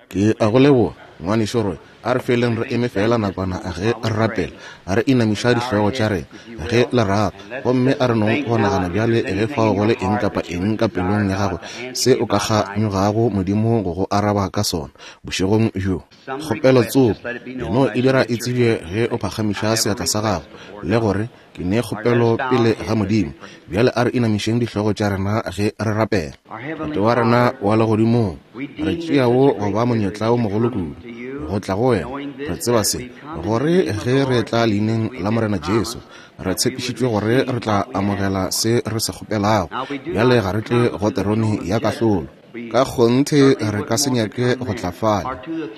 Ke a go leboga, Ngwanešu Roy. A re feleng re eme feela nakwana ge re rapela, re inamiša dihlogo tša rena, ge le rata. Gomme a re nong go nagana bjale ge fao go le eng kapa eng ka pelong ya gago se o ka kganyogago Modimo go go araba ka sona bošegong bjo. Kgopelo tsoko, e no e dira e tsebje ge o phagamiša seatla sa gago, le go re, Ke ne kgopelo pele ga Modimo. Bjale a re inamišeng dihlogo tša rena ge re rapela. Tate wa rena wa Legodimong, re tšea wo go ba monyetla wo mogolo kudu go tla go Wena. Re tseba se, gore ge re etla Leineng la Morena Jesu, re tshepišitšwe gore re tla amogela se re se kgopelago. Bjale ga re tle go terone ya kahlolo. Ka kgonthe re ka se nyake go tla fale,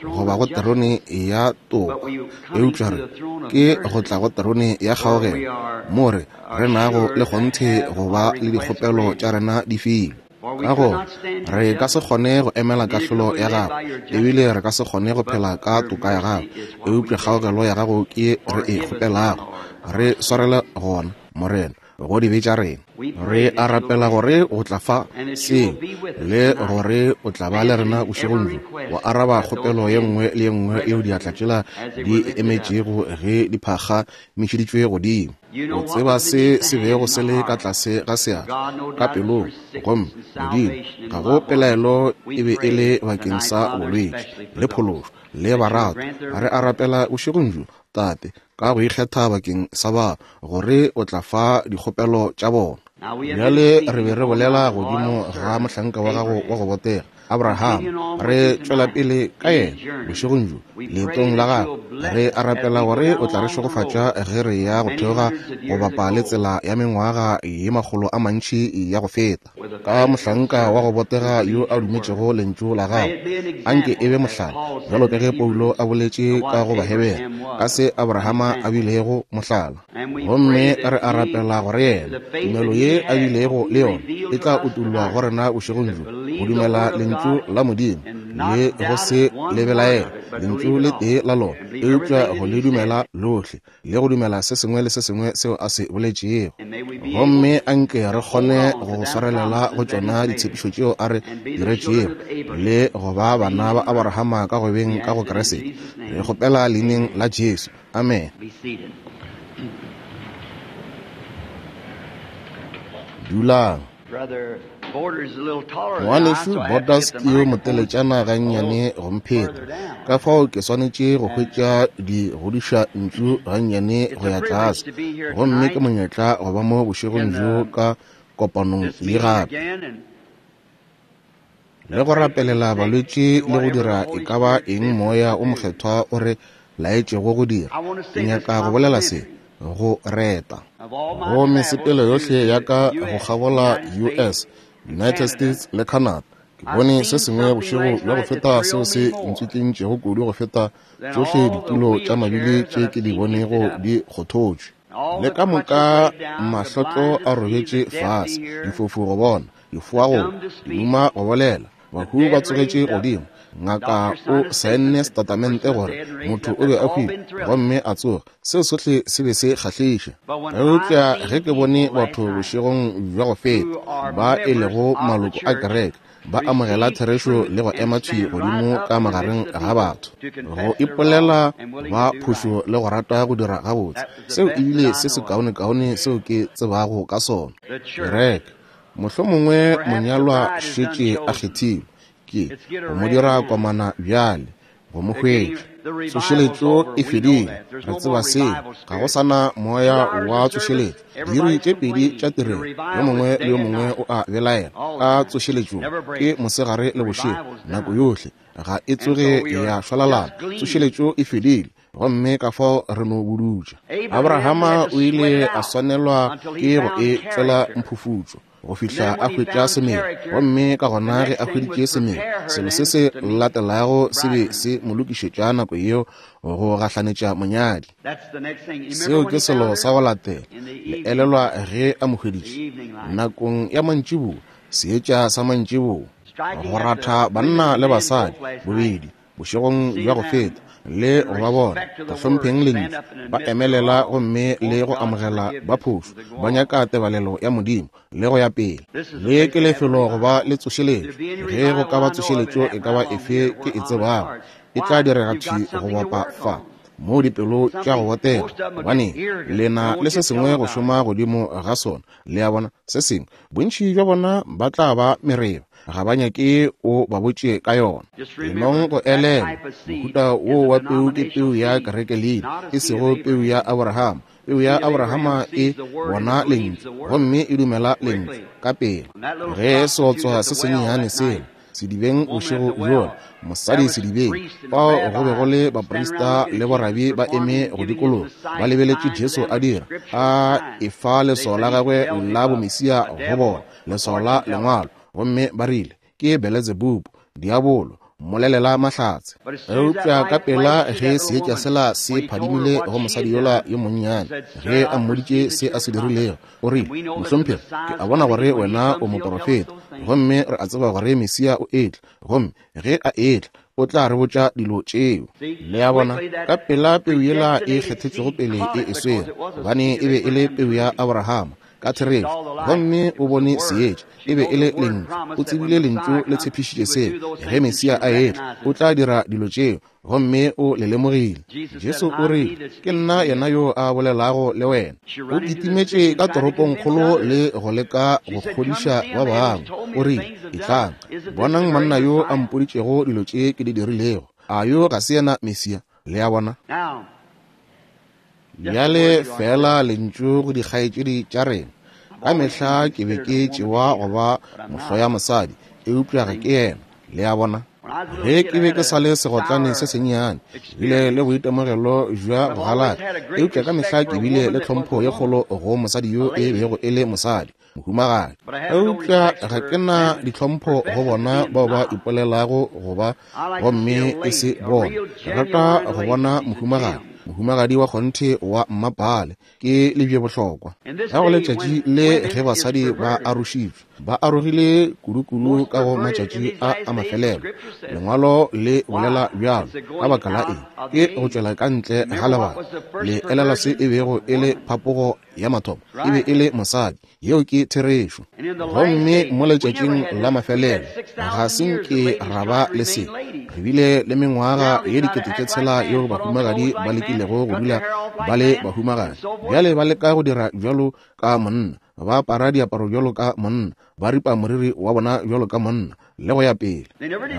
goba go terone ya toka, eupša re ke go tla go terone ya kgaogelo, mo re, re nago le kgonthe go ba le dikgopelo tša rena di filwe. Ka gore re ka se kgone go emela kahlolo ya gago, ebile re ka se kgone go phela ka toka ya gago, eupša kgaogelo ya gago ke ye re e kgopelago. Re swarele gona, Morena. go dibe tša rena. Re a rapela gore o tla fa seo, le gore o tla ba le rena bošegong bjo, wa araba kgopelo ye nngwe le ye nngwe yeo diatla tšela di e emetšego ge di phagamišeditšwe godimo. O tseba se se bego se le ka tlase ga seatla, ka pelong, gomme, Modimo, ga go pelaelo e be e le bakeng sa bolwetši, le phološo, le baratwa. Re a rapela bošegong bjo, Tate, ka go ikgetha bakeng sa ba, gore o tla fa dikgopelo tša bona. Bjale re be re bolela godimo ga mohlanka wa gago wa go botega, Abraham, re tšwela pele ka yena bošegong bjo leetong la gagwe. Re a rapela gore o tla re šegofatša ge re ya go theoga go bapa le tsela ya mengwaga ye makgolo a mantši ya go feta. Ka mohlanka wa go botega yo a dumetšego lentšu la gago. Anke e be mohlala, bjalo ka ge Paulo a boletše ka go Bahebere, ka se Abrahama a bilego mohlala. Gomme re a rapela gore yena, tumelo ye a bilego le yona, e tla utollwa go rena bošegong bjo, go dumela lentšu la Modimo, le go se le belaele lentšu le tee la lona, eupša go le dumela lohle. le go dumela se sengwe le se sengwe seo a se boletšego. Gomme anke re kgone go swarelela go tšona ditshepišo tšeo a re diretšego, le go ba bana ba Aborahama ka go beng ka go Kriste. Re kgopela Leineng la Jesu. Amene. Dulang. Ngwanešu Borders ke yo moteletšana gannyane go mpheta, ka fao ke swanetše go hwetša di godiša ntšu gannyane go ya tlase. Gomme ke monyetla go ba mo bošegong bjo ka kopanong ye gape, le go rapelela balwetši le go dira e ka ba eng Moya wo Mokgethwa o re laetšego go dira. Ke nyaka go bolela se, go reta. Go mesepelo yohle ya ka go kgabola US, United States le Canada, ke bone se sengwe bošego bja go feta seo se ntswitlentšego kudu go feta tšohle ditulo tša mabili tše ke di bonego di kgothotšwe. Le ka moka mahlotlo a robetše fase, difofu go bona, difoa go dimuma go bolela, Bahu ba tsogetše godimo. Ngaka o saenne setatamente gore motho o be a hwile gomme a tsoga. Seo sohle se be se kgahliša. Eupša ge ke bone batho bošegong bja go feta, ba e lego maloko a kereke, ba amogela therešo le go ema thwi godimo ka magareng ga batho, go ipolela ba phošo le go rata go dira gabotse, seo e bile se sekaonekaone seo ke tsebago ka sona. Kereke Mohlomongwe monyalwa šetše a kgethilwe, ke go mo dira komana bjale, go mo hwetša. Tsošeletšo e fedile, re tseba seo. Ga go sa na moya wa tsošeletšo. Diiri tše pedi tša tirelo, yo mongwe le yo mongwe o a belaela ka tsošeletšo, ke mosegare le bošego, nako yohle. Ga e tsoge ya šwalalana. Tsošeletšo e fedile. Gomme ka fao re no budutša. Abrahama o ile a swanelwa ke go e tšwela mphufutšo go fihla a hwetša semelo. Gomme ka gona ge a hweditše semelo, selo se se latelago se be se mo lokišetša nako yeo go gahlanetša monyadi. Seo ke selo sa go latela. Le elelwa ge a mo hweditše? Nakong ya mantšiboa, seetša sa mantšiboa, go ratha banna le basadi bobedi bošegong bja go feta. Le go ba bona go hlompheng lentšu, ba emelela gomme le go amogela ba phošo, ba nyaka tebalelo ya Modimo le go ya pele. Le ke lefelo go ba le tsošeletšo. Ge go ka ba tsošeletšo e ka ba efe ke e tsebago, e tla direga thwi go bapa fa, moo dipelo tša go botega, gobane le na le se sengwe go šoma godimo ga sona. Le a bona, se sengwe. Bontši bja bona ba tla ba mereba, ga ba nyake o ba botše ka yona. Lenong go elelwa, mohuta wo wa peu ke peu ya kerekelina, e sego peu ya Abrahama. Peu ya Abrahama e bona lentšu gomme e dumela lentšu ka pela. Ge seotswa se sennyane sela sedibeng bošego bjola, mosadi sedibeng, fao go be go le baprista le borabi ba eme go dikologa, ba lebeletše Jesu a dira, a efa leswao la gagwe la bomesia go bona, leswao la Lengwalo, gomme ba rile, Ke Beletsebubu, diabolo, mmolelela mahlatse. Eupša ka pela ge seetša sela se phadimile go mosadi yola yo monnyane, ge a mmoditše se a se dirilego, o rile, Mohlomphegi, ke a bona gore wena o moporofeta, gomme re a tseba gore Mesia o etla, gomme ge a etla, o tla re botša dilo tšeo. Le a bona, ka pela peu yela e kgethetšwego pele e e swere, gobane e be e le peu ya Abrahama, ka therešo, gomme o bone seetša. E be e le Lentšu. O tsebile Lentšu le tshepišitše seo. Ge Mesia a etla, o tla dira dilo tšeo, gomme o le lemogile. Jesu o rile, Ke nna yena yo a bolelago le wena. O kitimetše ka toropongkgolo le go leka go kgodiša ba bangwe. O rile, Etlang, bonang monna yo a mpoditšego dilo tše ke di dirilego. A yo ga se yena Mesia? Le a bona? Bjale feela lentšu go dikgaetšedi tša rena. Ka mehla ke be ke tšewa go ba mohloya mosadi, eupša ga ke yena. Le a bona? Ge ke be ke sa le segotlane se sennyane, ke bile le boitemogelo bja go galaka, eupša ka mehla ke bile le tlhompho ye kgolo go mosadi yo e bego e le mosadi, mohumagadi. Eupša ga ke na ditlhompho go bona bao ba ipolelago go ba gomme e se bona. Ke rata go bona mohumagadi, mohumagadi wa kgonthe wa mmapaale, ke lebjebohlokwa. Ka go letšatši le ge basadi ba arošitšwe, ba arogile kudukudu ka go matšatši a a mafelelo. Lengwalo le bolela bjalo. Ka baka la eng? Ke go tšwela ka ntle ga lebaka. Le elelwa se e bego e le phapogo ya mathomo? E be e le mosadi. Yeo ke therešo. Gomme mo letšatšing la mafelelo, ga se nke ra ba le se. Re bile le mengwaga ye 6000 yeo bahumagadi ba lekilego go dula ba le bahumagadi. Bjale ba leka go dira bjalo ka monna, ba apara diaparo bjalo ka monna, ba ripa moriri wa bona bjalo ka monna, le go ya pele.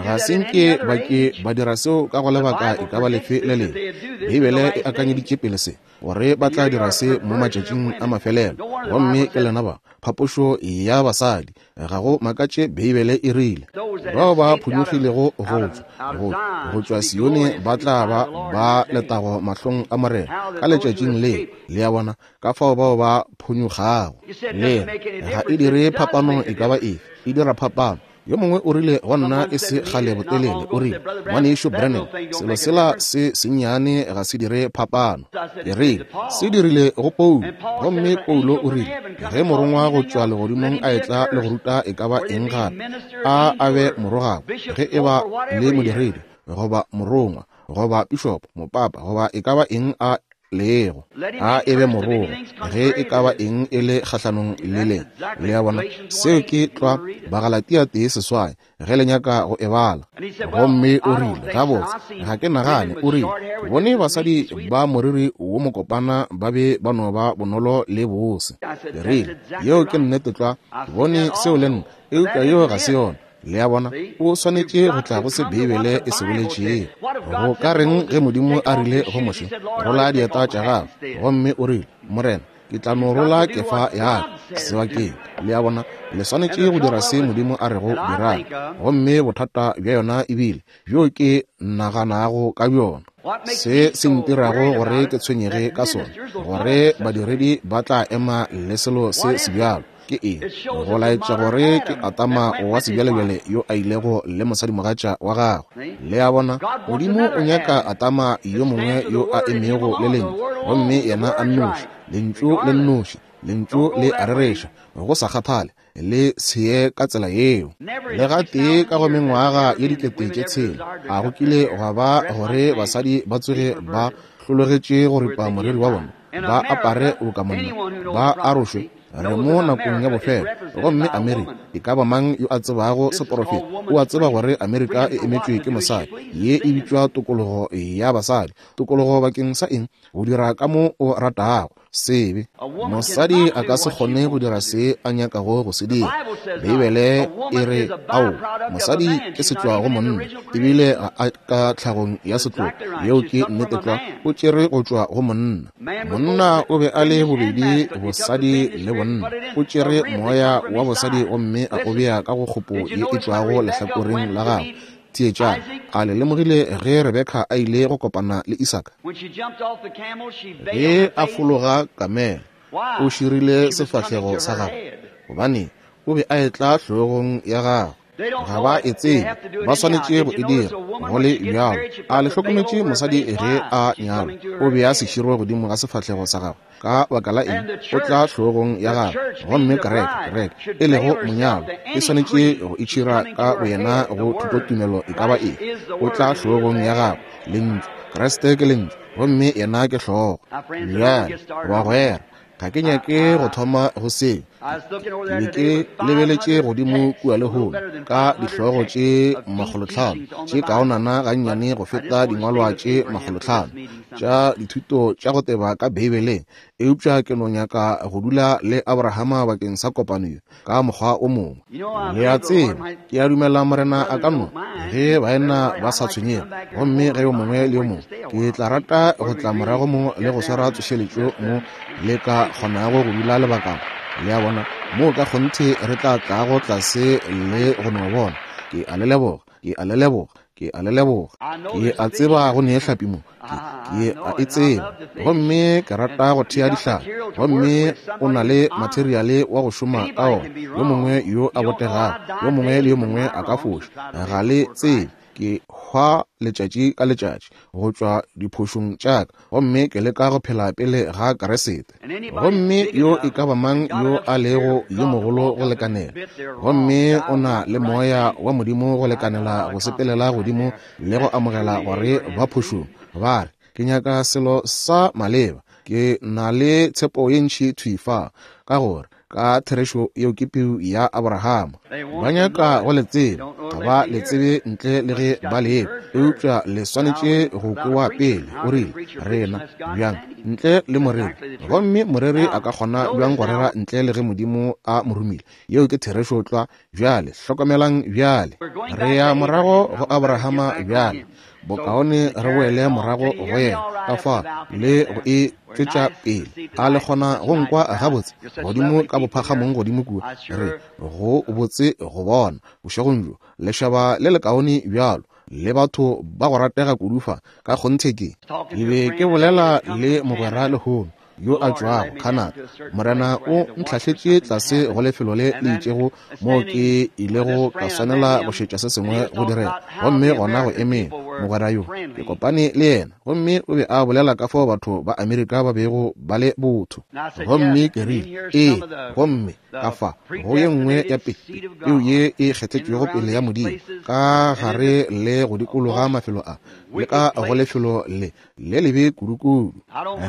Ga se nke ba ke ba dira seo ka go lebaka e ka ba lefe le lengwe. Beibele e akanyeditše pele se, gore ba tla dira se mo matšatšing a mafelelo. Gomme ke lena ba, phapošo ya basadi. Ga go makatše Beibele e rile, Bao ba phonyokgilego go tšwa Sione ba tla ba ba letago mahlong a Morena ka letšatšing le. Le a bona, ka fao bao ba phonyokgago. Le ga e dire phapano e ka ba efe, e dira phapano. Yo mongwe o rile go nna e se kgale botelele, o rile, Ngwanešu Branham, selo sela se sennyane ga se dire phapano. Ke rile, Se dirile go Paulo. Gomme Paulo o rile, Ge morongwa go tšwa legodimong a etla le go ruta e ka ba eng gape, a a be morogakwa, ge e ba le modiredi, goba morongwa, goba pišopo, mopapa, goba e ka ba eng a lego, a e be morogo, ge e ka ba eng e le kgahlanong le le. Le a bona? Seo ke tlwa Bagalatia 1:8, ge le nyaka go e bala. Gomme o rile, Gabotse, ga ke nagane, o rile, ke bone basadi ba moriri wo mokopana ba be ba no ba bonolo le bose. Ke rile, Yeo ke nnete tlwa, ke bone seo le nna, eupša yeo ga se yona. Le a bona, o swanetše go tla go se Beibele e se boletšego. Go ka reng ge Modimo a rile go Moshe, Rola dieta tša gago? Gomme o rile, Morena, ke tla no rola kefa ya ka sebakeng. Le a bona, le swanetše go dira se Modimo a rego dirang. Gomme bothata bja yona ebile bjo ke naganago ka bjona, se se ntirago gore ke tshwenyege ka sona, gore badiredi ba tla ema le selo se sebjalo. Ke eng? Go laetša gore ke Adama wa sebjalebjale yo a ilego le mosadimogatša wa gagwe. Le a bona? Modimo o nyaka Adama yo mongwe yo a emego le Lentšu, gomme yena a nnoši, Lentšu le nnoši, Lentšu le a rereša, go sa kgathale. Le se ye ka tsela yeo. Le gatee ka go mengwaga ye 6000, a go kile gwa ba gore basadi ba tsoge ba hlologetše go ripa moriri wa bona, ba apare boka monna, ba arošwe? Re mo nakong ya bofelo. Gomme Amerika, e ka ba mang yo a tsebago seporofeta, o a tseba gore Amerika e emetšwe ke mosadi. Ye e bitšwa tokologo ya basadi. Tokologo bakeng sa eng? Go dira ka mo o ratago. Sebe. Mosadi a ka se kgone go dira se a nyakago go se dira. Beibele e re, Ao, mosadi ke setšwa go monna, ebile ga a ka tlhagong ya setlogo. Yeo ke nnete tlwa. O tšere go tšwa go monna. Monna o be a le bobedi bosadi le bonna. O tšere moya wa bosadi gomme a o bea ka go kgopo ye e tšwago lehlakoreng la gagwe. Theetšang, a le lemogile ge Rebeka a ile go kopana le Isaka? Ge a fologa kamela, o širile sefahlego sa gagwe, gobane o be a etla hlogong ya gagwe. Ga ba e tsebe, ba swanetše go e dira go le bjalo. A le hlokometše mosadi ge a nyalwa, o bea seširo godimo ga sefahlego sa gagwe? Ka baka la eng? O tla hlogong ya gagwe. Gomme kereke, kereke, e lego monyalwa, e swanetše go itšhira ka boyena go thutotumelo e ka ba eng. O tla hlogong ya gagwe, Lentšu. Kriste ke Lentšu, gomme yena ke hlogo. Bjale, bagwera, ga ke nyake go thoma go seo. Ke be ke lebeletše godimo kua lehono ka dihlogo tše 500 tše kaonana gannyane go feta dingwalwa tše 500 tša dithuto tša go teba ka Beibeleng, eupša ke no nyaka go dula le Abrahama bakeng sa kopano ye ka mokgwa o mongwe. Le a tseba, ke a dumela Morena a ka no, ge baena ba sa tshwenyege, gomme ge yo mongwe le yo mongwe, ke tla rata go tla morago mo le go swara tsošeletšo mo le ka kgonago go dula lebakana. Le a bona, moo ka kgonthe re tla tlago tlase le go no bona. Ke a le leboga, ke a le leboga, ke a le leboga. Ke a tseba go ne hlapi mo, ke a e tseba, gomme ke rata go thea dihlapi. Gomme o na le materiale wa go šoma ka ona, yo mongwe yo a botegago, yo mongwe le yo mongwe a ka foša. Ga le tsebe, ke hwa letšatši ka letšatši go tšwa diphošong tša ka, gomme ke leka go phela pele ga Kriste. Gomme yo e ka ba mang yo a lego yo mogolo go lekanela, gomme o na le moya wa Modimo go lekanela go sepelela godimo le go amogela gore ba phošong, ba re, Ke nyaka selo sa maleba, ke na le tshepo ye ntši thwi fa, ka gore ka therešo yeo ke peu ya Abrahama. Ba nyaka go le tseba, ga ba le tsebe ntle le ge ba le ekwa, eupša le swanetše go kwewa pele. O rile, Rena bjang ntle le moreri? Gomme moreri a ka kgona bjang go rera ntle le ge Modimo a mo romile? Yeo ke therešo tlwa. Bjale hlokomelang bjale, re ya morago go Abrahama bjale. Bokaone re boele morago go yena ka fa le go e tšwetša pele. A le kgona go nkwa gabotse godimo ka bophagamong godimo kua? Re go botse go bona bošegong bjo, lešaba le lekaone bjalo, le batho ba go ratega kudu fa. Ka kgonthe ke be ke bolela le mogwera lehono yo a tšwago Canada. Morena o ntlhahletše tlase go lefelo le le itšego moo ke ilego ka swanela go šetša se sengwe go direga, gomme gona go eme mogwera yo ke kopane le yena, gomme o be a bolela ka fao batho ba Amerika ba bego ba le botho. Gomme ke rile, Ee, gomme ka fa go ye nngwe ya peu ye e kgethetšwego pele ya Modimo ka gare le go dikologa mafelo a le ka go lefelo le le lebe kudukudu.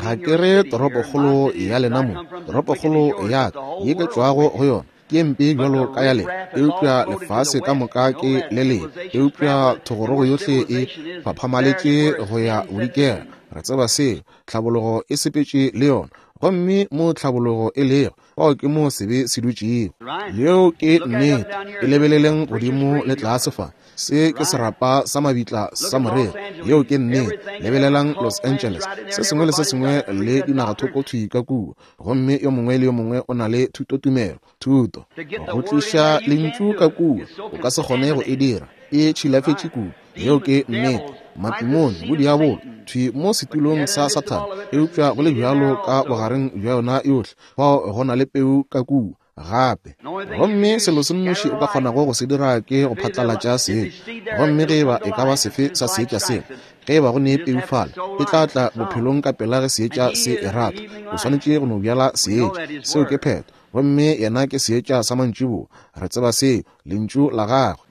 Ga ke re toropokgolo ya lena mo, toropokgolo ya ka ye ke tšwago go yona ke mpe bjalo ka ya lena, eupša lefase ka moka ke le lebe, eupša thogorogo yohle e phaphamaletše go ya bodikela. Re tseba seo, tlhabologo e sepetše le yona, gomme mo tlhabologo e lego, fao ke mo sebe se dutšego. Yeo ke nnete. E lebeleleng godimo le tlase fa. Se ke serapa sa mabitla sa morero. Yeo ke nnete. Lebelelang Los Angeles, se sengwe le se sengwe le dinagathoko thwi ka kua, gomme yo mongwe le yo mongwe o na le thutotumelo, thuto. Go tliša lentšu ka kua, o ka se kgone go e dira. E tšhilafetše kudu. Yeo ke nnete. Matimone, bodiabolo, thwi mo setulong sa Sathane, eupša go le bjalo ka bogareng bja yona yohle, fao go na le peu ka kua gape. Gomme selo se nnoši o ka kgonago go se dira ke go phatlalatša seetša. Gomme ge eba e ka ba sefe sa seetša sela, ge eba go ne peu fale, e tla tla bophelong ka pela ge seetša se e rata. O swanetše go no bjala seetša. Seo ke phetho. Gomme Yena ke Seetša sa mantšiboa. Re tseba seo, Lentšu la Gagwe.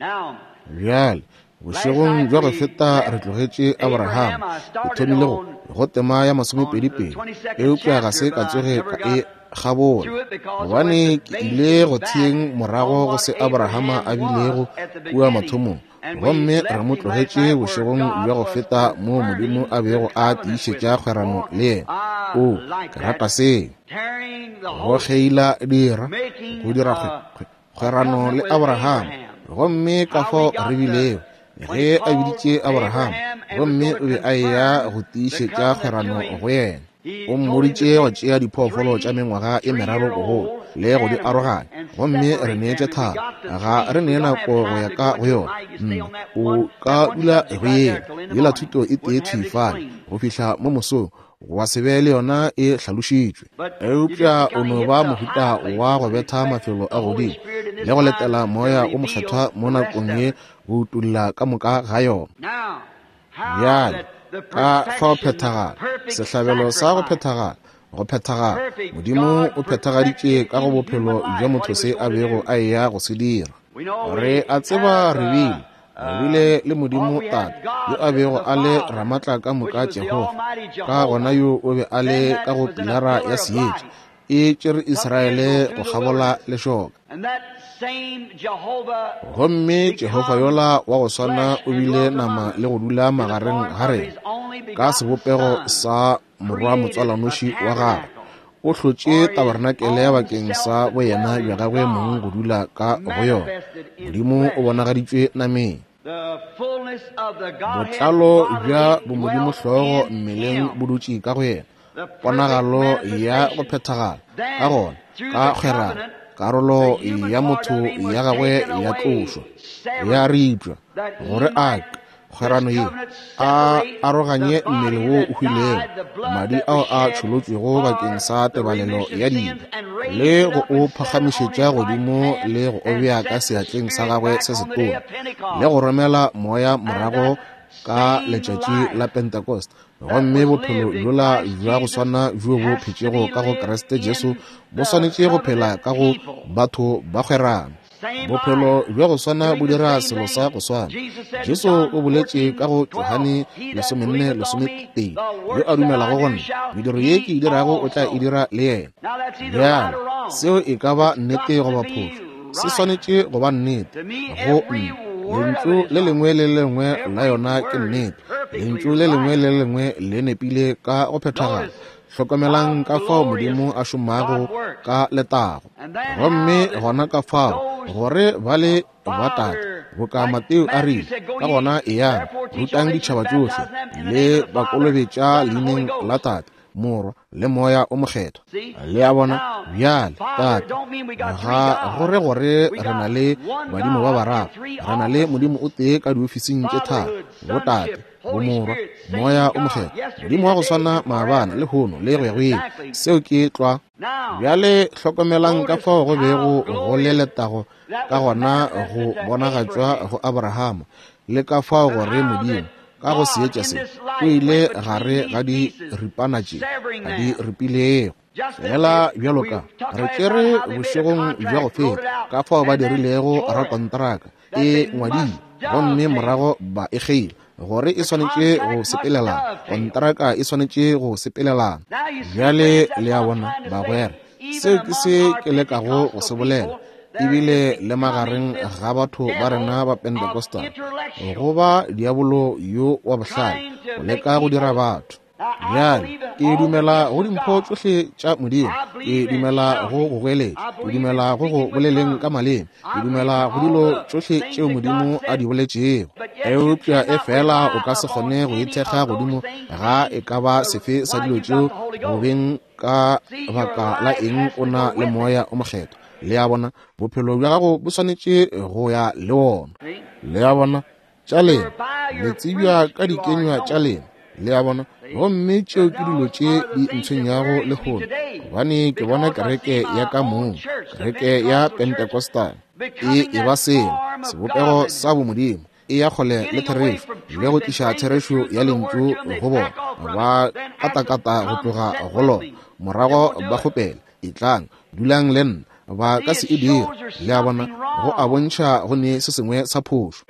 Bjale, bošegong bja go feta re tlogetše Abraham. Ke thomile go, go tema ya masomepedipedi, eupša ga se ka tsoge ka e kgabola, gobane ke ile go theeng morago go se Abrahama a bilego kua mathomong. Gomme re mo tlogetše bošegong bja go feta moo Modimo a bego a tiišetša kgwerano le yena. Oo, ke rata seo. Go kgeila dira, go dira kgwerano le Abraham. Gomme ka fao re bilego, ge a biditše Abraham, gomme o be a eya go tiišetša kgwerano go yena. O mmoditše go tšea diphoofolo tša mengwaga e meraro bogolo le go di aroganya, gomme re neetše thabo. Ga re nee nako go ya ka go yona. Nna, o ka dula go yela yela thuto e tee thwi fale go fihla mo mosong, gwa se be le yona e hlalošitšwe. Eupša o no ba mohuta wa go betha mafelo a godimo le go letela Moya o Mokgethwa mo nakong ye go utolla ka moka ga yona. Bjale, ka fao phethagala, sehlabelo sa go phethagala, go phethagala, Modimo o phethagaditše ka go bophelo bja motho se a bego a eya go se dira. Re a tseba re bile, re bile le Modimo Tate, yo a bego a le Ramatla ka moka Jehofa, ka gona yo o be a le ka go pilara ya seetša, e tšere Israele go kgabola lešoka. Gomme Jehofa yola wa go swana o bile nama le go dula magareng ga rena ka sebopego sa morwa motswalanoši wa gagwe. O hlotše tabarenakele bakeng sa boyena bja gagwe mong go dula ka go yona. Modimo o bonagaditšwe nameng. Botlalo bja bomodimo hlogo mmeleng bo dutše ka go yena. Ponagalo ya go phethagala. Ka gona, ka kgwerano, karolo ya motho ya gagwe ya tlošwa, ya ripša, gore a kgwerano ye a aroganye mmele wo o hwilego, madi ao a tšholotšwego bakeng sa tebalelo ya dibe, le go o phagamišetša godimo le go o bea ka seatleng sa gagwe se setona, le go romela moya morago ka letšatši la Pentecost. Gomme bophelo bjola bja go swana bjo bo phetšego ka go Kriste Jesu bo swanetše go phela ka go batho ba kgwerano. Bophelo bja go swana bo dira selo sa go swana. Jesu o boletše ka go Johane 14:12, yo a dumelago go nna, mediro ye ke e dirago o tla e dira le yena. Bjale, seo e ka ba nnete goba phošo, se swanetše go ba nnete go nna. Lentšu le lengwe le le lengwe la yona ke nnete. Lentšu le lengwe le lengwe le nepile ka go phethagala. Hlokomelang ka fao Modimo a šomago ka letago. Gomme gona ka fao gore ba le ba tate, boka Mateo a rile, ka gona eyang, rutang ditšhaba tšohle, le ba kolobetša leineng la Tate, Morwa, le Moya o Mokgethwa. Le a bona? Bjale, Tate, ga go re gore re na le badimo ba bararo. Re na le Modimo o tee ka diofising tše tharo, Botate, Bomorwa, Moya o Mokgethwa. Modimo wa go swana maabane, lehono, le go ya go ile. Seo ke tlwa. Bjale hlokomelang ka fao go bego go le letago ka gona go bonagatšwa go Abrahama, le ka fao gore Modimo ka go seetša se o ile gare ga diripana tše a di ripilego. Fela bjalo ka re tšere bošegong bja go feta, ka fao ba dirilego rakontraka e ngwadile, gomme morago ba e kgeila gore e swanetše go sepelelana, kontraka e swanetše go sepelelana. Bjale le a bona, bagwera, seo ke se ke lekago go se bolela. Ebile le magareng ga batho ba rena ba Pentecostal, go ba diabolo yo wa bohlale go leka go dira batho. Bjale ke dumela go dimpho tšohle tša Modimo, ke dumela go go goeletša, ke dumela go go boleleng ka maleme, ke dumela go dilo tšohle tšeo Modimo a di boletšego. Eupša e fela o ka se kgone go ithekga godimo ga e ka ba sefe sa dilo tšeo go beng ka baka la eng o na le Moya o Mokgethwa. Le a bona, bophelo bja gago bo swanetše go ya le wona. Le a bona, tša lena le tsebja ka dikenywa tša lena. Le a bona, gomme tšeo ke dilo tše di ntshwenyago lehono, gobane ke bona kereke ya ka mong, kereke ya Pentecostal, e e ba selo, sebopego sa bomodimo, e ya kgole le therešo, le go tliša therešo ya lentšu go bona, ba katakata go tloga go lona, morago ba kgopela, etlang, dulang le nna. Ba ka se e dire. Le a bona, go a bontšha go ne se sengwe sa phošo.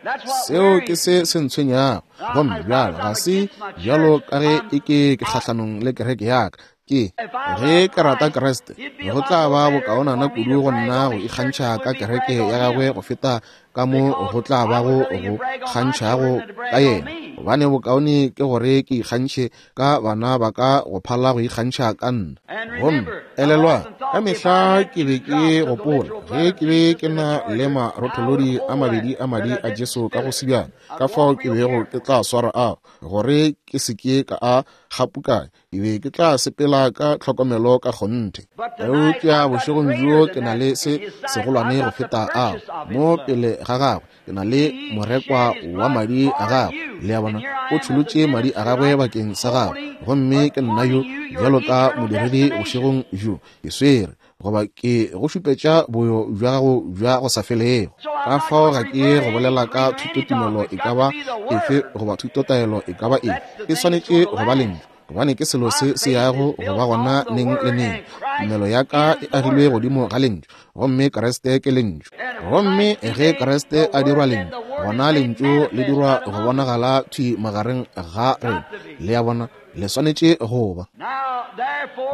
Seo ke se se ntshwenyago. Gomme bjalo ga se bjalo ka ge e ke ke kgahlanong le kereke ya ka. Ke ge ke rata Kriste, go tla ba bokaonana kudu go nna go ikgantšha ka kereke ya gagwe go feta ka mo go tla bago go kgantšhago ka yena. Gobane bokaone ke gore ke ikgantšhe ka bana ba ka go phala go ikgantšha ka nna. Gomme elelwa, ka mehla ke be ke gopola ge ke be ke na le marotholodi a mabedi a madi a Jesu ka go sebjana, ka fao ke bego ke tla swara ao gore ke se ke ka a gapukanya. Ke be ke tla sepela ka tlhokomelo ka kgonthe. Eupša bošegong bjo ke na le se segolwane go feta ao mo pele ga gagwe. Ke na le morekwa wa madi a gagwe. Le a bona, o tšholotše madi a gagwe bakeng sa gagwe. Gomme ke nna yo bjalo ka modiredi bošegong bjo, ke swere goba ke go šupetša boyo bja gago bja go sa felego. Ka fao ga ke go bolela ka thutotumelo e ka ba efe goba thutotaelo e ka ba efe. E swanetše go ba lentšu, gobane ke selo se se yago go ba gona neng le neng. Tumelo ya ka e agilwe godimo ga lentšu, gomme Kriste ke lentšu. Gomme ge Kriste a dirwa lentšu, gona lentšu le dirwa go bonagala thwi magareng ga rena. Le a bona, le swanetše go ba.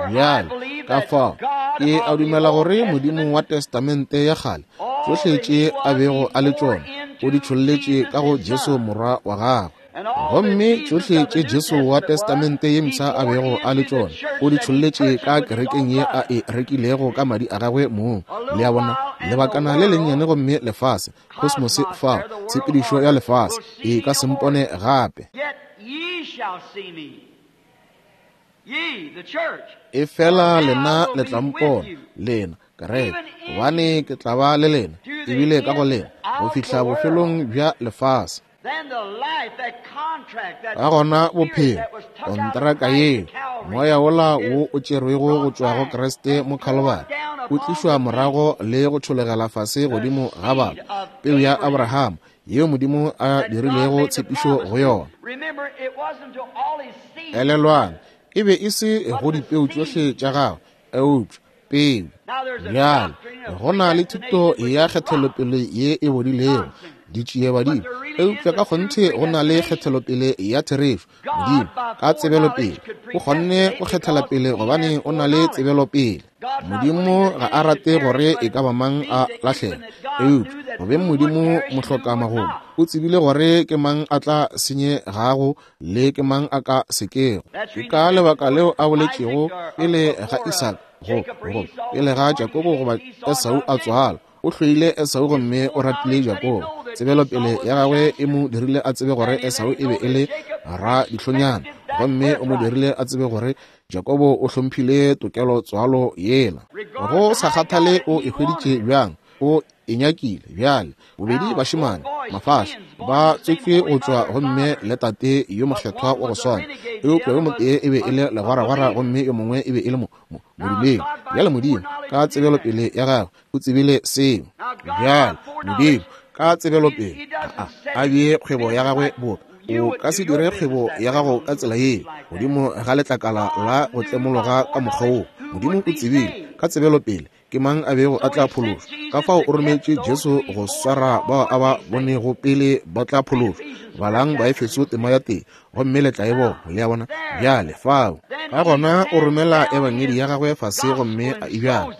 Bjale, ka fao ke a dumela gore Modimo wa Testamente ya kgale, tšohle tše a bego a le tšona, o di tšholletše ka go Jesu Morwa wa gagwe. Gomme tšohle tše Jesu wa Testamente ye mpsha a bego a le tšona, o di tšholletše ka kerekeng ye a e rekilego ka madi a gagwe mong. Le a bona, lebakana le lennyane gomme lefase, kosmose fao, tshepedišo ya lefase, e ka se mpone gape. Efela lena le tla mpona, lena kereke, gobane ke tla ba le lena, ebile ka go lena, go fihla bofelong bja lefase. Ka gona bophelo, kontraka yeo, moya wola wo o tšerwego go tšwa go Kriste mo Khalibari, o tlišwa morago le go tšhologela fase godimo ga batho, peu ya Abraham, yeo Modimo a dirilego tshepišo go yona. Elelwang, e be e se go dipeu tšohle tša gagwe, eupša peu. Bjale, go na le thuto ya kgethelopele ye e bodilego, ditšiebadimo, eupša ka kgonthe go na le kgethelopele ya therešo. Modimo, ka tsebelopele, o kgonne go kgethela pele gobane o na le tsebelopele. Modimo ga a rate gore e ka ba mang a lahlega, eupša go beng Modimo mohlokamagolo, o tsebile gore ke mang a tla senyegago le ke mang a ka sekego. Ke ka lebaka leo a boletšego pele ga Isaka, go pele ga Jakobo goba Esau a tswalwa. O hloile Esau gomme o ratile Jakobo. Tsebelopele ya gagwe e mo dirile a tsebe gore Esau e be e le radihlonyana, gomme o mo dirile a tsebe gore Jakobo o hlomphile tokelo tswalo yela. Go sa kgathale o e hweditše bjang, o e nyakile. Bjale, bobedi bašemane mafahla ba tswetšwe go tšwa gomme le tate yo mokgethwa wa go swana, eupša yo motee e be e le legwaragwara gomme yo mongwe e be e le modumedi. Bjale Modimo ka tsebelopele ya gagwe o tsebile seo. Bjale Modimo ka tsebelopele a bee kgwebo ya gagwe boka. O ka se dire kgwebo ya gago ka tsela yeo godimo ga letlakala la go tlemologa ka mokgwa woo. Modimo o tsebile ka tsebelopele ke mang a bego a tla phološwa. Ka fao o rometše Jesu go swara bao a ba bonego pele ba tla phološwa. Balang Baefeso tema ya tee gomme le tla e bona. Le a bona? Bjale fao ka gona o romela ebangedi ya gagwe fase gomme a e bjala,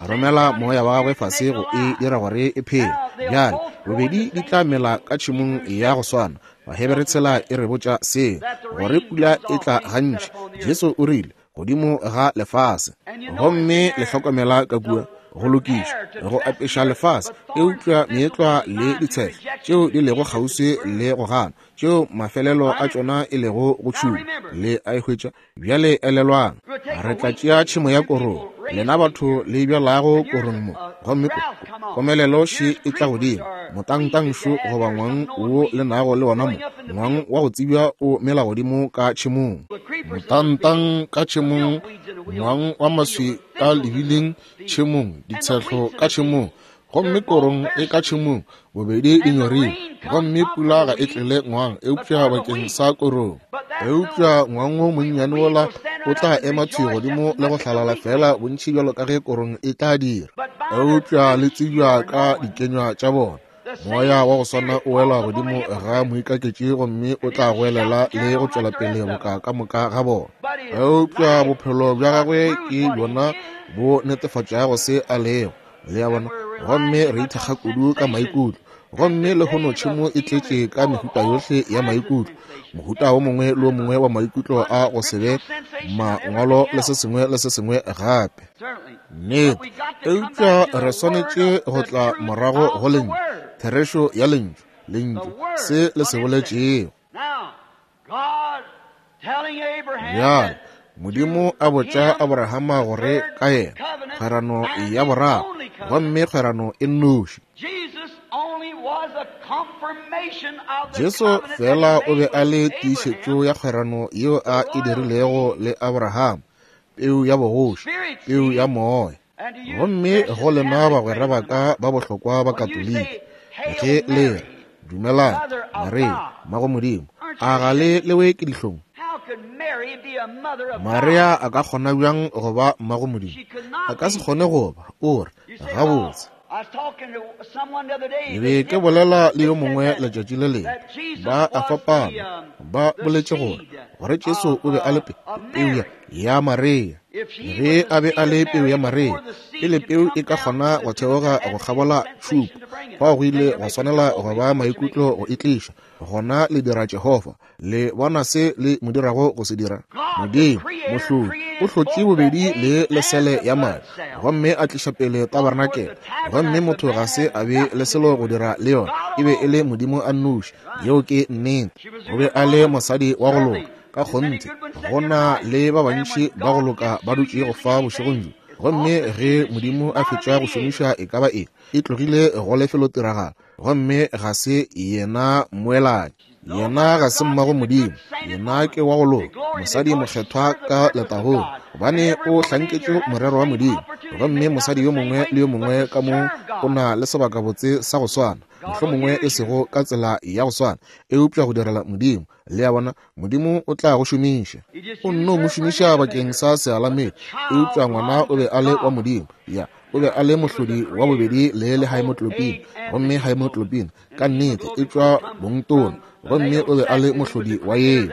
a romela moya wa gagwe fase go e dira gore e phele. Bjale bobedi di tla mela ka tšhemong ya go swana. Bahebere tshela e re botša seo, gore pula e tla gantši. Jesu o rile godimo ga lefase, gomme le hlokomela ka kua go lokišwa go apeša lefase, eupša meetlwa le ditshehlo tšeo di lego kgauswi le go gana, tšeo mafelelo a tšona e lego go tšhuma, le a e hwetša. Bjale elelwang, re tla tšea tšhemo ya korong, lena batho le bjalago korong mo, gomme komelelo še e tla godimo, motangtangšo goba ngwang wo le nago le wona mo, ngwang wa go tsebja o mela godimo ka tšhemong. Motangtang ka tšhemong, ngwang wa maswi ka lebileng tšhemong, ditshehlo ka tšhemong, gomme korong e ka tšhemong, bobedi di nyorile, gomme pula ga e tlele ngwang eupša bakeng sa korong. Eupša ngwang wo monnyane wola O tla ema thwi godimo le go hlalala feela bontši bjalo ka ge korong e tla dira. Eupša le tsebja ka dikenywa tša bona. Moya wa go swana o wela godimo ga moikaketši gomme o tla goelela le go tšwela pele boka ka moka ga bona. Eupša bophelo bja gagwe ke bjona bo netefatšago se a lego. Le a bona? Gomme re ithekga kudu ka maikutlo. Gomme lehono tšhemo e tletše ka mehuta yohle ya maikutlo, mohuta wo mongwe le wo mongwe wa maikutlo a go se be mangwalo le se sengwe le se sengwe gape. Nnete. Eupša re swanetše go tla morago go Lentšu, therešo ya Lentšu, Lentšu, se le se boletšego. Bjale, Modimo a botša Abrahama gore ka yena, kgwerano ya boraro, gomme kgwerano e nnoši. Jesu feela o be a le tiišetšo ya kgwerano yeo a e dirilego le Abrahama, peu ya bogoši, peu ya moya. Gomme go lena bagwera ba ka ba bohlokwa ba Katoliki, ge le re, Dumelang, Maria, mmago Modimo, a ga le lewe ke dihlong? Maria a ka kgona bjang go ba mmago Modimo? A ka se kgone go ba. O re, Gabotse, ke be ke bolela le yo mongwe letšatši le lengwe, ba a fapana, ba boletše gore, gore Jesu o be a le peu ya Maria. Ge a be a le peu ya Maria, pele peu e ka kgona go theoga go kgabola tšhupo, fao go ile gwa swanela go ba maikutlo go e tliša. Gona le dira Jehofa. Le bona se le mo dirago go se dira? Modimo, Mohlodi, o hlotše bobedi le lesele ya madi, gomme a tliša pele tabarenakele, gomme motho ga se a be le selo go dira le yona. E be e le Modimo a nnoši. Yeo ke nnete. O be a le mosadi wa go loka. Ka kgonthe, go na le ba bantši ba go loka ba dutšego fa bošegong bjo. Gomme ge Modimo a fetša go šomiša e ka ba eng, e tlogile go lefelotiragalo, gomme ga se yena mmoelanyi. Yena ga se mmago Modimo, yena ke wa go loka, mosadi mokgethwa ka letagong, gobane o hlanketše morero wa Modimo. Gomme mosadi yo mongwe le yo mongwe ka mo o na le sebakabotse sa go swana, mohlomongwe e sego ka tsela ya go swana, eupša go direla Modimo. Le a bona, Modimo o tla go šomiša. O nno mo šomiša bakeng sa sealamedi, eupša ngwana o be a le wa Modimo. Ya, o be a le mohlodi wa bobedi le le haemoglobin, gomme haemoglobin ka nnete e tšwa bongtona, gomme o be a le mohlodi wa yeo.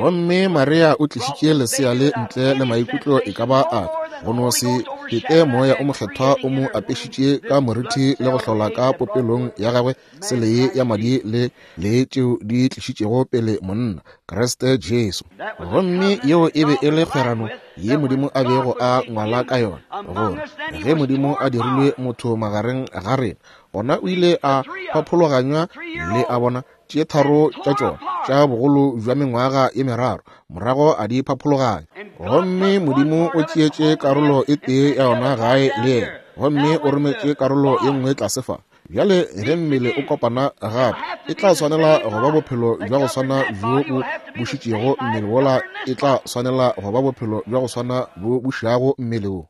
Gomme Maria o tlišitše lesea le ntle le maikutlo e ka ba afe, go no se fete Moya o Mokgethwa o mo apešitše ka moriti le go hlola ka popelong ya gagwe sele ye ya madi le le tšeo di tlišitšego pele monna Kriste Jesu. Gomme yeo e be e le kgwerano ye Modimo a bego a ngwala ka yona, gore ge Modimo a dirilwe motho magareng ga rena, gona o ile a phaphologanywa le a bona tše tharo tša tšona tša bogolo bja mengwaga ye meraro, morago a di phaphologanya. Gomme Modimo o tšeetše karolo e tee ya yona gae le yena, gomme o rometše karolo ye nngwe tlase fa. Bjale ge mmele o kopana gape, e tla swanela go ba bophelo bja go swana bjo bo bušitšego mmele wola, e tla swanela go ba bophelo bja go swana bo bušago mmele wo.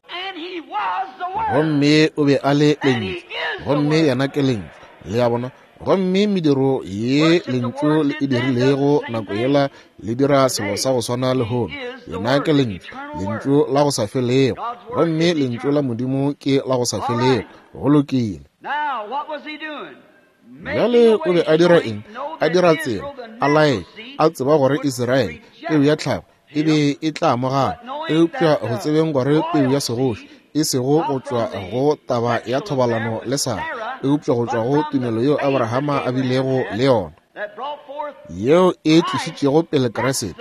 Gomme o be a le Lentšu, gomme yena ke Lentšu. Le a bona? Gomme mediro ye Lentšu le e dirilego nako yela le dira selo sa go swana lehono. Yena ke Lentšu, Lentšu la go sa felego. Gomme Lentšu la Modimo ke la go sa felego. Go lokile. Bjale o be a dira eng? A dira tsela, a laetša, a tseba gore Israele, peu ya tlhago, e be e tla amogana, eupša go tsebeng gore peu ya segoši, e sego go tšwa go taba ya thobalano le Sara, eupša go tšwa go tumelo yeo Abrahama a bilego le yona, yeo e tlišitšego pele Kriste,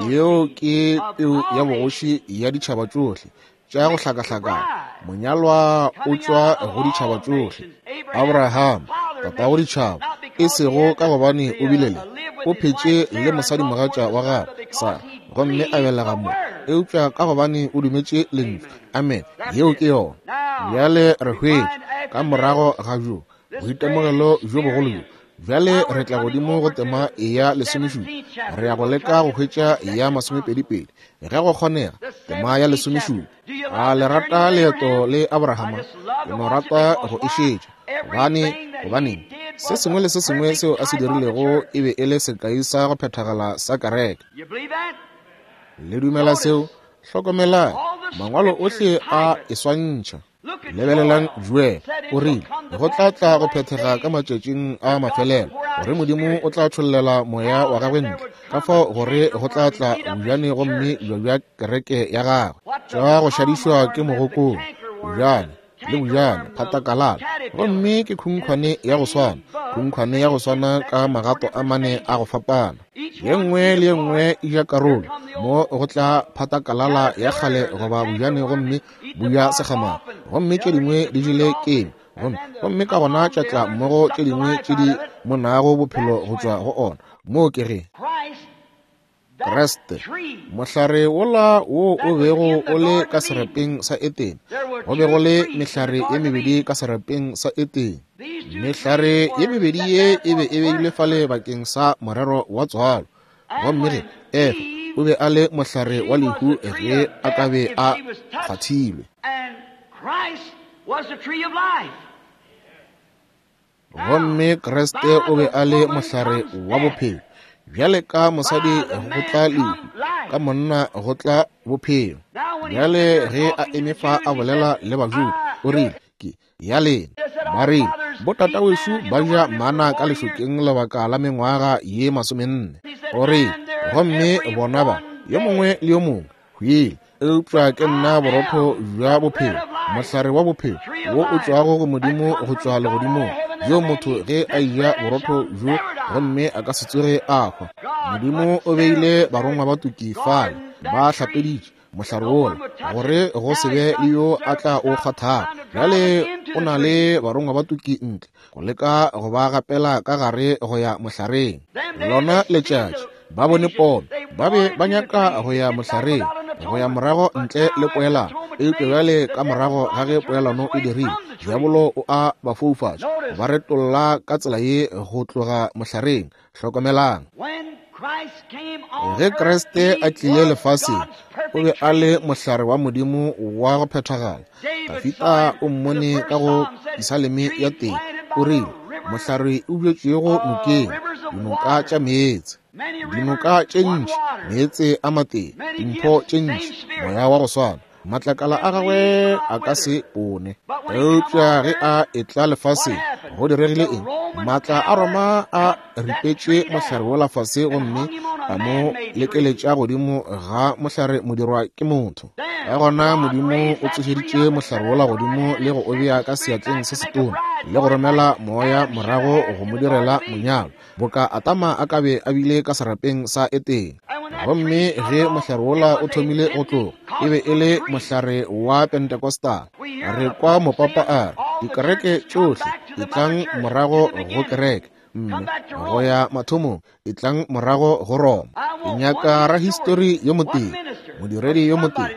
yeo ke peu ya bogoši ya ditšhaba tšohle tša go hlakahlakana. Monyalwa o tšwa go ditšhaba tšohle. Abraham, tatago ditšhaba, e sego ka gobane o bile le, o phetše le mosadimogatša wa gagwe, Sara, gomme a belega mo, eupša ka gobane o dumetše Lentšu. Amen. Yeo ke yona. Bjale re hwetša, ka morago ga bjo, boitemogelo bjo bogolo bjo, bjale re tla godimo go tema ya lesomešupa. Re ya go leka go hwetša ya masomepedipedi, ge go kgonega, tema ya lesomešupa. A le rata leeto le Abrahama? Ke no rata go e šetša. Gobane, gobaneng, se sengwe le se sengwe seo a se dirilego e be e le sekai sa go phethagala sa kereke. Le dumela seo? Hlokomelang, Mangwalo ohle a e swantšha. Lebelelang Joel, o rile, go tla tla go phethega ka matšatšing a mafelelo, gore Modimo o tla tšhollela moya wa gagwe ntle, ka fao gore go tla tla bjane gomme bja bja kereke ya gagwe, tša go šadišwa ke mogokong, bjane le bjane, phatakalala, gomme ke khunkhwane ya go swana, khunkhwane ya go swana ka magato a mane a go fapana. Ye nngwe le ye nngwe e ja karolo, mo go tla phatakalala ya kgale goba bjane gomme buya segamana, gomme tše dingwe di jele keng, gomme gomme ka gona tša tla mmogo tše dingwe tše di monago bophelo go tšwa go ona. Moo ke ge Kriste, mohlare wola wo o bego o le ka serapeng sa Etene, go be go le mehlare ye mebedi ka serapeng sa Etene. Mehlare ye mebedi ye e be e beilwe fale bakeng sa morero wa tswalo. Gomme ge Efa o be a le mohlare wa lehu ge a ka be a kgwathilwe. Gomme Kriste o be a le mohlare wa bophelo. Bjale ka mosadi go tla lehu, ka monna go tla bophelo. Bjale ge a eme fa a bolela le Bajuda, o rile, ke ya lena. Ba rile, botatawešu ba ja mana ka lešokeng lebaka la mengwaga ye 40. O rile, gomme bona ba, yo mongwe le yo mongwe, hwile, eupša ke nna borotho bja bophelo, mohlare wa bophelo, wo o tšwago go Modimo go tšwa legodimong, bjo motho ge a eja borotho bjo gomme a ka se tsoge a hwa. Modimo o beile barongwa ba tuki fale, ba hlapeditše mohlare wola, gore go se be le yo a tla o kgwathago. Bjale o na le barongwa ba tuki ntle go leka go ba gapela ka gare go ya mohlareng. Lona letšatši ba bone pono, ba be ba nyaka go ya mohlareng, go ya morago ntle le poelano. Eupša bjale ka morago ga ge poelano e dirile, diabolo o a ba foufatša, ba retolla ka tsela ye go tloga mohlareng. Hlokomelang, ge Kriste a tlile lefaseng, o be a le mohlare wa Modimo wa go phethagala. Dafida o mmone ka go Pisaleme ya teng, o rile, mohlare o bjetšwego nokeng, dinoka tša meetse, dinoka tše ntši, meetse a matee, dimpho tše ntši, moya wa go swana, matlakala a gagwe a ka se pone. Eupša ge a etla lefaseng, go diregile eng? Maatla a Roma a ripetše mohlare wola fase gomme a mo lekeletša godimo ga mohlare modirwa ke motho. Ka gona Modimo o tsošeditše mohlare wola godimo le go o bea ka seatleng se setona le go romela moya morago go mo direla monyalo, boka Adama a ka be a bile ka serapeng sa Etene. Gomme ge mohlare wola o thomile go tloga, e be e le mohlare wa Pentecostal. Re kwa mopapa a re, dikereke tšohle etlang morago go kereke, mme go ya mathomong, etlang morago go Roma. Ke nyaka rahistori yo motee, modiredi yo motee,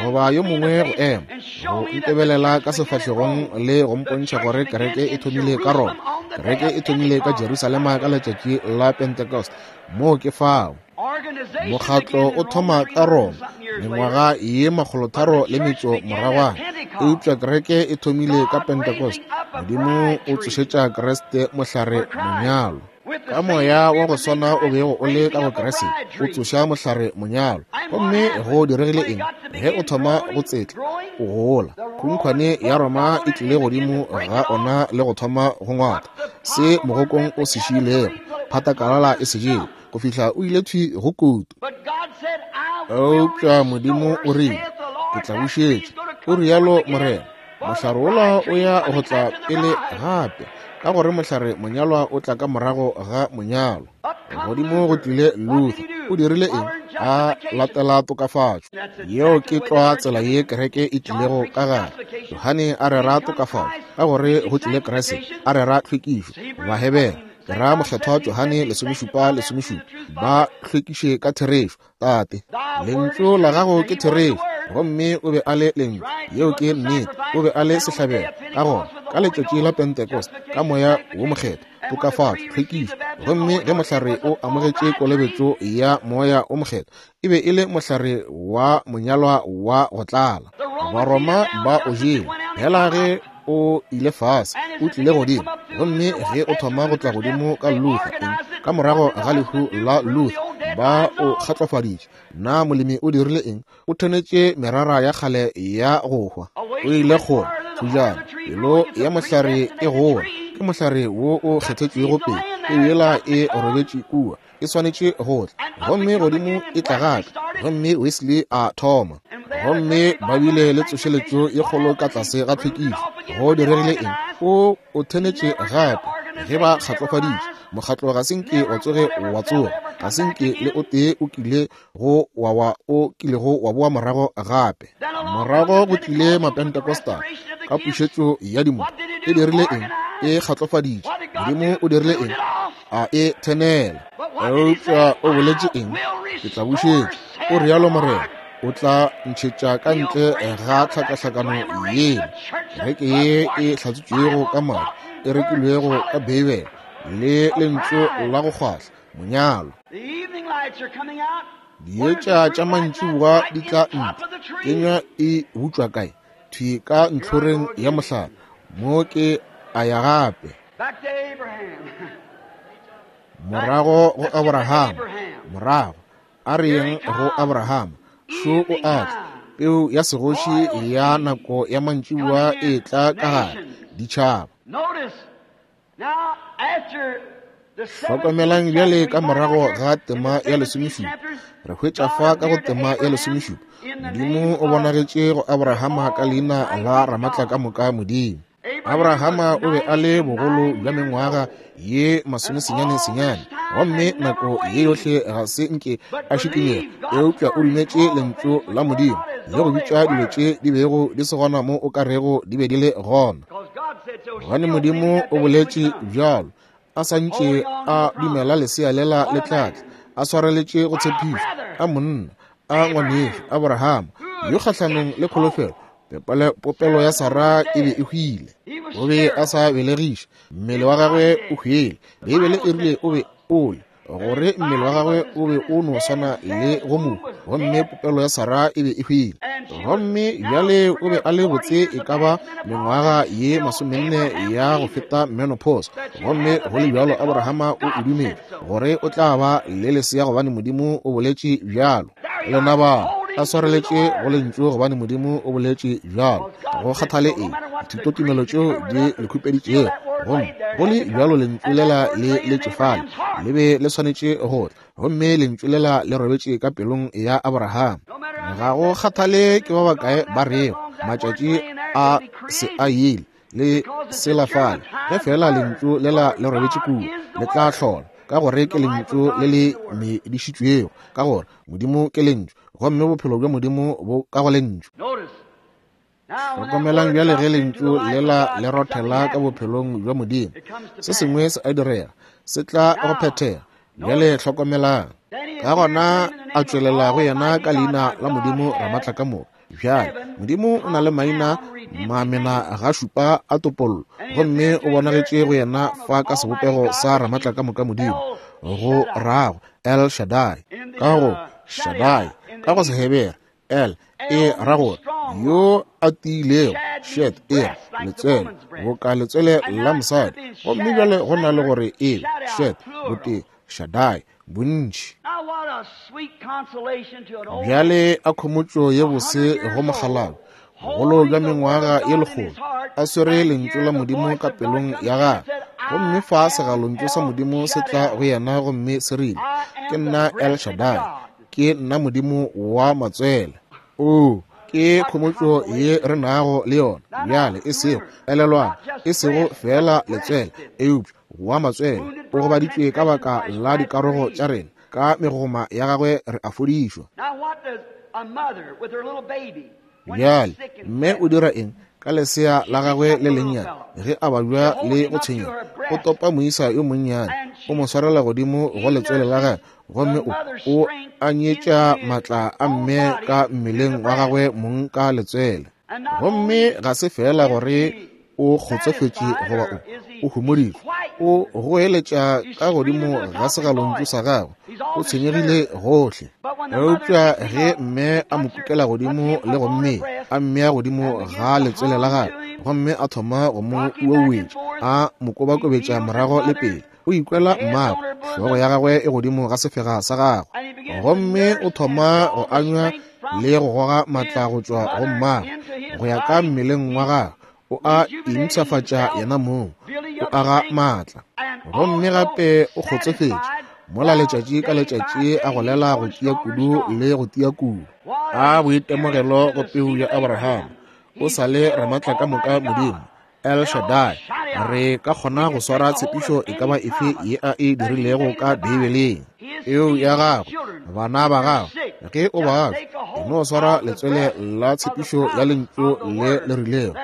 goba yo mongwe go ema, go ntebelela ka sefahlegong le go mpontšha gore kereke e thomile ka Roma, kereke e thomile ka Jerusalema ka letšatši la Pentecost. Moo ke fao. Mokgatlo o thoma ka Roma mengwaga ye 300 moragwana, eupša kereke e thomile ka Pentecost. Modimo o tsošetša Kriste mohlare monyalo. Ka moya wa go swana o bego o le ka go Kriste, o tsoša mohlare monyalo. Gomme go diregile eng? Ge o thoma go tsetla, o gola, khunkhwane ya Roma e tlile godimo ga ona le go thoma go ngwata se mogokong o se šiilego, phatakalala e se jele, go fihla o ile thwi go kutu. Eupša Modimo o rile, ke tla bušetša, o rialo Morena. Mohlare wola o ya go tla pele gape, ka gore mohlare monyalwa o tla ka morago ga monyalo. Godimo go tlile Luther. O dirile eng? A latela tokafatšo. Yeo ke tlwa tsela ye kereke e tlilego ka gare. Johane a rera tokafatšo, ka gore go tlile Kriste a rera tlhwekišo. Bahebere, ke ra mokgethwa Johane 17:17, ba hlwekiše ka therešo. Tate, lentšu la gago ke therešo. Gomme o be a le lentšu, yeo ke nnete. O be a le sehlabelo. Ka gona, ka letšatši la Pentecost, ka moya wo mokgethwa, tokafatšo, tlhwekišo, gomme ge mohlare o amogetše kolobetšo ya moya o mokgethwa, e be e le mohlare wa monyalwa wa go tlala. Baroma ba o jele. Hela ge o ile fase, o tlile godimo. Gomme ge o thoma go tla godimo ka Luther, eng? Ka morago ga lehu la Luther, Ba o kgatlofaditše. Na molemi o dirile eng? O thenetše merara ya kgale ya go hwa. O ile kgole thujana. Pelo ya mohlare e gola. Ke mohlare wo o kgethetšwego pele. Peu yela e robetše kua. E swanetše go tla. Gomme godimo e tla gape. Gomme Wesley a thoma. Gomme ba bile le tsošeletšo ye kgolo ka tlase ga tlhwekišo. Go diregile eng? O o thenetše gape ge ba kgatlofaditše. Mokgatlo ga se nke wa tsoge wa tsoga. Ga se nke le o tee o kile go wa wa o kilego wa boa morago gape. Morago go tlile Mapentecostal ka pušetšo ya dimo. E dirile eng? E kgatlofaditše. Modimo o dirile eng? A e thenela. Eupša o boletše eng? Ke tla bušetša, o realo Morena. O tla ntšhetša ka ntle ga tlhakahlakano yela, kereke ye e hlatswitšwego ka madi, e rekilwego ka Beibele, le lentšu la go kgwahla, monyalo. Dietša tša mantšiboa di tla ntle. Kenywa e butšwa kae? Thwi ka ntlhoreng ya mohlare. Mo ke a ya gape. Morago go Abraham. Morago. A re yeng go Abraham. Šo o a tla. Peu ya segoši ya nako ya mantšiboa e tla ka gare. Ditšhaba. Hlokomelang bjale ka morago ga tema ya lesomešupa. Re hwetša fa ka go tema ya lesomešupa, Modimo o bonagetše go Abrahama ka leina la Ramatlakamoka Modimo. Abrahama o be a le bogolo bja mengwaga ye masomesenyane-senyane, gomme nako ye yohle ga se nke a šikinyega, eupša o dumetše lentšu la Modimo le go bitša dilo tše di bego di se gona mo o ka rego di be di le gona. Gobane Modimo o boletše bjalo, a sa ntše a dumela lesea lela le tla tla, a swareletše go tshepišo, a monna, a ngwanešu Abrahama, yo kgahlanong le kholofelo, popelo ya Sara e be e hwile. O be a sa belegiše, mmele wa gagwe o hwele. Beibele e rile o be o le, gore mmele wa gagwe o be o no swana le go mohu, gomme popelo ya Sara e be e hwile. Gomme bjale o be a le botse e ka ba mengwaga ye masomenne ya go feta menopause, gomme go le bjalo Abrahama o e dumetše gore o tla ba le lesea gobane Modimo o boletše bjalo. Lena ba a swareletše go lentšu gobane Modimo o boletše bjalo. Go kgathale eng dithutotumelo tšeo di le khupeditšego, gomme go le bjalo lentšu lela le letše fale, le be le swanetše go tla, gomme lentšu lela le robetše ka pelong ya Abraham. Ga go kgathale ke ba bakae ba rego matšatši a se a ile le sela fale, ge fela lentšu lela le robetše kua, le tla hlola, ka gore ke lentšu le le medišitšwego, ka gore Modimo ke lentšu, gomme bophelo bja Modimo bo ka go lentšu. Hlokomelang bjale ge lentšu lela le rothela ka bophelong bja Modimo, se sengwe se a direga, se tla go phethega. Bjale hlokomelang. Ka gona a tšwelela go yena ka leina la Modimo Ramatlakamoka. Bjale Modimo o na le maina mamena ga šupa a topollo, gomme o bonagetše go yena fa ka sebopego sa Ramatlakamoka Modimo, go rago El Shaddai, ka go Shaddai, ka go Sehebere El e ra gore yo a tiilego, Shed e re letswele, boka letswele la mosadi, gomme bjale go na le gore e Shed botee, Shaddai bontši. Bjale a khomotšo ye bose go mokgalabje, bogolo bja mengwaga ye lekgolo, a swere lentšu la Modimo ka pelong ya gagwe, gomme fa segalontšu sa Modimo se tla go yena gomme se rile, Ke nna El Shaddai, ke nna Modimo wa matswele. Oo, ke khomotšo ye re nago le yona bjale, e sego, elelwang, e sego feela letswele, eupša wa matswele. O gobaditšwe ka baka la dikarogo tša rena, ka megoma ya gagwe re a fodišwa. Bjale, mme o dira eng ka lesea la gagwe le lennyane ge a babja le go tshwenyega? O topa moisa yo monnyane, o mo swarela godimo go letswele la gagwe, gomme o, o anyetša matla a mme ka mmeleng wa gagwe mong ka letswele. Gomme ga se feela gore o kgotsofetše goba o, o homoditšwe, o goeletša ka godimo ga segalontšu sa gagwe, o tshwenyegile gohle. Eupša ge mme a mo kukela godimo le go mmea, a mmea godimo ga letswele la gagwe, gomme a thoma go mo uauetša, a mo kobakobetša morago le pele, O ikwela mmagwe, hlogo ya gagwe e godimo ga sefega sa gagwe, gomme o thoma go anywa le go goga matla go tšwa go mmagwe go ya ka mmeleng wa gagwe. O a impshafatša yena mong, o aga matla, gomme gape o kgotsofetše mola letšatši ka letšatši a golela go tia kudu le go tia kudu. A boitemogelo go peu ya Abraham! O sa le ramatla ka moka Modimo, El Shaddai. Re ka kgona go swara tshepišo e ka ba efe ye a e dirilego ka Beibeleng. Peu ya gago, bana ba gago, ge o babja, e no swara letswele la tshepišo ya lentšu le le rilego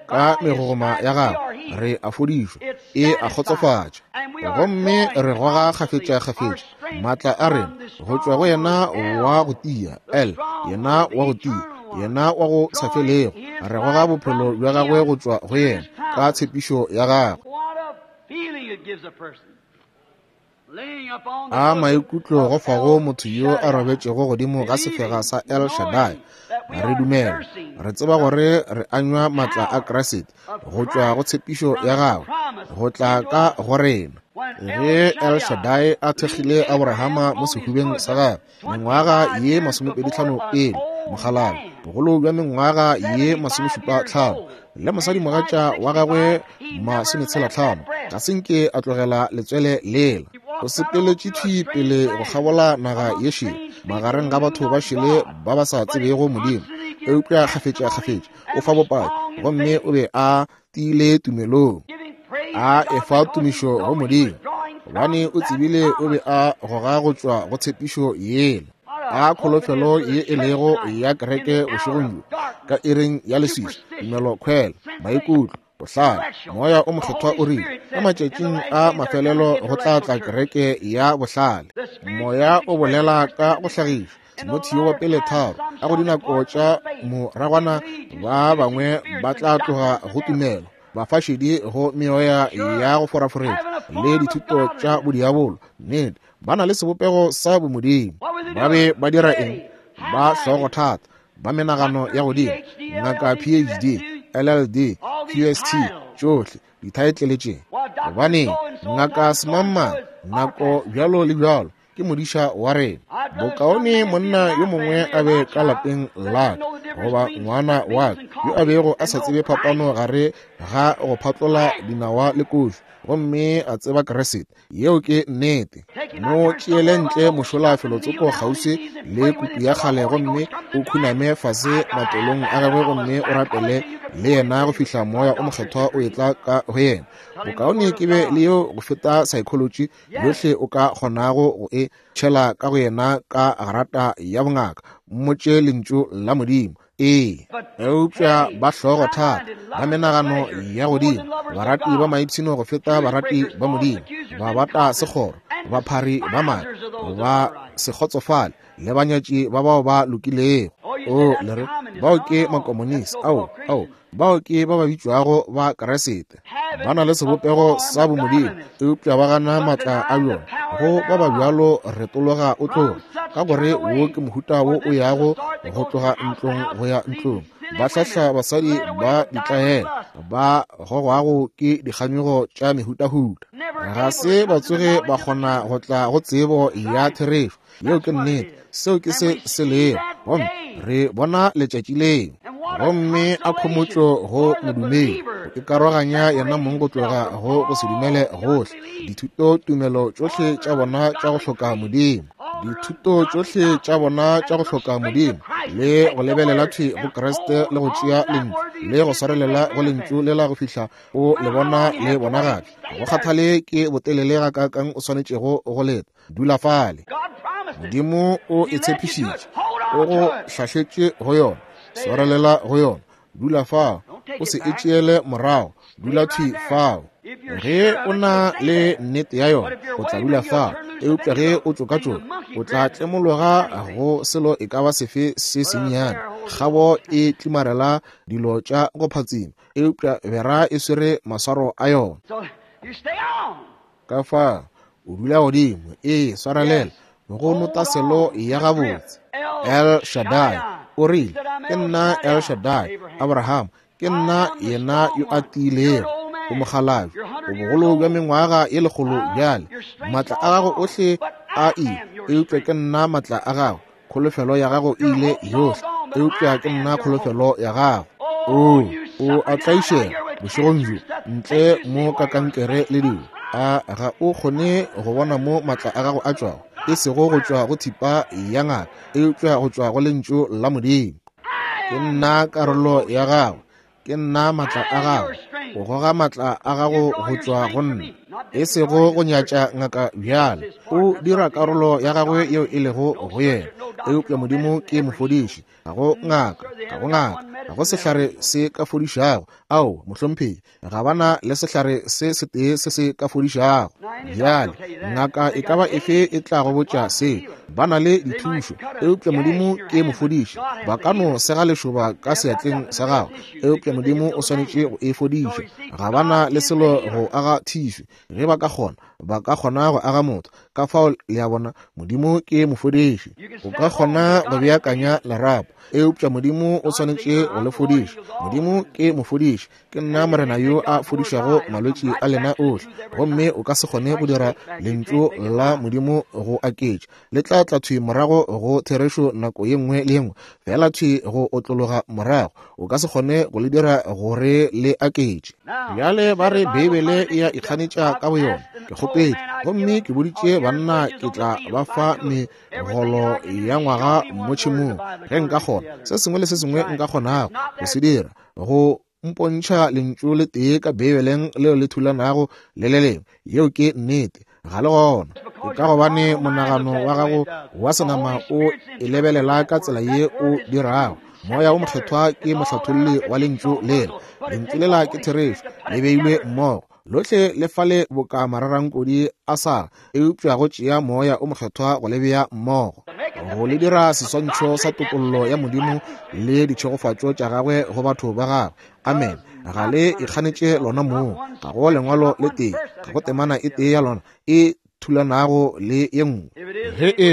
ka megogoma ya gago, re a fodišwa, e a kgotsofatša, gomme re goga kgafetša-kgafetša matla a rena go tšwa go yena wa go tia, El, yena wa go tia, yena wa go sa felego. Re goga bophelo bja gagwe go tšwa go yena ka tshepišo ya gagwe. A maikutlo go fago motho yo a robetšego godimo ga sefega sa El Shaddai. Re dumela, re tseba gore re anywa matla a Kriste go tšwa go tshepišo ya gagwe go tla ka go rena. Ge El Shaddai a thekgile Abrahama mo sehubeng sa gagwe mengwaga ye 25 pele, mokgalabje bogolo bja mengwaga ye 75 le mosadimogatša wa gagwe 65, ga se nke a tlogela letswele lela. O sepeletše thwi pele go kgabola naga ye šele, magareng ga batho ba šele ba ba sa tsebego Modimo, eupša kgafetša-kgafetša o fa bopaki, gomme o be a tiile tumelong, a efa tumišo go Modimo, gobane o tsebile o be a goga go tšwa go tshepišo yela. A kholofelo ye e lego ya kereke bošegong bjo, ka iring ya leswiswi, tumelo khwela, maikutlo, bohlale, Moya o Mokgethwa o rile, ka matšatšing a mafelelo go tla tla kereke ya bohlale. Moya o bolela ka go hlagišwa. Timotheo wa pele 3, ka go dinako tša moragwana ba bangwe ba tla tloga go tumelo, bafašedi go meoya ya go foraforetša le dithuto tša bodiabolo. Nnete, ba na le sebopego sa bomodimo. Ba be ba dira eng? Ba hlogothata, ba menagano ya godimo, ngaka PhD, LLD, QST, tšohle dithaetlele tše. Gobaneng, ngaka semangmang, nako bjalo le bjalo, ke modiša wa rena. Bokaone monna yo mongwe a be ka lapeng la ka, goba ngwana wa ka yo a bego a sa tsebe phapano gare ga go phatlola dinawa le kofi, gomme a tseba Kriste. Yeo ke nnete. Mo tšeele ntle mošola felotsoko kgauswi le kutu ya kgale, gomme o khuname fase matolong a gagwe gomme o rapele le yena go fihla Moya o Mokgethwa o etla ka go yena. Bokaone ke be le yeo go feta psychology yohle o ka kgonago go e tšhela ka go yena ka grata ya bongaka. Mmotše lentšu la Modimo. Ee, eupša ba hlogo thata, ba menagano ya godimo, barati ba maipshino go feta barati ba Modimo, ba bata sekgoro, baphari ba maaka, ba se kgotsofale, le banyatši ba bao ba lokilego. O, le re, bao ke makomonisi. Ao, ao, bao ke ba ba bitšwago ba Kriste. Ba na le sebopego sa bomodimo, eupša ba gana matla a bjona. Go ba ba bjalo retologa o tloga, ka gore wo ke mohuta wo o yago go tloga ntlong go ya ntlong. Ba hlahla basadi ba ditlaela, ba gogwago ke dikganyogo tša mehutahuta. Ga se ba tsoge ba kgona go tla go tsebo ya therešo. Yeo ke nnete. Seo ke se se lego. Gomme re bona letšatši leo. Gomme a khomotšo go modumedi go ikaroganya yena mong go tloga go go se dumele gohle, dithuto tumelo tšohle tša bona tša go hloka Modimo, dithuto tšohle tša bona tša go hloka Modimo, le go lebelela thwi go Kriste le go tšea lentšu le go swarelela go lentšu lela go fihla o le bona le bonagatšwa. Go kgathale ke botelele gakaakang o swanetšego go leta, dula fale. Modimo o e tshepišitše, o go hlahletše go yona, swarelela go yona, dula fao, o se e tšeele morago, dula thwi fao. Ge o na le nnete ya yona, o tla dula fao, eupša ge o tšokatšoka, o tla tlemologa go selo e ka ba sefe se sennyane. Kgabo e tlimarela dilo tša go phatsima, eupša bera e swere maswaro a yona. Ka fa o dula godimo, ee, swarelela go nota selo ya gabotse. El Shaddai o rile, ke nna El Shaddai, Abraham, ke nna yena yo a tiilego. O mokgalabje, o bogolo bja mengwaga ye 100 bjale. Maatla a gago ohle a ile, eupša ke nna maatla a gago. Kholofelo ya gago e ile yohle, eupša ke nna kholofelo ya gago. O a tlaišega bošegong bjo, ntle mo ka kankere le dilo. A ga o kgone go bona mo maatla a gago a tšwago? E sego go tšwa go thipa ya ngaka, eupša go tšwa go lentšu la Modimo. Ke nna karolo ya gago, ke nna maatla a gago. O goga maatla a gago go tšwa go nna, e sego go nyatša ngaka bjale. O dira karolo ya gagwe yeo e lego go yena, eupša Modimo ke mofodiši. Ga go ngaka, ga go ngaka, ga go sehlare se ka fodišago. Ao, mohlomphegi, ga bana le sehlare se setee se se ka fodišago. Bjale, ngaka e ka ba efe e tla go botša seo. Ba na le dithušo, eupša Modimo ke mofodiši. Ba ka no sega lešoba ka seatleng sa gago, eupša Modimo o swanetše go e fodiša. Ga bana le selo go aga thišu. Ge ba ka kgona, ba ka kgona go aga motho. Ka fao, le a bona, Modimo ke mofodiši. O ka kgona go beakanya lerapo, eupša Modimo o swanetše go le fodiša. Modimo ke mofodiši. Ke nna Morena yo a fodišago malwetši a lena ohle. Gomme o ka se kgone go dira lentšu la Modimo go aketša. Le tla tla thwi morago go therešo nako ye nngwe le ye nngwe, fela thwi go otlologa morago. O ka se kgone go le dira gore le aketše. Bjale ba re Beibele e a ikganetša ka boyona. Ke kgopetše, gomme ke boditše banna ke tla ba fa megolo ya ngwaga mo tšhemong ge nka kgona. Se sengwe le se sengwe nka kgonago go se dira, go mpontšha lentšu le tee ka Beibeleng leo le thulanago le le lengwe. Yeo ke nnete. Ga le gona. Ke ka gobane monagano wa gago wa senama o e lebelela ka tsela ye o dirago. Moya o Mokgethwa ke mohlatholli wa lentšu lela. Lentšu lela ke therešo, le beilwe mmogo. Lohle le fale boka mararankodi a sa, eupša go tšea Moya o Mokgethwa go le bea mmogo, go le dira seswantšho sa topollo ya Modimo le ditšhegofatšo tša gagwe go batho ba gagwe. Amen. Ga le ikganetše lona moo. Ga go lengwalo le tee, ga go temana e tee ya lona e thulanago le ye nngwe. Ge e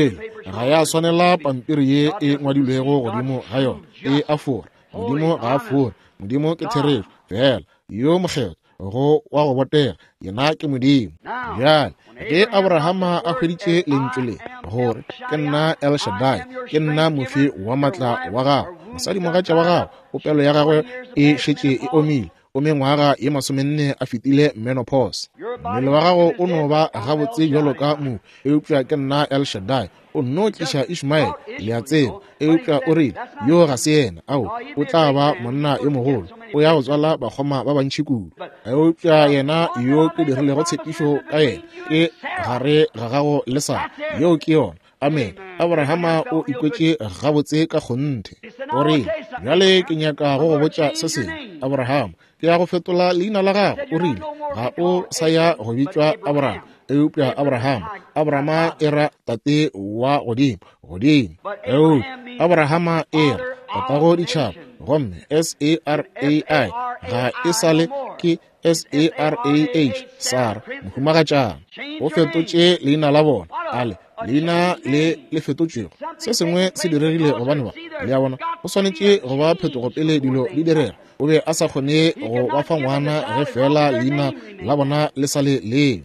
ga ya swanela pampiri ye e ngwadilwego godimo ga yona, e a fora. Modimo ga a fore. Modimo ke therešo fela, yo mokgethwa, go wa go botega, yena ke Modimo. Bjale ge Abrahama a hweditše lentšu le, gore ke nna El Shaddai, ke nna mofi wa matla wa gago, mosadimogatša wa gago, popelo ya gagwe e šetše e omile, o mengwaga ye 40 a fetile menopause. Mmele wa gago o no ba gabotse bjalo ka mohu, eupša ke nna El Shaddai. O nno tliša Ishmael, le a tseba, eupša o rile, yo ga se yena. Ao, o tla ba monna yo mogolo, o ya go tswala bakgoma ba bantši kudu. Eupša yena yo ke dirilego tshepišo ka yena, ke gare ga gago le Sara. Yeo ke yona. Amen. Abrahama o ikwetše gabotse ka kgonthe. O rile, bjale ke nyaka go go botša se sengwe, Abrahama. Ke ya go fetola leina la gago. O rile, ga o sa ya go bitšwa Abraham, eupša Abrahama. Abrahama e ra tate wa godimo, godimo. Eupša Abrahama e ra tatago ditšhaba, gomme S-A-R-A-I ga e sa le ke S-A-R-A-H, Sara, mohumagatšana. O fetotše leina la bona, ale leina le le fetotšwego. Se sengwe se diregile gobane ba, le a bona, go swanetše go ba phetogo pele dilo di direga. O be a sa kgone go ba fa ngwana ge fela leina la bona le sa le lengwe.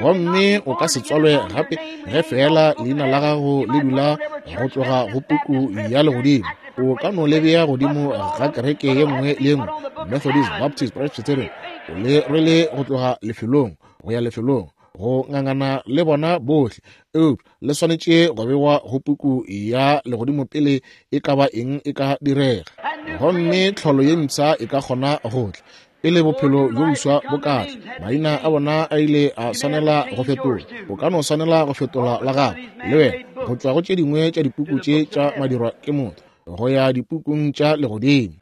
Gomme o ka se tswalwe gape ge fela leina la gago le dula go tloga go puku ya legodimo. O ka no le bea godimo ga kereke ye nngwe le ye nngwe, Methodist, Baptist, Presbyterian, o le rwele go tloga lefelong go ya lefelong, go ngangana le bona bohle, eupša le swanetše go bewa go puku ya legodimo pele e ka ba eng e ka direga. Gomme tlholo ye mpsha e ka kgona go tla pele bophelo bjo boswa bo ka tla. Maina a bona a ile a swanela go fetola. O ka no swanela go fetola la gago le wena, go tšwa go tše dingwe tša dipuku tše tša madirwa ke motho go ya dipukung tša legodimo.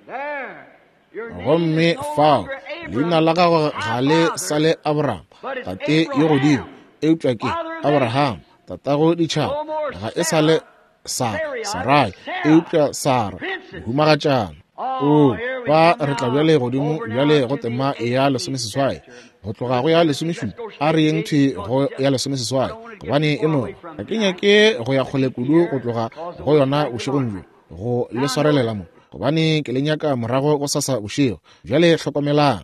Gomme fao leina la gago ga le sa le Abraham, tate yo godimo, eupša ke Abraham, tatago ditšhaba. Ga e sa le Sara, Sarai, eupša Sara, mohumagatšana. O, ba re tla bjale godimo bjale go tema ya 18, go tloga go ya 17, a re yeng thwi go ya 18, gobane e no ga ke nyake go ya kgole kudu go tloga go yona bošegong bjo, go le swarelela mo. gobane ke le nyaka morago gosasa bošego. Bjale hlokomelang,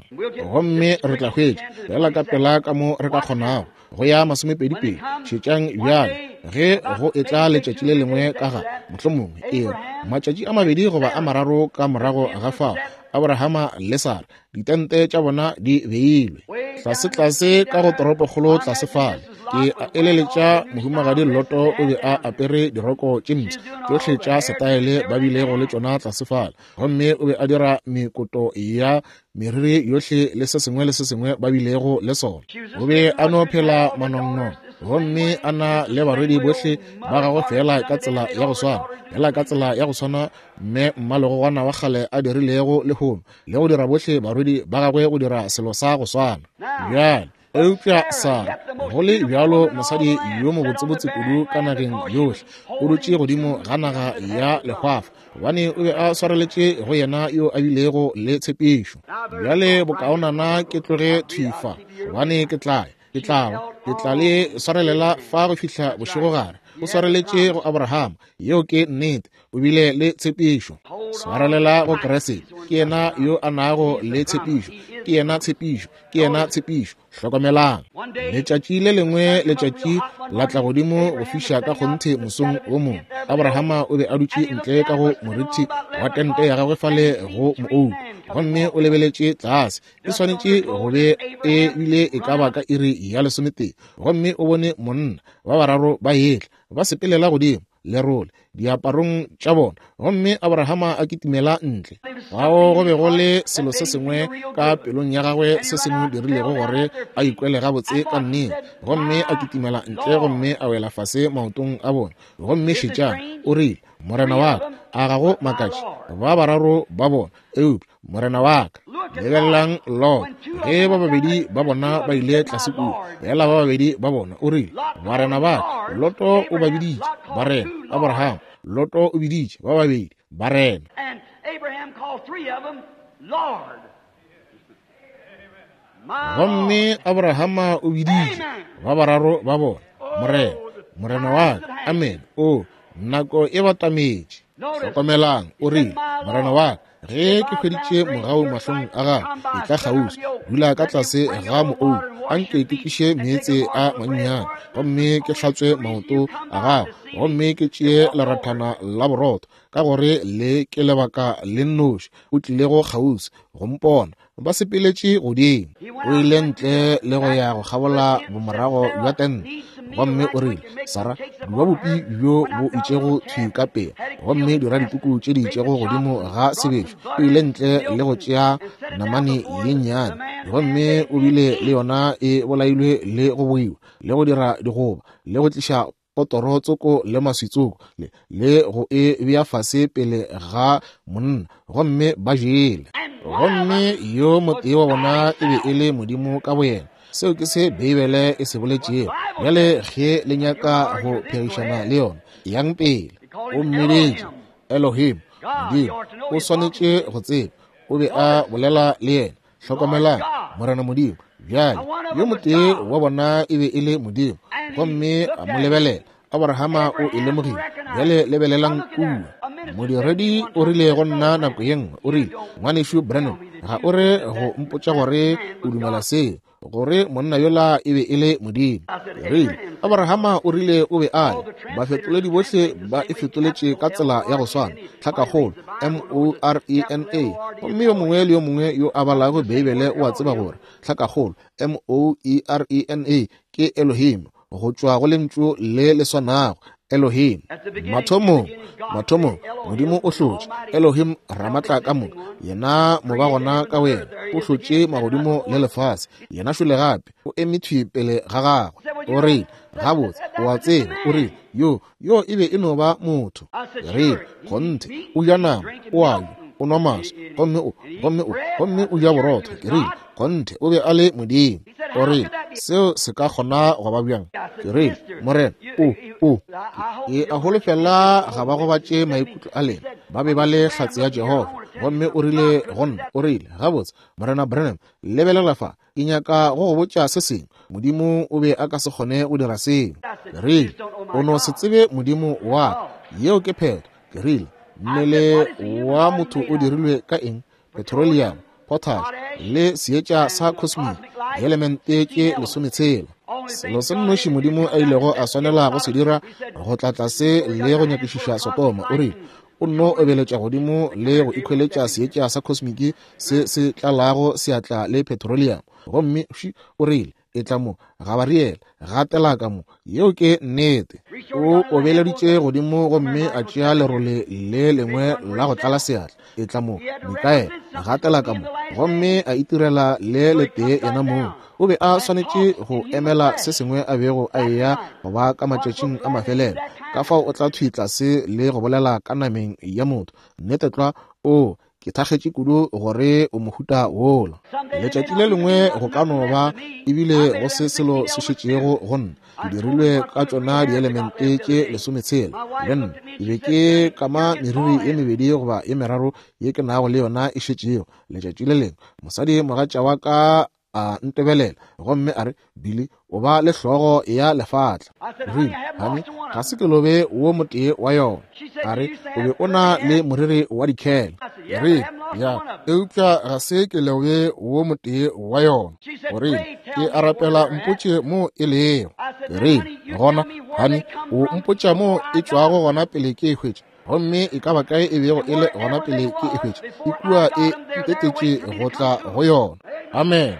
gomme re tla hwetša feela ka pela ka mo re ka kgonago go ya 22. Šetšang bjale, ge go etla letšatši le lengwe ka ga, mohlomongwe e re matšatši a 2 goba a 3 ka morago ga fao, Abrahama le Sara, ditente tša bona di beilwe tlase-tlase ka go toropokgolo tlase fale. Ke a eleletša mohumagadi Loto o be a apere diroko tše mpsha tšohle tša setaele ba bilego le tšona tlase fale, gomme o be a dira mekoto ya meriri yohle le se sengwe le se sengwe ba bilego le sona. O be a no phela manongnong, gomme a na le barwedi bohle ba gagwe feela ka tsela ya go swana, feela ka tsela ya go swana mme mmalegogwana wa kgale a dirilego lehono, le go dira bohle barwedi ba gagwe go dira selo sa go swana. Bjale, eupša Sara, go le bjalo mosadi yo mobotsebotse kudu ka nageng yohle, o dutše godimo ga naga ya lehwafa, gobane o be a swareletše go yena yo a bilego le tshepišo. Bjale bokaonana ke tloge thwi fa, gobane ke tla ke tla le swarelela fa go fihla bošegogare. O swareletše go Abrahama, yeo ke nnete, o bile le tshepišo. Swarelela go Kriste, ke yena yo a nago le tshepišo, ke yena tshepišo, ke yena tshepišo. Hlokomelang, letšatši le lengwe letšatši la tla godimo go fiša ka kgonthe mosong wo mongwe. Abrahama o be a dutše ntle ka go morithi wa tente ya gagwe fale go moouku, gomme o lebeletše tlase. E swanetše go be e bile e ka ba ka iri ya 11, gomme o bone monna ba bararo ba etla ba sepelela godimo lerole diaparong tša bona, gomme Abrahama a kitimela ntle. Fao go be go le selo se sengwe ka pelong ya gagwe se se mo dirilego gore a ikwele gabotse ka nnete, gomme a kitimela ntle gomme a wela fase maotong a bona. Gomme šetšang, o rile, Morena wa ka, a ga go makatše ba bararo ba bona, eupša Morena wa ka. Lebelelang Lot, ge ba babedi ba bona ba ile tlase kua, fela ba babedi ba bona, o rile, Barena ba ka. Loto o ba biditše barena. Abraham, Loto o biditše ba babedi barena. Gomme Abrahama o biditše ba bararo ba bona Morena, Morena wa ka. Amen. O, nako e batametše. Hlokomelang, o rile, Morena wa ka, ge ke hweditše mogau mahlong a gago, e tla kgauswi, dula ka tlase ga moou, anke ke tliše meetse a mannyane, gomme ke hlatswe maoto a gago, gomme ke tšee lerathana la borotho, ka gore le ke lebaka le nnoši o tlilego kgauswi go mpona. Ba sepeletše godimo. O ile ntle le go ya go kgabola bomorago bja tente, gomme o rile, Sara, duba bopi bjo bo itšego thwi ka pela, gomme dira dikuku tše di itšego godimo ga sebešo. O ile ntle le go tšea namane ye nnyane, gomme o bile le yona e bolailwe le go boiwa, le go dira digoba, le go tliša potoro tsoko le maswitsoko, le go e bea fase pele ga monna, gomme ba jele. Gomme yo motee wa bona e be e le Modimo ka boyena. Seo ke se Beibele e se boletšego. Bjale ge le nyaka go phegišana le yona, yang pele. O mmiditše Elohim, Modimo. O swanetše go tseba o be a bolela le yena. Hlokomelang, Morena Modimo. Bjale yo motee wa bona e be e le Modimo, gomme a mo lebelela. Abrahama o e lemogile. Bjale lebelelang kua. Modiredi o rile go nna nako ye nngwe, o rile, Ngwanešu Branham, ga o re go mpotša gore o dumela seo, gore monna yola e be e le Modimo. Ke rile, Abrahama o rile o be a le. Bafetoledi bohle ba e fetoletše ka tsela ya go swana, tlhakakgolo, M-O-R-E-N-A. Gomme yo mongwe le yo mongwe yo a balago Beibele o a tseba gore tlhakakgolo, M-O-E-R-E-N-A, ke Elohim, go tšwa go lentšu le le swanago, Elohim. Mathomong, mathomong, Modimo o hlotše Elohim Ramatla ka moka, yena mobagona ka wena, o hlotše magodimo le lefase, yena šole gape o eme thwi pele ga gagwe. O rile, gabotse, o a tseba, o rile, yo, yo e be e no ba motho. Ke rile, kgonthe, o ja nama, o a ja, o nwa maswi, gomme o, gomme o, gomme o ja borotho. Ke rile, kgonthe, o be a le Modimo. O rile, seo se ka kgona go ba bjang? Ke rile, Morena, o, o, ke a holofela ga ba gobatše maikutlo a lena. Ba be ba le hlatse ya Jehofa. Gomme o rile go nna, o rile, gabotse, Morena Branham, lebelela fa, ke nyaka go go botša se sengwe. Modimo o be a ka se kgone go dira seo. Ke rile, o no se tsebe Modimo wa ka. Yeo ke phetho. Ke rile, Mmele wa motho o dirilwe ka eng? Petroleum, potash le seetša sa cosmic, dielemente tše 16. Selo se nnoši Modimo a ilego a swanela go se dira go tla tlase le go nyakišiša Sodoma, o rile o nno obeletša godimo le go ikhweletša seetša sa cosmic se se tlalago seatla le petroleum. Gomme o rile, etla mo, Gabariele, gatela ka mo. Yeo ke nnete. O obeleditše godimo gomme a tšea lerole le lengwe la go tlala seatla. Etla mo, Mikaele, gatela ka mo. Gomme a itirela le letee yena mong. O be a swanetše go emela se sengwe a bego a eya go ba ka matšatšing a mafelelo. Ka fao o tla thwi tlase le go bolela ka nameng ya motho. Nnete tlwa, o ke thakgetše kudu gore o mohuta wola. Letšatši le lengwe go ka no ba ebile go se selo se šetšego go nna. Ke dirilwe ka tšona dielemente tše 16. Le nna ke be ke kama meriri ye mebedi goba ye meraro ye ke nago le yona e šetšego. Letšatši le lengwe mosadi mogatša wa ka a ntebelela gomme a re, Billy, o ba le hlogo ya lefatla. Rile, honey, ga se ke lobe wo motee wa yona. A re, o be o na le moriri wa dikhele. Rile, ya, eupša ga se ke lobe wo motee wa yona. O rile, ke a rapela mpotše mo e lego. Rile, gona, honey, o mpotša mo e tšwago gona pele ke e hwetša. Gomme e ka ba kae e bego e le gona pele ke e hwetša, e kua e ntetetše go tla go yona. Amen.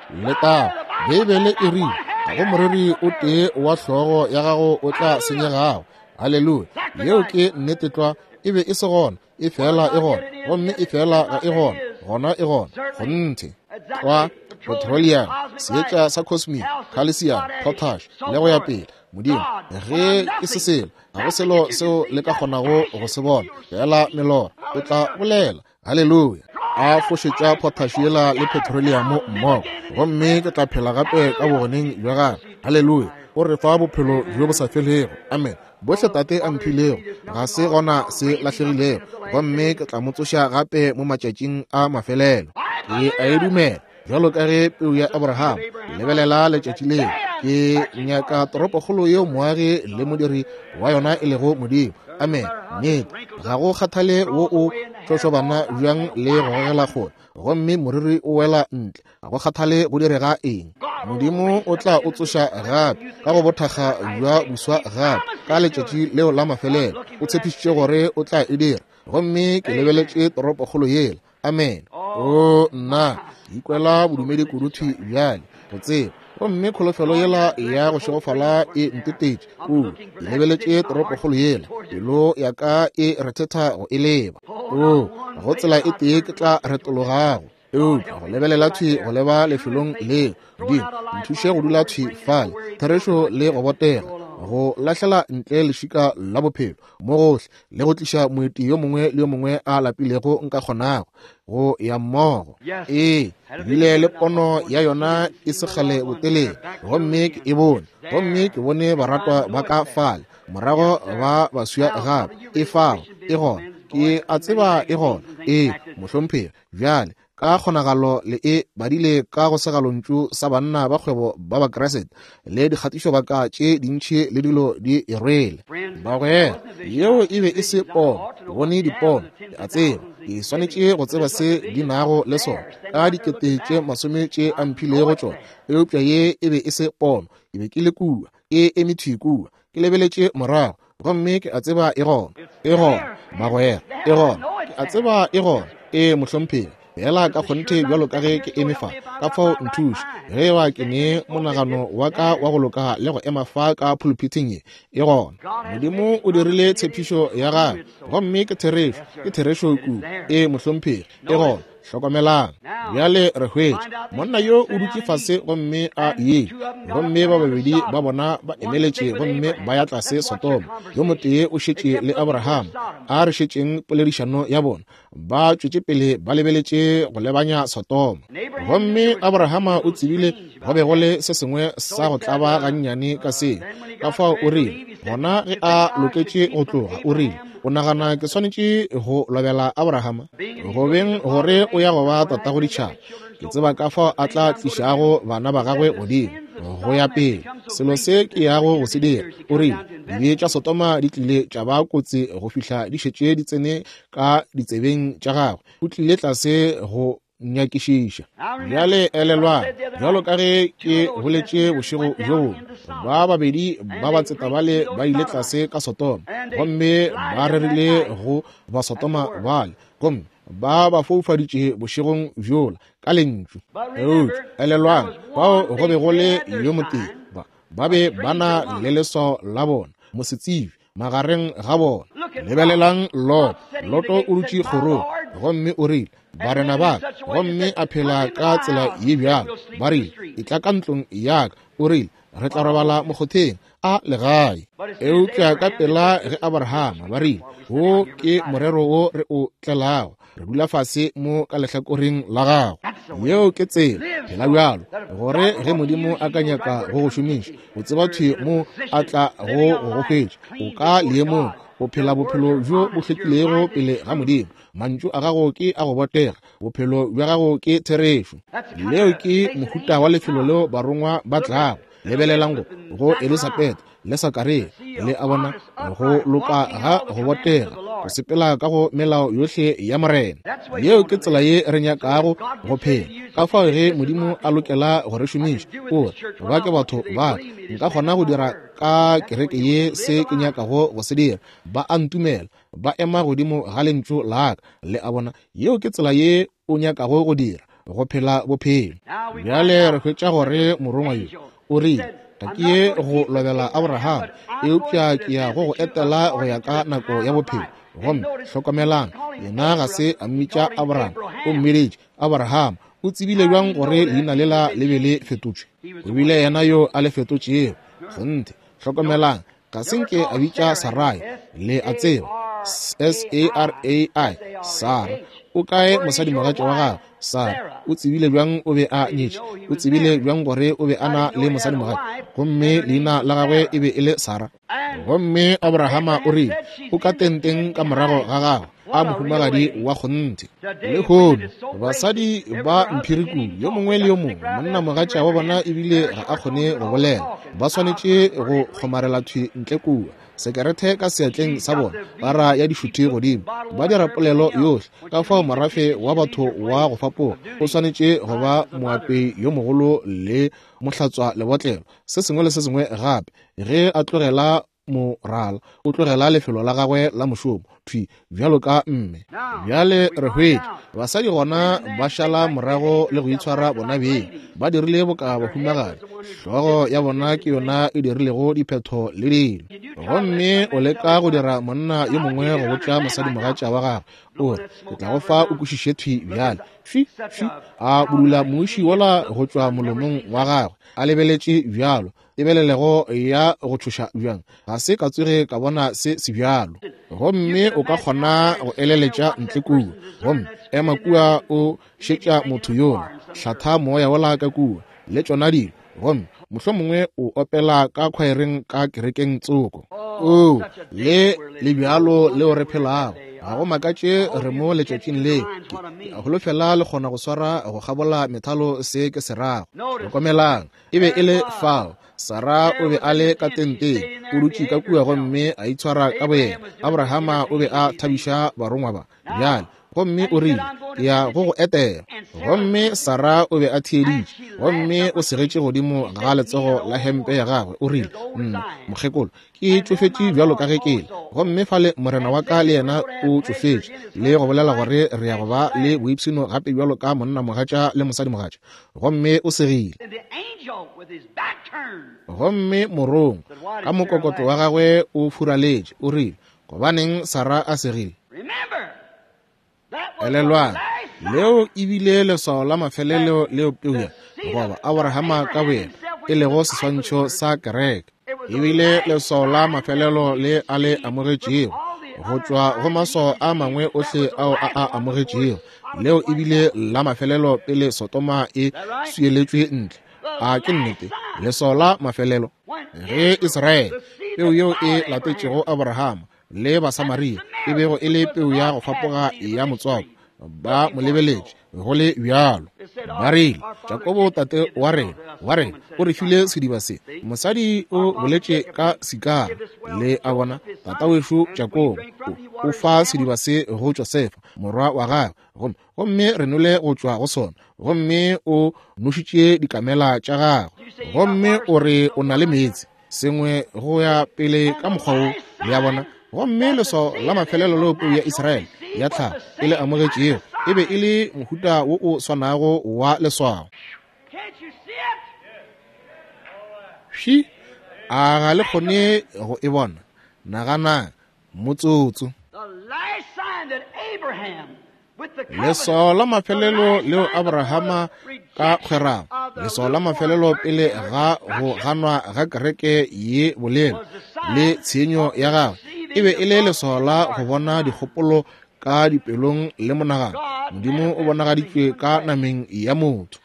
Letago. Beibele e rile, ga go moriri o tee wa hlogo ya gago o tla senyegago. Haleluya. Yeo ke nnete tlwa. E be e se gona, e fela e gona, gomme e fela ga e gona, gona e gona. Kgonthe. Tlwa, petroleum, seetša sa cosmic, calcium, potash, le go ya pele. Modimo, ge ke se selo, ga go selo seo le ka kgonago go se bona, fela melora, o tla bolela. Haleluya. A fošetša potash yela le petroleum mmogo, gomme ke tla phela gape ka bogoneng bja gagwe. Haleluya. O re fa bophelo bjo bo sa felego. Amen. Bohle Tate a mphilego, ga se gona se lahlegilego, gomme ke tla mo tsoša gape mo matšatšing a mafelelo. Ke a e dumela. Bjalo ka ge peu ya Abraham, lebelela letšatši leo. Ke nyaka toropokgolo yeo moagi le modiri wa yona e lego Modimo. Amen. Nnete. Ga go kgathale wo o tšošobana bjang le go gogela kgole, gomme moriri o wela ntle, ga go kgathale go direga eng, Modimo o tla o tsoša gape ka go bothakga bja buswa gape ka letšatši leo la mafelelo. O tshepišitše gore o tla e dira, gomme ke lebeletše toropokgolo yela. Amen. O nna, ke ikwela bodumedi kudu thwi bjale, go tseba. Gomme kholofelo yela ya go šegofala e ntetetše kudu. Ke lebeletše toropokgolo yela, pelo ya ka e rethetha go e leba. O, go tsela e tee ke tla retologago, eupša go lebelela thwi go leba lefelong leo. Modimo, nthuše go dula thwi fale, therešo le go botega, go lahlela ntle lešika la bophelo mo gohle, le go tliša moeti yo mongwe le yo mongwe a lapilego nka kgonago go ya mmogo. Ee, bile le pono ya yona e se kgale botelele, gomme ke e bone, gomme ke bone baratwa ba ka fale, morago ba baswa gape. E fao, e gona, ke a tseba e gona. Ee, mohlomphegi. Bjale, ka kgonagalo le e badile ka go segalontšu sa banna ba kgwebo ba Bakriste le dikgatišobaka tše dintši le dilo di e rwele. Bagwera, yeo e be e se pono. Ke bone dipono, ke a tseba. Ke swanetše go tseba se di nago le sona ka dikete tše masome tše a mphilego tšona, eupša ye e be e se pono. Ke be ke le kua, ke eme thwi kua, ke lebeletše morago, gomme ke a tseba e gona. E gona, bagwera, e gona. Ke a tseba e gona. Ee, mohlomphegi. Fela ka kgonthe bjalo ka ge ke eme fa, ka fao nthuše. Ge eba ke ne monagano wa ka wa go loka le go ema fa ka phuluphithing ye, e gona. Modimo o dirile tshepišo ya gagwe, gomme ke therešo. Ke therešo kudu. Ee, mohlomphegi, e gona. Hlokomelang bjale, re hwetša monna yo o dutše fase gomme a ye, gomme ba babedi ba bona ba emeletše gomme ba ya tlase Sodoma. Yo motee o šetše le Abraham. A re šetšeng poledišano ya bona. Ba tšwetše pele ba lebeletše go lebanya Sodoma. Gomme Abrahama o tsebile go be go le se sengwe sa go tlaba gannyane ka seo. Ka fao o rile, gona ge a loketše go tloga, o rile, o nagana ke swanetše go lobela Abrahama? Go beng gore o ya go ba tatago ditšhaba, ke tseba ka fao a tla tlišago bana ba gagwe godimo. go ya pele, selo se ke yago go se dira. O rile, dibe tša Sodoma di tlile tša ba kotsi go fihla di šetše di tsene ka ditsebeng tša gagwe. O tlile tlase go nyakišiša. Bjale elelwang, bjalo ka ge ke boletše bošego bjo bongwe, ba babedi ba batseta bale ba ile tlase ka Sodoma, gomme ba rerile go Basodoma bale, gomme ba ba foufaditše bošegong bjola ka lentšu. Eupša elelwang, fao go be go le yo motee, ba be ba na le leswao la bona, mosetsebje magareng ga bona. Lebelelang Loto. Loto o dutše kgorong, gomme o rile, barena ba ka, gomme a phela ka tsela ye bjalo. Ba rile, etla ka ntlong ya ka. O rile, re tla robala mokgotheng a legae. Eupša ka pela ge Abrahama, ba rile, wo ke morero wo re o tlelago, re dula fase mo ka lehlakoreng la gago. Yeo ke tsela, phela bjalo, gore ge Modimo a ka nyaka go go šomiša, o tseba thwi mo a tla go go hwetša. O ka leemong, o phela bophelo bjo bo hlwekilego pele ga Modimo. Mantšu a gago ke a go botega, bophelo bja gago ke therešo. Leo ke mohuta wa lefelo leo barongwa ba tlago. Lebelelang go Elisabeth le Sakaria, le a bona go loka ga go botega, go sepela ka go melao yohle ya Morena. Yeo ke tsela ye re nyakago go phela. Ka fao ge Modimo a lokela go re šomiša, o re, ba ke batho ba ka, nka kgona go dira ka kereke ye se ke nyakago go se dira. Ba a ntumela, ba ema godimo ga lentšu la ka. Le a bona, yeo ke tsela ye o nyakago go dira, go phela bophelo. Bjale re hwetša gore morongwa yo o rile, ga ke ye go lobela Abraham, eupša ke ya go go etela go ya ka nako ya bophelo. Gomme hlokomelang, yena ga se a mmitša Abraham, o mmiditše Abraham. O tsebile bjang gore leina lela le be le fetotšwe? O bile yena yo a le fetotšego. Kgonthe. Hlokomelang, ga se nke a bitša Sarai, le a tseba, S-A-R-A-I, Sara. O kae mosadimogatša wa gagwe? Sara. O tsebile bjang o be a nyetše? O tsebile bjang gore o be a na le mosadimogatša? Gomme leina la gagwe e be e le Sara. Gomme Abrahama o rile, o ka tenteng ka morago ga gagwe, a mohumagadi wa kgonthe. Lehono basadi ba mphiri kudu, yo mongwe le yo mongwe monnamogatša wa bona ebile ga a kgone go bolela, ba swanetše go kgomarela thwi ntle kua, sekerethe ka seatleng sa bona, para ya dišuthi godimo, ba dira polelo yohle. Ka fao morafe wa batho wa go fapoga o swanetše go ba moapei yo mogolo le mohlatswa lebotlelo, se sengwe le se sengwe gape. Ge a tlogela morala, o tlogela lefelo la gagwe la mošomo thwi bjalo ka mme. Bjale re hwetša basadi gona ba šala morago le go itshwara bona beng, ba dirile boka bahumagadi, hlogo ya bona ke yona e dirilego diphetho le dilo. Gomme o leka go dira monna yo mongwe go botša mosadimogatša wa gagwe, o re, ke tla go fa o kwešiše thwi bjale. Fi, fi, a budula muši wola go tšwa molomong wa gagwe, a lebeletše bjalo, tebelelego ya go tšhoša bjang, ga se ka tsoge ka bona se se bjalo. Gomme o ka kgona go eleletša ntle kua, gomme ema kua o šetša motho yola, hlatha moya wola ka kua, le tšona dilo, gomme mohlomongwe o opela ka khwaereng ka kerekeng tsoko. Oo, le le bjalo leo re phelago. Ga go makatše re mo letšatšing le. Ke a holofela le kgona go swara go kgabola methalo se ke se rago. Hlokomelang, e be e le fao. Sara o be a le ka tenteng, o dutše ka kua gomme a itshwara ka boyena. Abrahama o be a thabiša barongwa ba. Bjale, gomme o rile, ke ya go go etela. Gomme Sara o be a theeditše, gomme o segetše godimo ga letsogo la hempe ya gagwe. O rile, nna, mokgekolo, ke tšofetše bjalo ka ge ke le, gomme fale morena wa ka le yena o tšofetše, le go bolela gore re ya go ba le boipshino gape bjalo ka monnamogatša le mosadimogatša. Gomme o segile. Gomme morongwa ka mokokotlo wa gagwe o furaletše, o rile, gobaneng Sara a segile? Elelwang, leo e bile leswao la mafelelo leo peu ya goba Abrahama ka boyena e lego seswantšho sa kereke, e bile leswao la mafelelo le a le amogetšego go tšwa go maswao a mangwe ohle ao a a amogetšego. Leo e bile la mafelelo pele Sodoma e swieletšwe ntle. A ke nnete? Leswao la mafelelo ge Israele, peu yeo e latetšego Abrahama, le Basamaria, e bego e le peu ya go fapoga ya motswako, ba mo lebeletše go le bjalo. Ba rile, Jakobo tate wa rena, wa rena, o re file sediba se. Mosadi o boletše ka Sikara. Le a bona, tata wešo Jakobo o fa sediba se go Josefa, morwa wa gagwe, gomme gomme re nole go tšwa go sona, gomme o nošitše dikamela tša gagwe, gomme o re o na le meetse, sengwe go ya pele ka mokgwa wo. Le a bona? Gomme leswao la mafelelo leo peu ya Israele ya tlhago e le amogetšego e be e le mohuta wo o swanago wa leswao. Hwi, a ga le kgone go e bona? Naganang motsotso. Leswao la mafelelo leo Abrahama ka kgwerano, leswao la mafelelo pele ga go ganwa ga kereke ye bolelo le tshenyo ya gagwe, e be e le leswao la go bona dikgopolo ka dipelong le monagano. Modimo o bonagaditšwe ka nameng ya motho.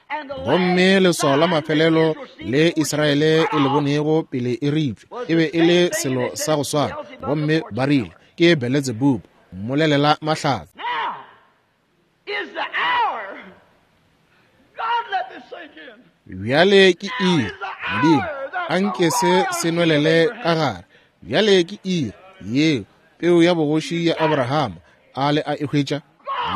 Gomme leswao la mafelelo le Israele e le bonego pele e ripša e be e le selo sa go swana, gomme ba rile ke Beelzebub, mmolelela mahlatse. Bjale ke iri, Modimo, a nke se se nwelele ka gare. Bjale ke iri yeo peu ya bogoši ya Abrahama a le a e hwetša.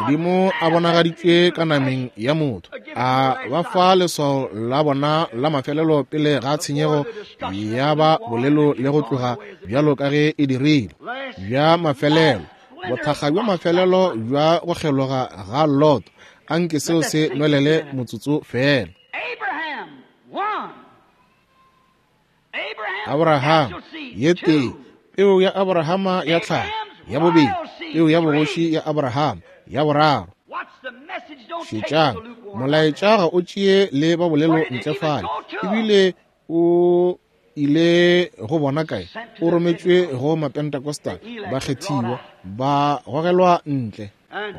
Modimo a bonagaditšwe ka nameng ya motho, a ba fa leswao la bona la mafelelo pele ga tshenyego ya ba bolelo le go tloga bjalo ka ge e dirile. Bja mafelelo, bothakga bja mafelelo bja go kgeloga ga Lot, a nke seo se nwelele motsotso fela. Abraham, ye tee, peu ya Abrahama ya tlhago, ya bobedi, peu ya bogoši ya Abrahama, ya boraro. Šetšang, molaetša ga o tšee le ba bolelo ntle fale, ebile o ile go bona kae? O rometšwe go Mapentecostal, bakgethiwa, ba gogelwa ntle.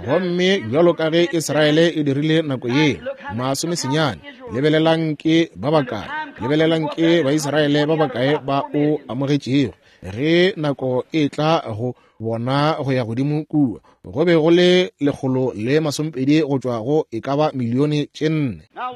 Gomme bjalo ka ge Israele e dirile nako yeo, 19, lebelelang ke ba bakae, lebelelang ke Baisraele ba bakae ba o amogetšego ge nako e tla go bona go ya godimo kua. Go be go le 120 go tšwa go e ka ba 4 milione.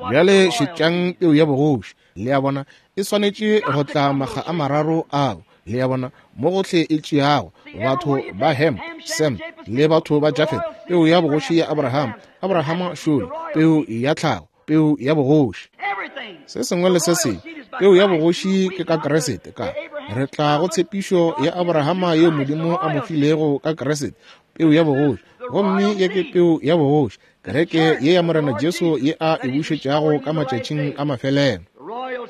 Bjale šetšang peu ya bogoši. Le a bona, e swanetše go tla makga a mararo ao. Le a bona, mo gohle e tšeago batho ba Ham, Sem le batho ba Jafet, peu ya bogoši ya Abraham, Abrahama šole, peu ya tlhago, peu ya bogoši. Se sengwe le se sengwe, peu ya bogoši ke ka Kriste. Ka re tla go tshepišo ya Abrahama yeo Modimo a mo filego ka Kriste, peu ya bogoši. Gomme ye ke peu ya bogoši, kereke ye ya Morena Jesu ye a e bušetšago ka matšatšing a mafelelo.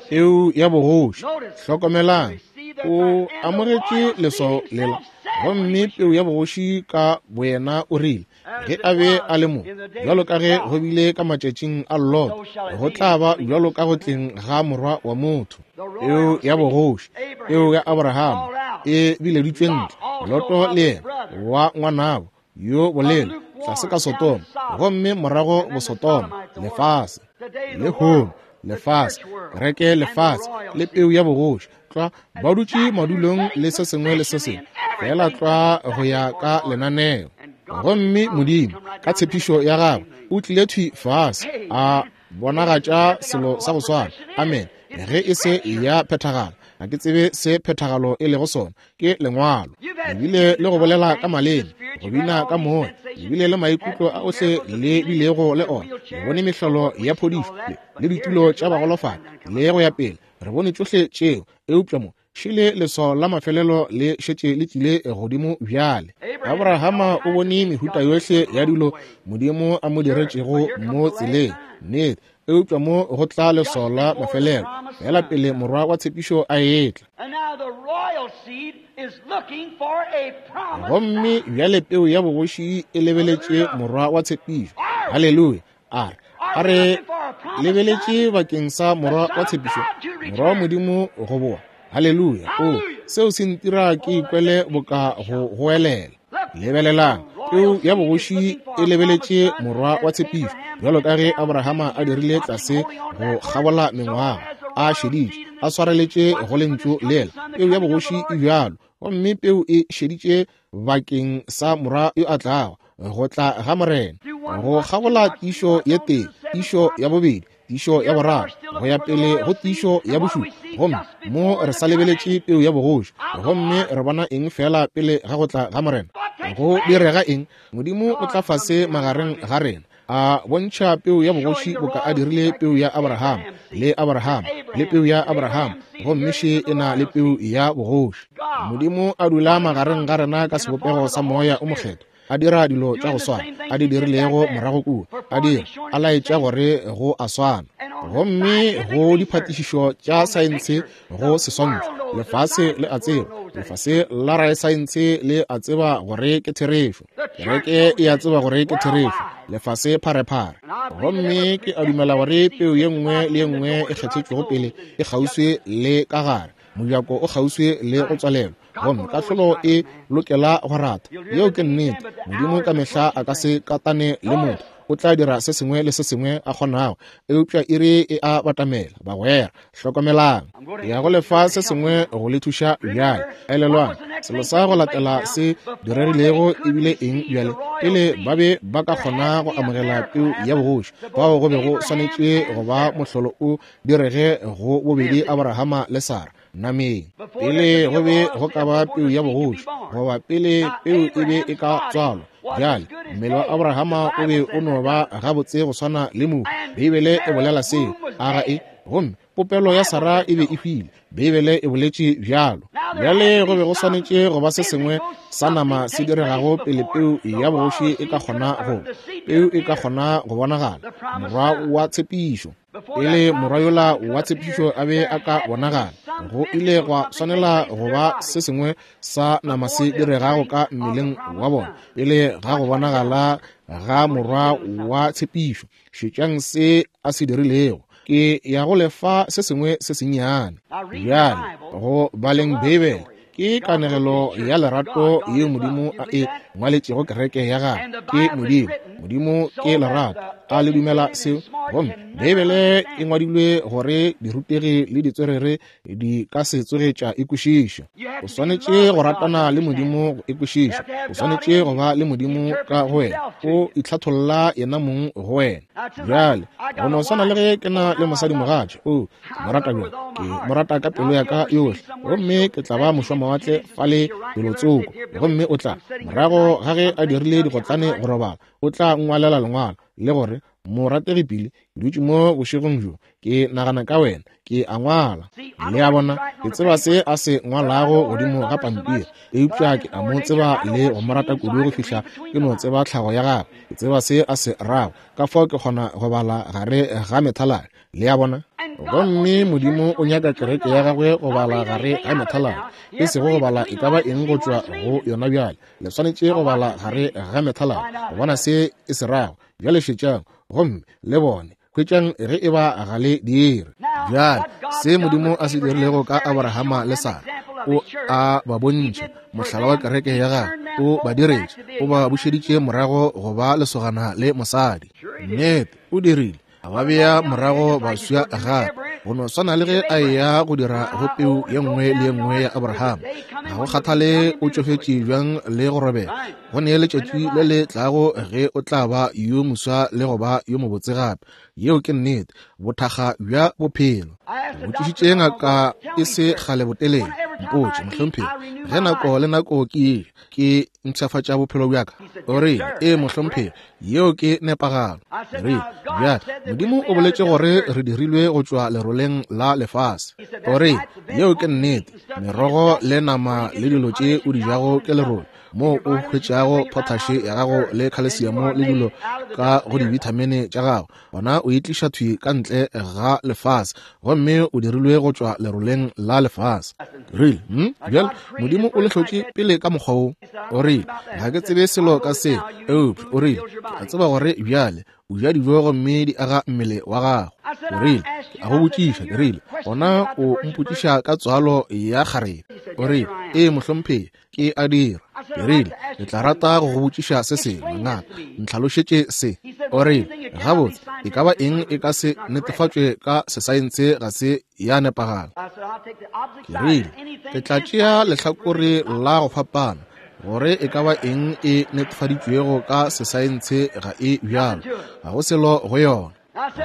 Peu ya bogoši. Hlokomelang, o amogetše leswao lela, gomme peu ya bogoši ka boyena o rile ge a be a le mo, bjalo ka ge go bile ka matšatšing a Lot, go tla ba bjalo ka go tleng ga morwa wa motho. Peu ya bogoši, peu ya Abrahama e bileditšwe ntle, Loto le yena wa ngwanabo yo bolelo tlase ka Sodoma, gomme morago boSodoma, lefase lehono, lefase, kereke, lefase le peu ya bogoši, tlwa ba dutše madulong le se sengwe le se sengwe fela tlwa go ya ka lenaneo. Gomme Modimo ka tshepišo ya gagwe o tlile thwi fase a bonagatša selo sa go swana. Amen. Ge e se ya phethagala, ga ke tsebe se phethagalo e lego sona, ke lengwalo. Ebile le go bolela ka maleme, go bina ka moya, ebile le maikutlo a ohle le bilego le ona, le bone mehlolo ya phodišo le ditulo tša bagolofadi le go ya pele, re bone tšohle tšeo, eupša mo šele leswao la mafelelo le šetše le tlile godimo bjale. Abrahama o bone mehuta yohle ya dilo Modimo a mo diretšego mo tseleng, nnete, eupša mo go tla leswao la mafelelo fela pele morwa wa tshepišo a etla. Gomme bjale peu ya bogoši e lebeletše morwa wa tshepišo. Haleluya! A re, a re lebeletše bakeng sa morwa wa tshepišo, morwa wa Modimo go boa. Haleluya! O, seo se ntira ke ikwele boka go goelela. Lebelelang, peu ya bogoši e lebeletše morwa wa tshepišo, bjalo ka ge Abrahama a dirile tlase go kgabola mengwaga, a šeditše, a swareletše go lentšu lela. Peu ya bogoši e bjalo, gomme peu e šeditše bakeng sa morwa yo a tlago, go tla ga Morena, go kgabola tiišo ye tee Tiišo ya bobedi, tiišo ya boraro, go ya pele go tiišo ya bošupa. Gomme mo re sa lebeletše peu ya bogoši, gomme re bona eng feela pele ga go tla ga Morena? Go direga eng? Modimo o tla fase magareng ga rena, a bontšha peu ya bogoši boka a dirile peu ya Abraham, le Abraham, le peu ya Abraham, gomme še e na le peu ya bogoši. Modimo a dula magareng ga rena ka sebopego sa Moya o Mokgethwa, a dira dilo tša go swana a di dirilego morago kua, a dira, a laetša gore go a swana. Gomme go diphatišišo tša saense go seswantšho, lefase le a tseba, lefase la raesaense le a tseba gore ke therešo, kereke e a tseba gore ke therešo, lefase pharephare. Gomme ke a dumela gore peu ye nngwe le ye nngwe e kgethetšwego pele e kgauswi le ka gare, mojako o kgauswi le go tswalelwa, gomme kahlolo e lokela go rata. Yeo ke nnete. Modimo ka mehla a ka se katane le motho, o tla dira se sengwe le se sengwe a kgonago, eupša iri e a batamela. Bagwera, hlokomelang, ya go lefa se sengwe go le thuša bjale. Elelwang, selo sa go latela se diregilego ebile eng bjale? Pele ba be ba ka kgona go amogela peu ya bogoši, fao go be go swanetše go ba mohlolo o direge go bobedi Abrahama le Sara nameng. Pele go be go ka ba peu ya bogoši, goba pele peu e be e ka tswalwa. Bjale mmele wa Abrahama o be o no ba gabotse go swana le mohu. Beibele e bolela seo, a ga e? Gomme popelo ya Sara e be e hwile, Beibele e boletše bjalo. Bjale go be go swanetše go ba se sengwe sa nama se diregago pele peu ya bogoši e ka kgona go, peu e ka kgona go bonagala, morwa wa tshepišo. Pele morwa yola wa tshepišo a be a ka bonagala, go ile gwa swanela go ba se sengwe sa nama se diregago ka mmeleng wa bona pele ga go bonagala ga morwa wa tshepišo. Šetšang se a se dirilego. Ke ya go lefa se sengwe se sennyane bjale go baleng Beibele. Ke kanegelo ya lerato yeo Modimo a e ngwaletšego kereke ya gagwe. Ke Modimo. Modimo ke lerato. A le dumela seo? Gomme Beibele e ngwadilwe gore dirutegi le ditswerere di ka se tsoge tša e kwešiša. O swanetše go ratana le Modimo go e kwešiša. O swanetše go ba le Modimo ka go wena. O itlhatholla yena mong go wena. Bjale, go no swana le ge ke na le mosadimogatša. O, ke mo rata bjang, ke mo rata ka pelo ya ka yohle, gomme ke tla ba mošwamawatle fale felotsoko. Gomme o tla, morago ga ge a dirile digotlane go robala, o tla nngwalela lengwalo le gore, Morategi Pili, ke dutše mo bošegong bjo, ke nagana ka wena, ke a ngwala. Le a bona, ke tseba se a se ngwalago godimo ga pampiri, eupša ke a mo tseba le go mo rata kudu go fihla ke no tseba tlhago ya gagwe, ke tseba se a se rago, ka fao ke kgona go bala gare ga methaladi. Le a bona? Gomme Modimo o nyaka kereke ya gagwe go bala gare ga methaladi, e sego go bala e ka ba eng go tšwa go yona bjale. Le swanetše go bala gare ga methaladi go bona se e se rago. Bjale šetšang gomme le bone, hwetšang ge e ba ga le dire. Bjale se Modimo a se dirilego ka Abrahama le Sara, o a ba bontšha mohlala wa kereke ya gagwe, o ba diretše, o ba bušeditše morago go ba lesogana le mosadi. Nnete, o dirile. A ba bea morago baswa gape, go no swana le ge a eya go dira go peu ye nngwe le ye nngwe ya Abraham. Ga go kgathale o tšofetše bjang le go robega, go ne letšatši le le tlago ge o tla ba yo moswa le go ba yo mobotse gape. Yeo ke nnete, bothakga bja bophelo. Ke botšišitše ngaka e se kgale botelele, mpotše, mohlomphegi, ge nako le nako ke eja, ke mpshafatša bophelo bja ka. O rile, Ee, mohlomphegi, yeo ke nepagalo. Ke rile, Bjale, Modimo o boletše gore re dirilwe go tšwa leroleng la lefase. O rile, Yeo ke nnete. Merogo le nama le dilo tše o di jago ke lerole, moo o hwetšago potaše ya gago le khalesiamo le dilo ka go dibithamine tša gago. Gona o e tliša thwi ka ntle ga lefase, gomme o dirilwe go tšwa leroleng la lefase. Ke rile, Hm, bjale, Modimo o le hlotše pele ka mokgwa wo. O rile, Ga ke tsebe selo ka se, eupša, o rile, ke a tseba gore bjale o ja dijo gomme di aga mmele wa gago. O rile, Ke a go botšiša. Ke rile, Gona o mpotšiša ka tswalo ya kgarebe. O rile, Ee, mohlomphegi, ke a dira. Ke rile, Ke tla rata go go botšiša se sengwe, ngaka. Ntlhalošetše se. O rile, Gabotse, e ka ba eng e ka se netefatšwe ka sesaense ga se ya nepagala. Ke rile, Ke tla tšea lehlakore la go fapana, gore e ka ba eng e netefaditšwego ka sesaense ga e bjalo. Ga go selo go yona.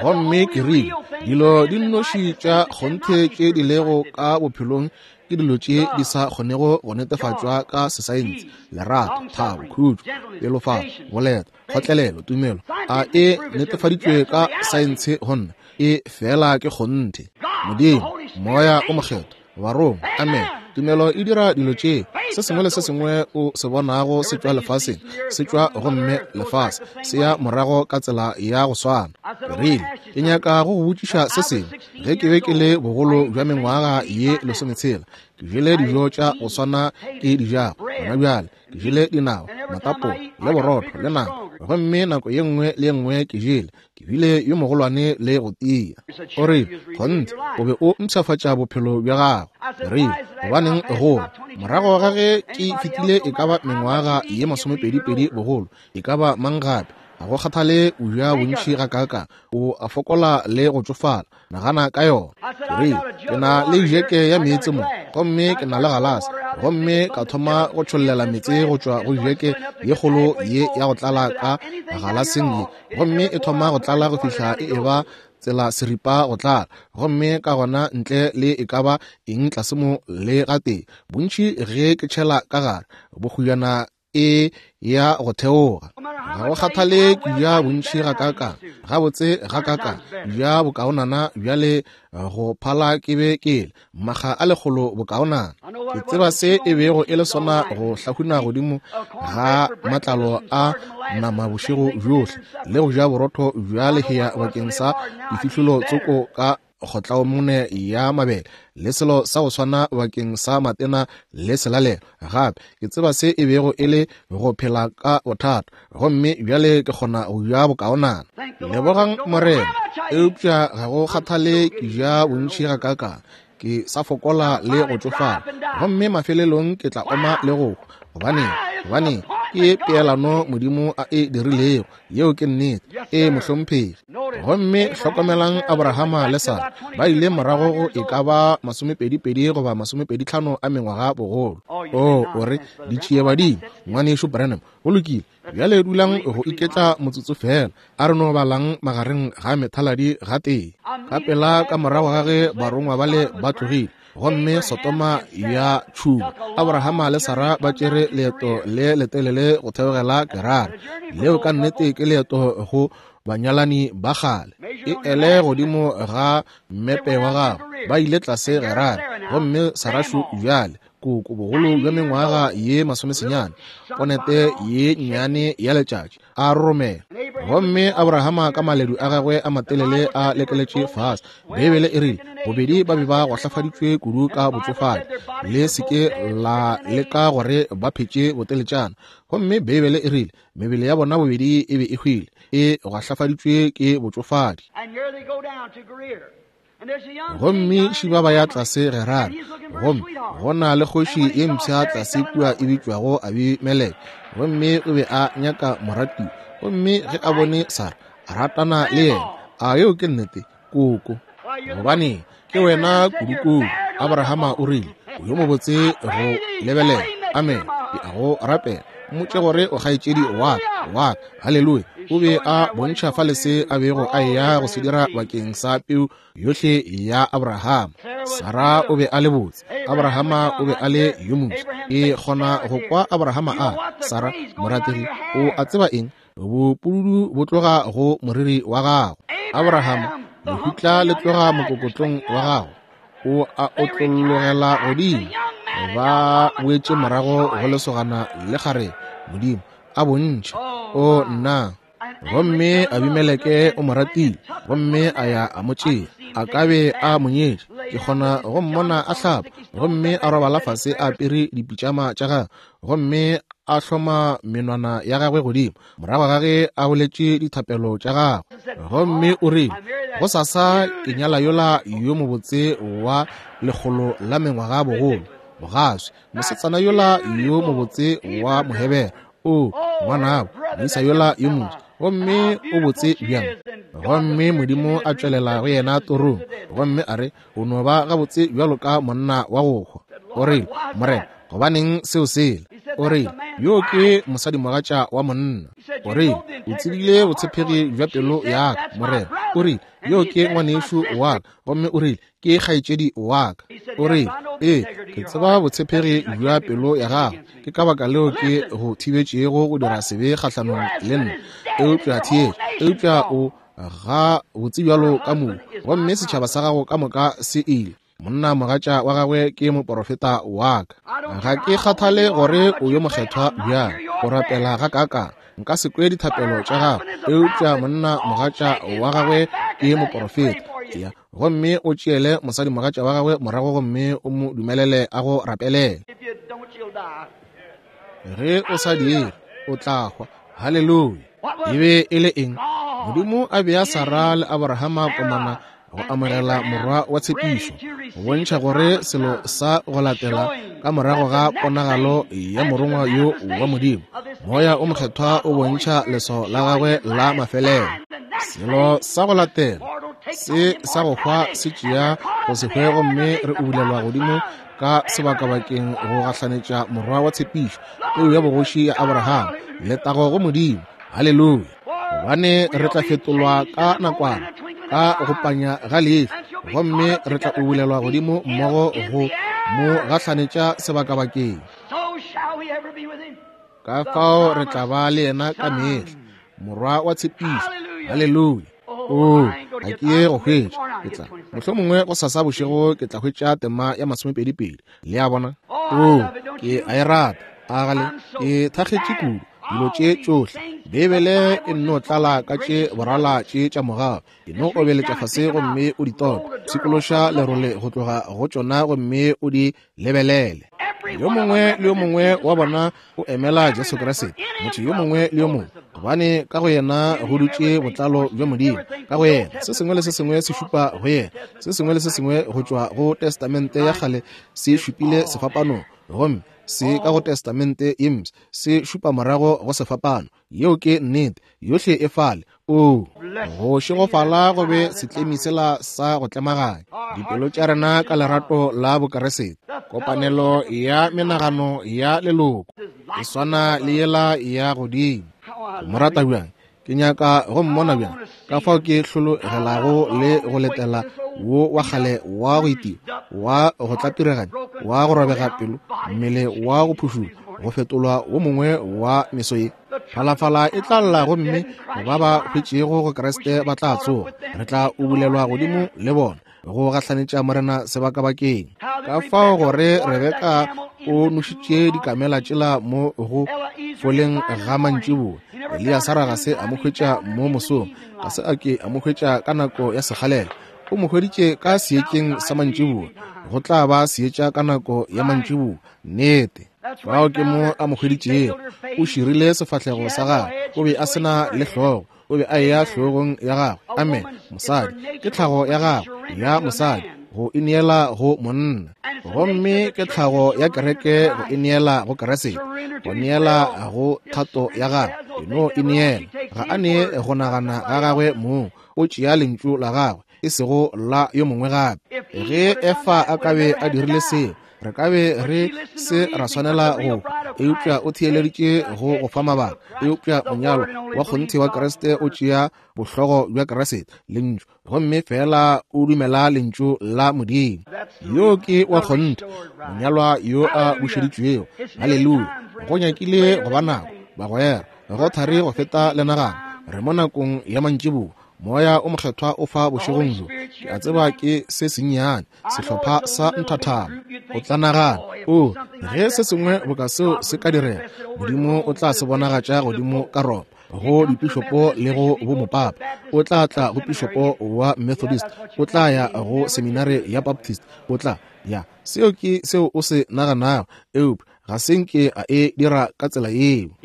Gomme ke rile, dilo di nnoši tša kgonthe tše di lego ka bophelong ke dilo tše di sa kgonego go netefatšwa ka sesaense, lerato, thabo, khutšo, pelofalo, boleta, kgotlelelo, tumelo. A e netefaditšwe ka saense go nna? E fela ke kgonthe. Modimo, Moya o Mokgethwa, Barongwa, amen. Tumelo e dira dilo tše. Se sengwe le se sengwe o se bonago se tšwa lefaseng, se tšwa gomme lefase se ya morago ka tsela ya go swana. Ke rile, ke nyaka go go botšiša se sengwe. Ge ke be ke le bogolo bja mengwaga ye 60, ke jele dijo tša go swana ke di jago gona bjale. Ke jele dinawa, matapo, le borotho, le nama. Gomme nako ye nngwe le ye nngwe ke jele, ke bile yo mogolwane le go tia. O rile, kgonthe, o be o mpshafatša bophelo bja gago. Ke rile, gobaneng gola? Morago ga ge ke fetile e ka ba mengwaga ye 22 bogolo, e ka ba mang gape, ga go kgathale o ja bontši gakaakang, o a fokola le go tšofala. Nagana ka yona. Ke rile, ke na le jeke ya meetse mo, gomme ke na le galase, gomme ka thoma go tšhollela meetse go tšwa go jeke ye kgolo ye ya go tlala ka galaseng ye, gomme e thoma go tlala go fihla e eba tsela seripa go tlala, gomme ka gona ntle le e ka ba eng tlase mo le gatee, bontši ge ke tšhela ka gare, bokgujana e ya go theoga. Ga go kgathale ke ja bontši gakaakang, gabotse gakaakang, ja bokaonana bjale go phala ke be ke le makga a lekgolo bokaonana. Ke tseba se e bego e le sona go hlahuna godimo ga matlalo a nama bošego bjohle le go ja borotho bja lehea bakeng sa difihlolo tsoko ka kgotlaomone ya mabele le selo sa go swana bakeng sa matena le selalelo. Gape ke tseba se e bego e le go phela ka bothata, gomme bjale ke kgona go ja bokaonana. Lebogang Morena. Eupša ga go kgathale ke ja bontši gakaakang, ke sa fokola le go tšofala, gomme mafelelong ke tla oma le go hwa. Gobaneng? Gobaneng? Ke peelano Modimo a e dirilego. Yeo ke nnete. Ee, mohlomphegi. Gomme hlokomelang Abrahama le Sara ba ile morago go e ka ba 22 goba 25 a mengwaga bogolo. Oh, o re, ditšiebadimo, Ngwanešu Branham. Go lokile. Bjale dulang go iketla motsotso feela. A re no balang magareng ga methaladi gatee. Ka pela ka morago ga ge barongwa bale ba tlogile, gomme Sodoma ya tšhuma, Abrahama le Sara ba tšere leeto le letelele go theogela Gerara. Leo ka nnete ke leeto go banyalani ba kgale. E ele godimo ga mmepe wa gago. Ba ile tlase Gerara, gomme Sara šo bjale, koko bogolo bja mengwaga ye 90, ponete ye nnyane ya letšatši, a roromela. Gomme Abrahama ka maledu a gagwe a matelele a lekeletše fase. Beibele e rile, bobedi ba be ba gwahlafaditšwe kudu ka botšofadi, le se ke la leka gore ba phetše boteletšana. Gomme Beibele e rile, mebele ya bona bobedi e be e hwile, e gwahlafaditšwe ke botšofadi. Gomme šiba ba ya tlase Gerara, gomme go na le kgoši ye mpsha tlase kua e bitšwago Abimeleke, gomme o be a nyaka moratiwa. Gomme ge a bone Sara, a ratana le yena. A yeo ke nnete, koko? Gobane ke wena kudukudu. Abrahama o rile, o yo mobotse go lebelela. Amen. Ke a go rapela, mmotše gore o kgaetšedi wa ka, wa ka. Haleluya. O be a bontšha fale se a bego a eya go se dira bakeng sa peu yohle ya Abrahama. Sara o be a le botse, Abrahama o be a le yo moswa. Ke kgona go kwa Abrahama a re, Sara, morategi, o a tseba eng? Bopududu bo tloga go moriri wa gago. Abrahama, lehutla le tloga mokokotlong wa gago. O a otlologela godimo. Ba boetše morago go lesogana le kgarebe. Modimo a bontšha. O nna. Gomme Abimeleke o mo ratile, gomme a ya a mo tšea. A ka be a mo nyetše. Ke kgona go mmona a hlapa, gomme a robala fase a apere dipitšama tša gagwe, gomme a hloma menwana ya gagwe godimo, morago ga ge a boletše dithapelo tša gagwe. Gomme o rile, Gosasa ke nyala yola yo mobotse wa 100 la mengwaga bogolo, bogaswi, mosetsana yola yo mobotse wa Mohebere. O, ngwanabo, moisa yola yo moswa, gomme o botse bjang. Gomme Modimo a tšwelela go yena torong, gomme a re, O no ba gabotse bjalo ka monna wa go hwa. O rile, Morena, gobaneng seo sela? O rile, yo ke mosadimogatša wa monna. O rile, o tsebile botshepegi bja pelo ya ka, Morena. O rile, yo ke ngwanešu wa ka. Gomme o rile, ke kgaetšedi wa ka. O rile, ee, ke tseba botshepegi bja pelo ya gago. Ke ka baka leo ke go thibetšego go dira sebe kgahlanong le nna. Eupša theetša, eupša o ga botse bjalo ka mohu, gomme setšhaba sa gago ka moka se ile. Monna mogatša wa gagwe ke moporofeta wa ka. Ga ke kgathale gore o yo mokgethwa bjang, o rapela ga kaakang, nka se kwe dithapelo tša gago, eupša monna mogatša wa gagwe ke moporofeta. Ya, gomme o tšeele mosadi mogatša wa gagwe morago gomme o mo dumelele a go rapelele. Ge o sa dire, o tla hwa. Haleluya! E be e le eng? Modimo a bea Sara le Abrahama komana go amogela morwa wa tshepišo, go bontšha gore selo sa go latela ka morago ga ponagalo ya morongwa yo wa Modimo, Moya o Mokgethwa o bontšha leswao la gagwe la mafelelo. Selo sa go latela se sa go hwa se tšea go se hwe, gomme re ubulelwa godimo ka sebakabakeng go gahlanetša morwa wa tshepišo, peu ya bogoši ya Abraham. Letago go Modimo! Haleluya! Gobane re tla fetolwa ka nakwana, ka go panya ga leihlo, gomme re tla ubulelwa godimo mmogo go mo gahlanetša sebakabakeng. Ka fao re tla ba le yena ka mehla, morwa wa tshepišo. Haleluya! Oo, ga ke ye go hwetša, ke tla mohlomongwe go sasa bošego ke tla hwetša tema ya 22. Le a bona? Oo, ke a e rata. A gale ke thakgetše kudu dilo tše tšohle. Beibele e nno tlala ka tše borala tše tša mogau. E no obeletša fase gomme o di tope, pshikološa lerole go tloga go tšona gomme o di lebelele. Yo mongwe le yo mongwe wa bona o emela Jesu Kriste, motho yo mongwe le yo mongwe, gobane ka go yena go dutše botlalo bja Modimo. Ka go yena se sengwe le se sengwe se šupa go yena. Se sengwe le se sengwe go tšwa go Testamente ya kgale se šupile sefapanong, gomme se ka go Testamente ye mpsha se šupa morago go sefapano. Yeo ke nnete, yohle e fale. Oo, go šegofala go be setlemi sela sa go tlemaganya dipelo tša rena ka lerato la Bokeresete. Kopanelo ya menagano ya leloko e swana le yela ya godimo. Go mo rata bjang, ke nyaka go mmona bjang, ka fao ke hlologelago le go letela wo wa kgale wa go itiwa, wa go tlapireganya, wa go robega pelo, mmele wa go phušula, go fetolwa wo mongwe wa meso ye. Phalafala e tla lla gomme ba ba hwetšego go Kriste ba tla tsoga. Re tla ubulelwa godimo le bona go gahlanetša Morena sebakabakeng. Ka fao gore Rebeka o nošitše dikamela tšela mo go foleng ga mantšiboa, Eliasara ga se a mo hwetša mo mosong, ga se a ke a mo hwetša ka nako ya sekgalela, o mo hweditše ka seetšeng sa mantšiboa. Go tla ba seetša ka nako ya mantšiboa. Nnete. Fao ke mo a mo hweditšego. O širile sefahlego sa gagwe. O be a se na le hlogo. O be a eya hlogong ya gagwe. Amen. Mosadi ke tlhago ya gagwe ya mosadi go ineela go monna, gomme ke tlhago ya kereke go ineela go Kriste, go neela go thato ya gagwe. E no ineela. Ga a nee go nagana ga gagwe mong, o tšea lentšu la gagwe, e sego la yo mongwe gape. Ge Efa a ka be a dirile seo, re ka be re se ra swanela go hwa. Eupša o theeleditše go go fa mabaka. Eupša monyalwa wa kgonthe wa Kriste o tšea bohlogo bja Kriste, Lentšu, gomme feela o dumela Lentšu la Modimo. Yo ke wa kgonthe, monyalwa yo a bušeditšwego. Haleluya! Go nyakile go ba nako, bagwera, go thari go feta le nagana. Re mo nakong ya mantšiboa. Moya o Mokgethwa o fa bošegong bjo. Ke a tseba ke se sennyane, sehlopha sa nthathana. O tla nagana, o, ge se sengwe boka seo se ka direga, Modimo o tla se bonagatša godimo ka Roma, go dipišopo le go bomopapa. O tla tla go pišopo wa Methodist, o tla ya go seminare ya Baptist, o tla ya. Seo ke seo o se naganago, eupša ga se nke a e dira ka tsela yeo.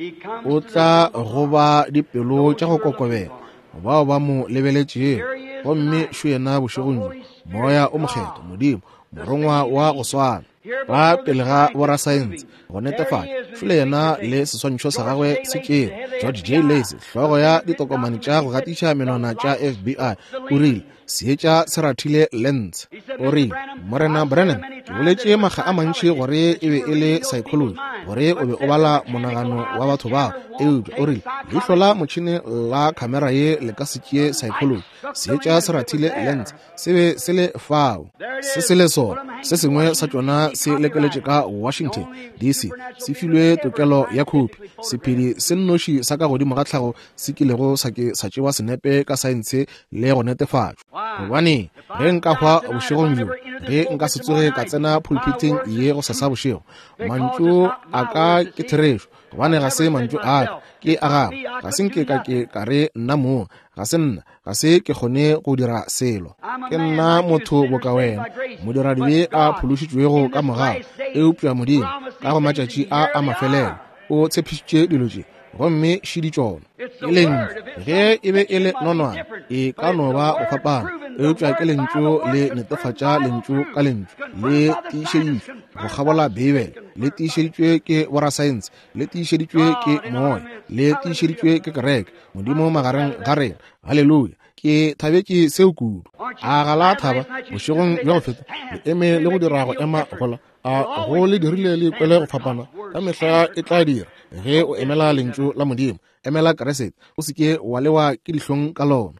O tla go ba dipelo tša go kokobela bao ba mo lebeletšego, gomme šo yena bošegong bjo, Moya o Mokgethwa, Modimo, morongwa wa go swana ba pele ga borasaense go netefatša šole yena le seswantšho sa gagwe se tšere. George J. Lacy, hlogo ya ditokomane tša go gatiša menwana tša FBI, o rile seetša se rathile lens. O rile, Morena Branham, Ke boletše makga a mantši gore e be e le psychology, gore o be o bala monagano wa batho bao. Eupša o rile, leihlo la motšhene la khamera ye le ka se tšee psychology. Seetša se rathile lens, se be se le fao. Se se le sona, se sengwe sa tšona se lekeletše ka Washington, DC, se filwe tokelo ya khopi. Sephedi se nnoši sa ka godimo ga tlhago se kilego sa ke sa tšewa senepe ka saense le go netefatšwa. Gobane ge nka hwa bošegong bjo, ge nka se tsoge ka tsena pulpiting ye go sasa bošego, mantšu a ka ke therešo, gobane ga se mantšu a ka, ke a gagwe. Ga se nke ka ke ka re nna mong, ga se nna, ga se ke kgone go dira selo. Ke nna motho boka wena, modiradibe a phološitšwego ka mogau. Eupša Modimo, ka go matšatši a a mafelelo, o tshepišitše dilo tše, gomme šidi tšona. Ke lentšu. Ge e be e le nonwane, e ka no ba go fapana, eupša ke lentšu le netefatša lentšu ka lentšu, le tiišeditšwe go kgabola Beibele, le tiišeditšwe ke borasaense, le tiišeditšwe ke moya, le tiišeditšwe ke kereke, Modimo magareng ga rena. Haleluya! Ke thabetše seo kudu. A ga la thaba bošegong bja go feta? Le eme le go dira go ema gola. A go le dirile le ikwele go fapana? Ka mehla e tla dira ge o emela lentšu la Modimo. Emela Kriste, o se ke wa lewa ke dihlong ka lona.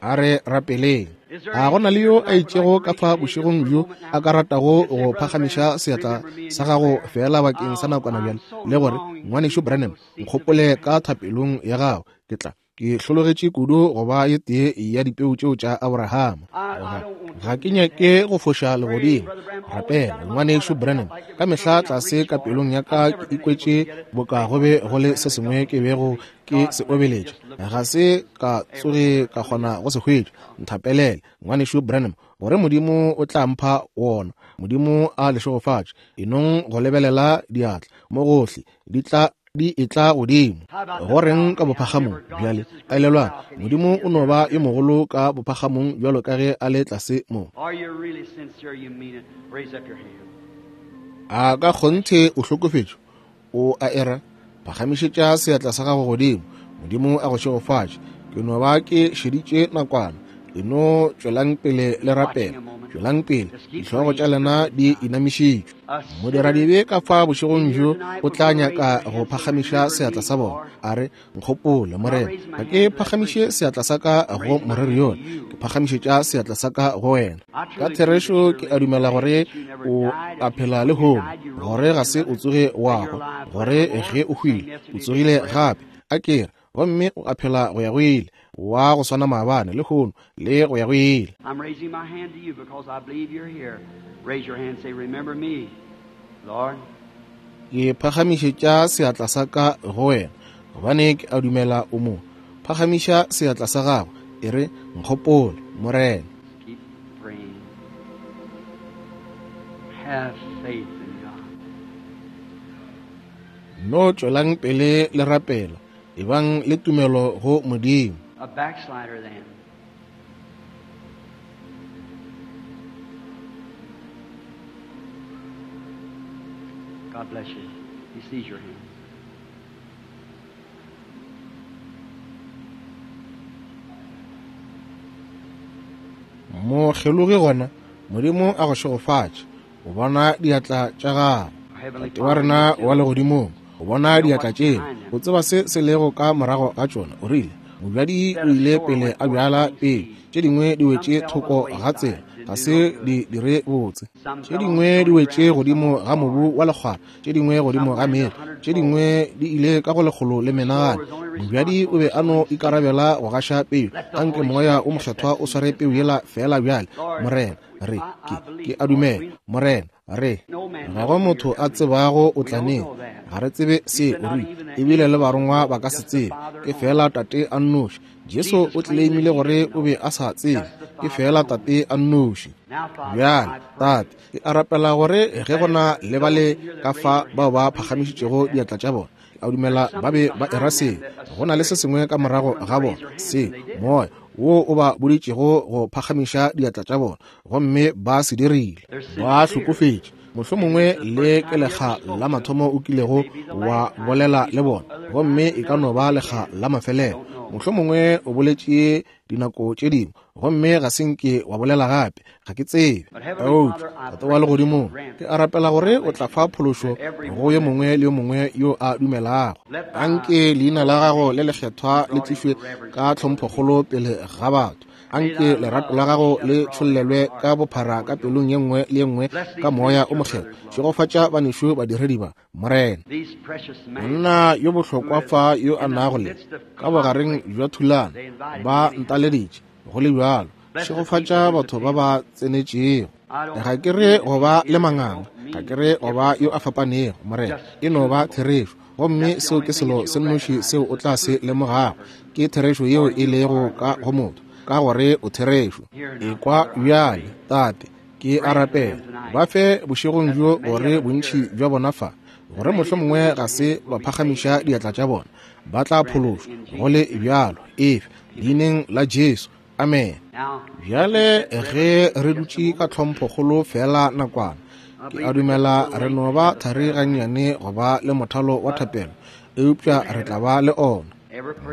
A re rapeleng. A go na le yo a itšego ka fa bošegong bjo a ka ratago go phagamiša seatla sa gago feela bakeng sa nakwana bjale, le gore, Ngwanešu Branham, nkgopole ka thapelong ya gago. Ke tla ke hlologetše kudu go ba ye tee ya dipeu tšeo tša Abrahama. Ga ke nyake go foša legodimo. Rapela, Ngwanešu Branham. Ka mehla tlase ka pelong ya ka ke ikwetše boka go be go le se sengwe ke bego ke se obeletša. Ga se ka tsoge ka kgona go se hwetša. Nthapelele, Ngwanešu Branham, gore Modimo o tla mpha wona. Modimo a le šegofatše. Enong go lebelela diatla mo gohle di tla di etla godimo. Go reng ka bophagamong bjale? Elelwang, Modimo o no ba yo mogolo ka bophagamong bjalo ka ge a le tlase mo. A ka kgonthe o hlokofetše? O a era? Phagamišetša seatla sa gago godimo. Modimo a go šegofatše. Ke no ba ke šeditše nakwana. E no tšwelang pele le rapela. Tšwelang pele. Dihlogo tša lena di inamišitšwe. Modiradibe ka fa bošegong bjo o tla nyaka go phagamiša seatla sa bona, a re, Nkgopole, Morena. Ga ke phagamiše seatla sa ka go moreri yola, ke phagamišetša seatla sa ka go wena. Ka therešo ke a dumela gore o a phela lehono, gore ga se o tsoge wa hwa, gore ge o hwile o tsogile gape. A ke re, gomme o a phela go ya go ile, wa go swana maabane, lehono, le go ya go ile. I'm raising my hand to you because I believe you're here. Raise your hand and say, Remember me, Lord. Ke phagamišetša seatla sa ka go wena, gobane ke a dumela o mo. Phagamiša seatla sa gago, e re, Nkgopole, Morena. Keep praying. Have faith in God. No tšwelang pele le rapela, ebang le tumelo go Modimo. A backslider then. God bless you. He sees your hand. Mokgelogi gona, Modimo a go šegofatše. O bona diatla tša gago. Tate wa rena wa legodimong, o bona diatla tšeo. O tseba se se lego ka morago ga tšona. O rile, Mobjadi o ile pele a bjala peu, tše dingwe di wetše thoko ga tsela, ga se di dire botse. Tše dingwe di wetše godimo ga mobu wa lekgwara, tše dingwe godimo ga meetlo, tše dingwe di ile ka go lekgolo le menagano. Mobjadi o be a no ikarabela go gaša peu. Anke Moya o Mokgethwa o sware peu yela feela bjale, Morena. Re, ke, ke a dumela, Morena, re, ga go motho a tsebago o tla neng. Ga re tsebe se, o rile, ebile le barongwa ba ka se tsebe. Ke feela Tate a nnoši. Jesu o tleleimile gore o be a sa tsebe. Ke feela Tate a nnoši. Bjale, Tate, ke a rapela gore ge go na le bale ka fa bao ba phagamišitšego diatla tša bona, a dumela ba be ba era seo. Go na le se sengwe ka morago ga bona, se, moya wo o ba boditšego go phagamiša diatla tša bona, gomme ba se dirile. Ba hlokofetše. Mohlomongwe le ke lekga la mathomo o kilego wa bolela le bona, gomme e ka no ba lekga la mafelelo. Mohlomongwe o boletše dinako tše dingwe, gomme ga se nke wa bolela gape. Ga ke tsebe. Eupša, Tate wa Legodimong, ke a rapela gore o tla fa phološo go yo mongwe le yo mongwe yo a dumelago. Anke leina la gago le lekgethwa le tlišwe ka tlhomphokgolo pele ga batho. Anke lerato la gago le tšhollelwe ka bophara ka pelong ye nngwe le ye nngwe ka Moya o Mokgethwa. Šegofatša banešu badiredi ba, Morena. Monna yo bohlokwa fa yo a nago le ka bogareng bja thulano, ba ntaleditše go le bjalo. Šegofatša batho ba ba tsenetšego. Ga ke re go ba le manganga, ga ke re go ba yo a fapanego, Morena. E no ba therešo. Gomme seo ke selo se nnoši seo o tla se lemogago, ke therešo yeo e lego ka go motho, ka gore o therešo. Ekwa bjale, Tate, ke a rapela, ba fe bošegong bjo gore bontši bja bona fa, gore mohlomongwe ga se ba phagamiša diatla tša bona, ba tla phološwa go le bjalo, efe, leineng la Jesu. Amen. Bjale ge re dutše ka tlhomphokgolo feela nakwana, ke a dumela re no ba thari gannyane go ba le mothalo wa thapelo, eupša re tla ba le ona.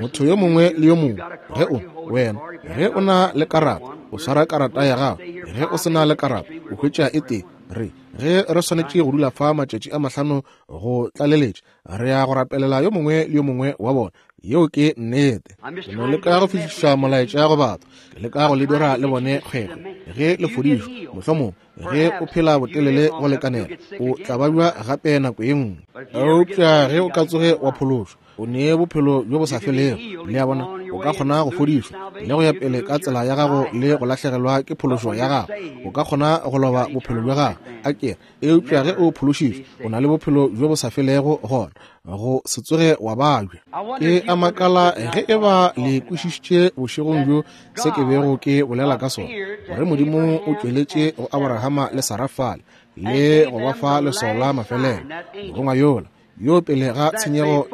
Motho yo mongwe le yo mongwe, ge o, wena, ge o na le karata, o swara karata ya gago. Ge o se na le karata, o hwetša e tee. Re, ge re swanetše go dula fa matšatši a mahlano go tlaleletša, re ya go rapelela yo mongwe le yo mongwe wa bona. Yeo ke nnete. Ke no leka go fihliša molaetša go batho. Ke leka go le dira le bone kgwekgwe. Ge le fodišwa, mohlomongwe ge o phela botelele go lekanela, o tla babja gape nako ye nngwe. Eupša ge o ka tsoge wa phološwa, o ne bophelo bjo bo sa felego. Le a bona, o ka kgona go fodišwa le go ya pele ka tsela ya gago le go lahlegelwa ke phološo ya gago. O ka kgona go loba bophelo bja gago, a ke re. Eupša ge o phološitšwe, o na le bophelo bjo bo sa felego gona, go se tsoge wa babja. Ke a makala ge e ba le kwešišitše bošegong bjo se ke bego ke bolela ka sona, gore Modimo o tšweletše go Aborahama le Sara fale le go ba fa leswao la mafelelo, morongwa yola yo pele ga tshenyego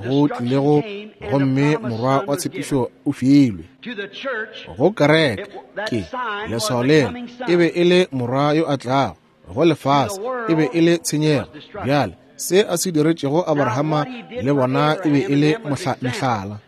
go tlilego, gomme morwa wa tshepišo o filwe go kereke. Ke leswao lela e be e le morwa yo a tlago go lefase, e be e le tshenyego. Bjale se a se diretšego Abrahama le bona e be e le mehlala.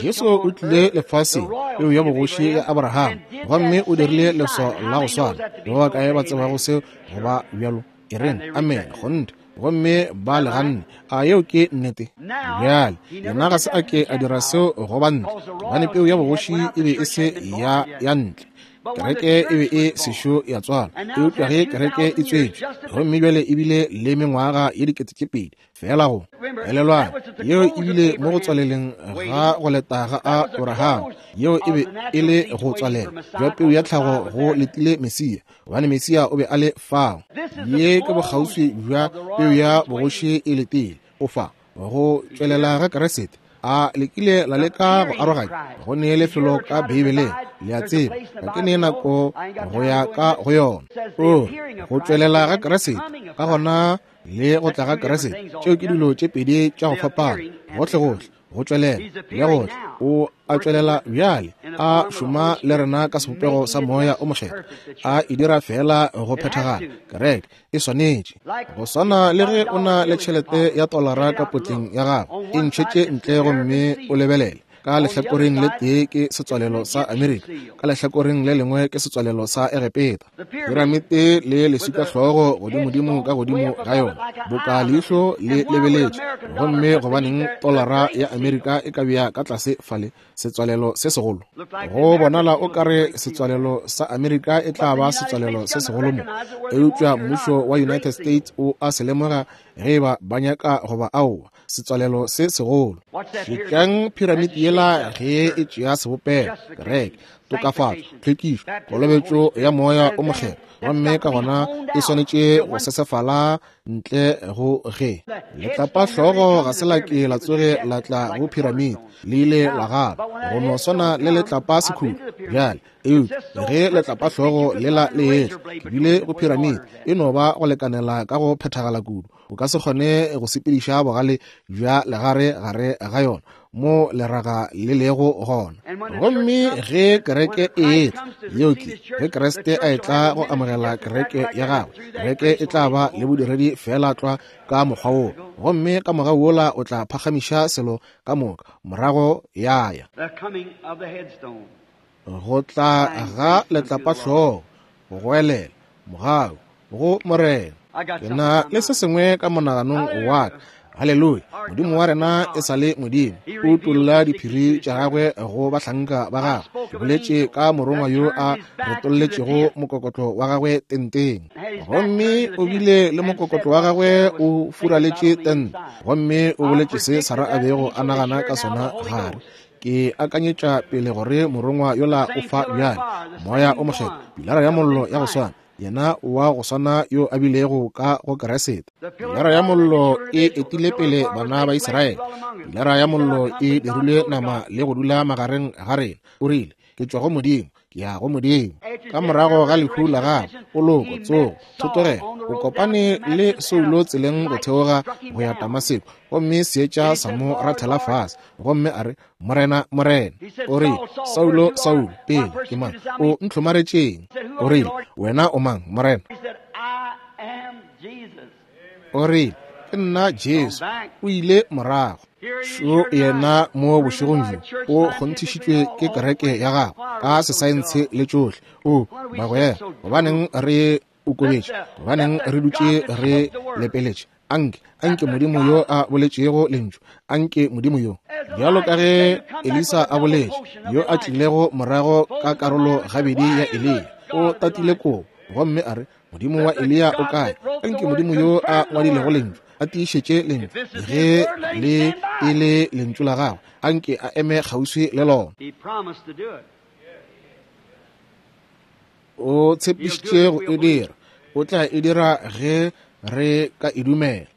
Jesu o tlile lefaseng, peu ya bogoši ya Abrahama, gomme o dirile leswao la go swana. Ke ba bakae ba tsebago seo go ba bjalo? E reng amen, kgonthe. Gomme ba le ganne. A yeo ke nnete? Bjale yena ga se a ke a dira seo go ba ntle, gobane peu ya bogoši e be e se ya ntle. Kereke e be e sešo ya tswalwa, eupša ge kereke e tswetšwe, gomme bjale e bile le mengwaga ye 2000 feela go elelwang, yeo e bile mo go tswaleleng ga go leta ga Abraham. Yeo e be e le go tswalela jwa peu ya tlhago go letile Mesia, gobane Mesia o be a le fao. Ye ke bokgauswi bja peu ya bogoši e letile o fa go tšwelela ga Kriste. A le kile la leka go aroganya? Go ne lefelo ka Beibeleng, le a tseba, ga ke ne nako go ya ka go yona. O go tšwelela ga Kriste, ka gona le go tla ga Kriste, tšeo ke dilo tše pedi tša go fapana, gohlegohle. Go tšwelela le go tla, o a tšwelela bjale, a šoma le rena ka sebopego sa Moya o Mokgethwa, a e dira feela go phethagala. Kereke e swanetše go swana le ge o na le tšhelete ya tolara ka potleng ya gago, e ntšhetše ntle gomme o lebelele. Ka lehlakoreng le tee ke setswalelo sa Amerika, ka lehlakoreng le lengwe ke setswalelo sa Egepeta. Piramite le leswikahlogo godimodimo ka godimo ga yona, boka leihlo le lebeletše. Gomme gobaneng tolara ya Amerika e ka bea ka tlase fale setswalelo se segolo? Go bonala o ka re setswalelo sa Amerika e tla ba setswalelo se segolo mo, eupša mmušo wa United States o a se lemoga ge e ba ba nyaka goba aowa. Setswalelo se segolo. Šetšang piramite yela ge e tšea sebopego, kereke, tokafatšo, tlhwekišo, kolobetšo ya Moya o Mokgethwa, gomme ka gona e swanetše go sesefala ntle go ge letlapa hlogo ga se la ke la tsoge la tla go piramite, le ile la gana go no swana le letlapa sekhutlo. Bjale, eupša ge letlapa hlogo lela le etla, ke bile go piramite, e no ba go lekanela ka go phethagala kudu. O ka se kgone go sepediša bogale bja legare gare ga yona, mo leraga le lego gona. Gomme ge kereke e etla, yeo ke, ge Kriste a etla go amogela kereke ya gagwe, kereke e tla ba le bodiredi feela tlwa ka mokgwa woo, gomme ka mogau wola o tla phagamiša selo ka moka, morago ya ya. Go tla ga letlapahlogo, go goelela, mogau go Morena. Ke na le se sengwe ka monaganong wa ka. Haleluya! Modimo wa rena e sa le Modimo. O utolla diphiri tša gagwe go bahlanka ba gagwe. Ke boletše ka morongwa yo a retolletšego mokokotlo wa gagwe tenteng. Gomme o bile le mokokotlo wa gagwe o furaletše tente. Gomme o boletše se Sara a bego a nagana ka sona gare. Ke akanyetša pele gore morongwa yola o fa bjale, Moya o Mokgethwa, pilara ya mollo ya go swana, yena wa go swana yo a bilego ka go Keresete. Pilara ya mollo e etile pele bana ba Israele. Pilara ya mollo e dirilwe nama le go dula magareng ga rena. O rile, Ke tšwa go Modimo, ke ya go Modimo. Ka morago ga lehu la gagwe, poloko, tsogo, thotogelo, o kopane le Saulo tseleng go theoga go ya Damaseko, gomme seetša sa mo rathela fase, gomme a re, Morena, Morena. O rile, Saulo, Saulo, pele, ke mang? O ntlhomaretšeng? O rile, Wena o mang, Morena? O rile, Ke nna Jesu. O ile morago. Šo yena mo bošegong bjo, o kgonthišitšwe ke kereke ya gagwe ka sesaentshe le tšohle. O, bagwera, gobaneng re okobetše? Gobaneng re dutše re lepeletše? Anke, anke Modimo yo a boletšego Lentšu, anke Modimo yo, bjalo ka ge Elisa a boletše, yo a tlilego morago ka karolo gabedi ya Eliya, o tatile kobo, gomme a re, Modimo wa Eliya o kae? Anke Modimo yo a ngwadilego Lentšu a tiišetše Lentšu, ge le e le Lentšu la gagwe, anke a eme kgauswi le lona. O tshepišitše go e dira. O tla e dira ge re ka e dumela.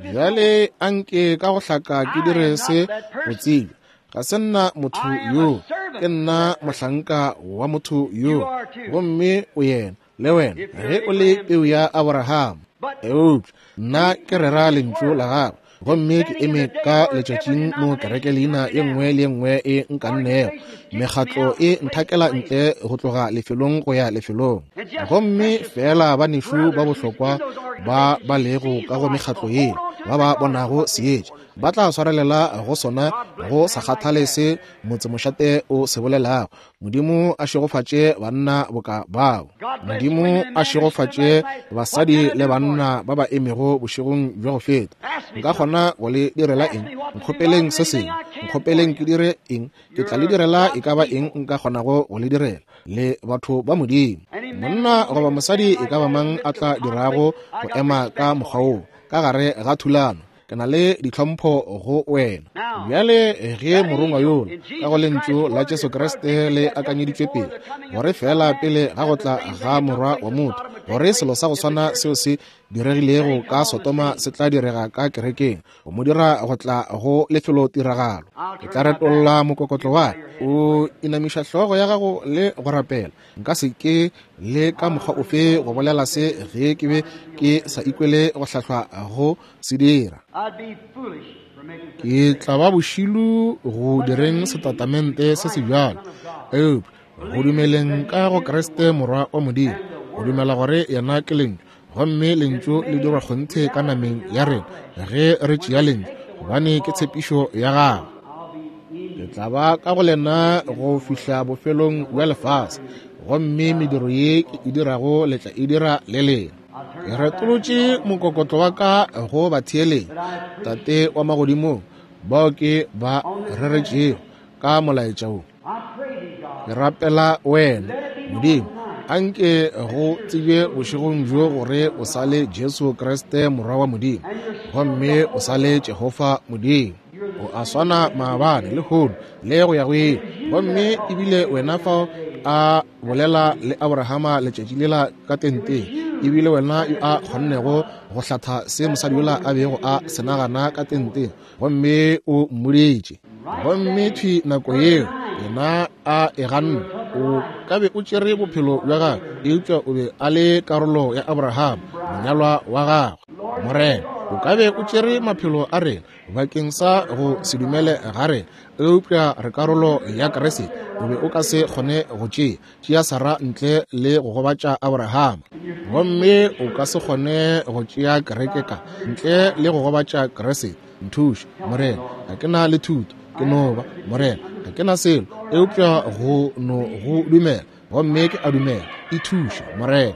Bjale anke ka go hlaka ke dire se go tsebja. Ga se nna motho yo, ke nna mohlanka wa motho yo, gomme o yena, le wena, ge o le peu ya Aborahama. Eupša nna ke rera lentšu la gagwe, gomme ke eme ka letšatšing mo kereke leina ye nngwe le ye nngwe e nkannego, mekgatlo e nthakela ntle go tloga lefelong go ya lefelong, gomme feela banešu ba bohlokwa ba ba lego ka go mekgatlo ye ba ba bonago seetša ba tla swarelela go sona go sa kgathale se motsemošate o se bolelago. Modimo a šegofatše banna boka bao. Modimo a šegofatše basadi le banna ba ba emego bošegong bja go feta. Nka kgona go le direla eng? Nkgopeleng se sengwe. Nkgopeleng ke dire eng? Ke tla le direla e ka ba eng nka kgonago go le direla. Le batho ba Modimo. Monna goba mosadi e ka ba mang a tla dirago go ema ka mokgwa woo ka gare ga thulano, ke na le ditlhompho go wena. Bjale ge morongwa yola ka go lentšu la Jesu Kriste le akanyeditšwe pele, gore feela pele ga go tla ga Morwa wa motho, gore selo sa go swana seo se diregilego ka Sodoma se tla direga ka kerekeng, go mo dira go tla go lefelotiragalo. Ke tla retolla mokokotlo wa ka. O inamiša hlogo ya gago le go rapela. Nka se ke le ka mokgwa ofe go bolela se ge ke be ke sa ikwele go hlahlwa go se dira. Ke tla ba bošilu go direng setatamente se se bjalo, eupša go dumeleng ka go Kriste Morwa wa Modimo, go dumela gore yena ke Lentšu, gomme Lentšu le dirwa kgonthe ka nameng ya rena ge re tšea Lentšu, gobane ke tshepišo ya gagwe. Ke tla ba ka go lena go fihla bofelong bja lefase, gomme mediro ye ke e dirago le tla e dira le lena. Ke retolotše mokokotlo wa ka go batheeletši, Tate wa magodimong, bao ke ba reretšego ka molaetša wo. Ke rapela wena, Modimo, anke go tsebje bošegong bjo gore o sa le Jesu Kriste Morwa wa Modimo, gomme o sa le Jehofa Modimo. O a swana maabane, lehono, le go ya go ile. Gomme ebile wena fao a bolela le Abrahama letšatši lela ka tenteng, ebile wena yo a kgonnego go hlatha se mosadi yola a bego a se nagana ka tenteng, gomme o mmoditše. Gomme thwi nako yeo yena a e ganne. O ka be o tšere bophelo bja gagwe, eupša o be a le karolo ya Abraham, monyalwa wa gagwe. Morena, o ka be o tšere maphelo a rena bakeng sa go se dumele ga rena, eupša re karolo ya Kriste. O be o ka se kgone go tšea Sarah ntle le go gobatša Abraham, gomme o ka se kgone go tšea kereke ka ntle le go gobatša Kriste. Nthuše, Morena, ga ke na le thuto, ke no ba, Morena, ga ke na selo eupša go no go dumela, gomme ke a dumela. E thuše, Morena.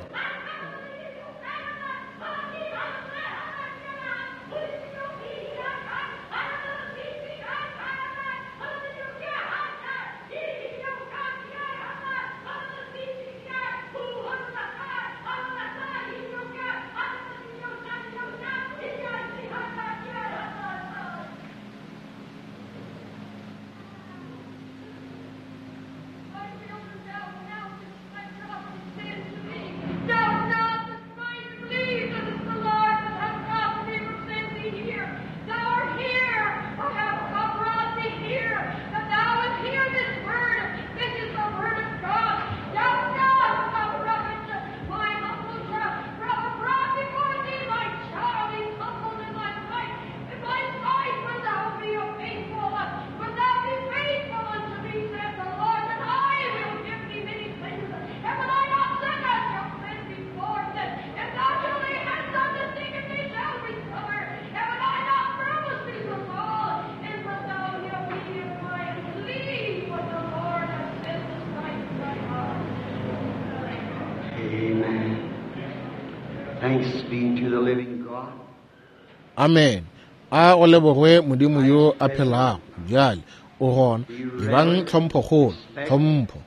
Amen. A go lebogwe Modimo yo a phelago. Bjale o gona. Ebang tlhomphokgolo, tlhompho.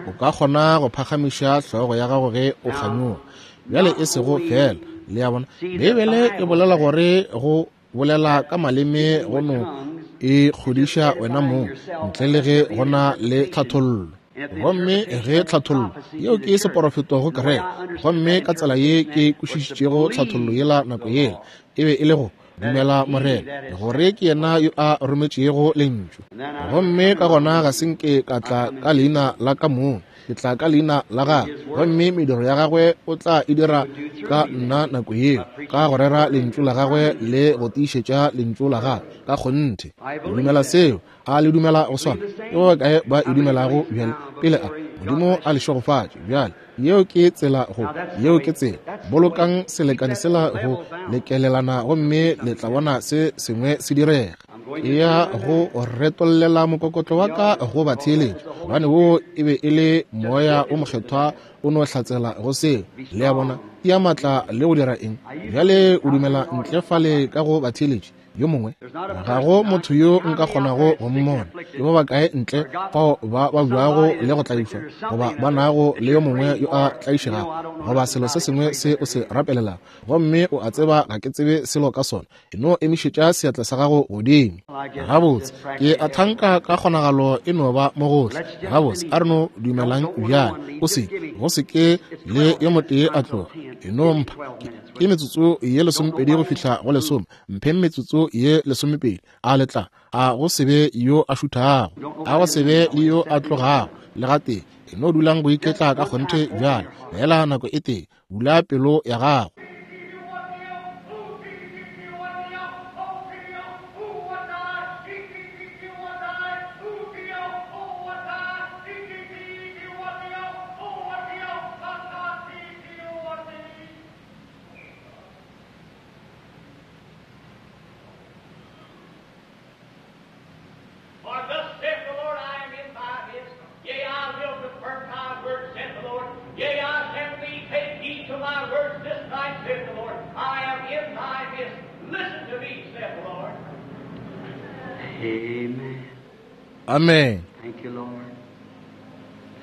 O ka kgona go phagamiša hlogo ya gago ge o kganyoga. Bjale e sego fela, le a bona, Beibele e bolela gore go bolela ka maleme go no e kgodiša wena mong ntle le ge go na le tlhathollo. Gomme ge tlhathollo yeo ke seporofeto go kereke, gomme ka tsela ye ke kwešišitšego tlhathollo yela nako yela, e be e le go dumela Morena gore ke yena yo a rometšego lentšu. Gomme ka gona ga se nke ka tla ka leina la ka mong, ke tla ka leina la gagwe, gomme mediro ya gagwe o tla e dira ka nna nako yeo, ka go rera lentšu la gagwe le go tiišetša lentšu la gagwe ka kgonthe. Ke dumela seo. A le dumela go swana? Ke ba bakae ba e dumelago bjale? Pele a Modimo a le šegofatše bjale. Yeo ke tsela go, yeo ke tsela. Bolokang selekane sela go lekelelana gomme le tla bona se sengwe se direga. Ke ya go retollela mokokotlo wa ka go batheeletši, gobane wo e be e le Moya o Mokgethwa o no hlatsela go seo. Le a bona? Tia maatla le go dira eng? Bjale o dumela ntle fale ka go batheeletši yo mongwe. Ga go motho yo nka kgonago go mmona. Ke ba bakae ntle fao ba babjago le go tlaišwa, goba ba nago le yo mongwe yo a tlaišegago, goba selo se sengwe se o se rapelelago, gomme o a tseba ga ke tsebe selo ka sona. E no emišetša seatla sa gago godimo. Gabotse, ke a thanka ka kgonagalo e no ba mo gohle. Gabotse, a re no dumelang bjale. O se, go se ke le yo motee a tloga. E no mpha ke metsotso ye 20 go fihla go 10. Mpheng metsotso ye 20. A le tla? A go se be yo a šuthago, a go se be le yo a tlogago le gatee. E no dulang go iketla ka kgonthe bjale, fela nako e tee. Bula pelo ya gago. For thus saith the Lord, I am in thy midst. Yea, I will confirm thy words, saith the Lord. Yea, I send thee, take heed to my words this night, saith the Lord. I am in thy midst. Listen to me, saith the Lord. Amen. Amen. Thank you, Lord.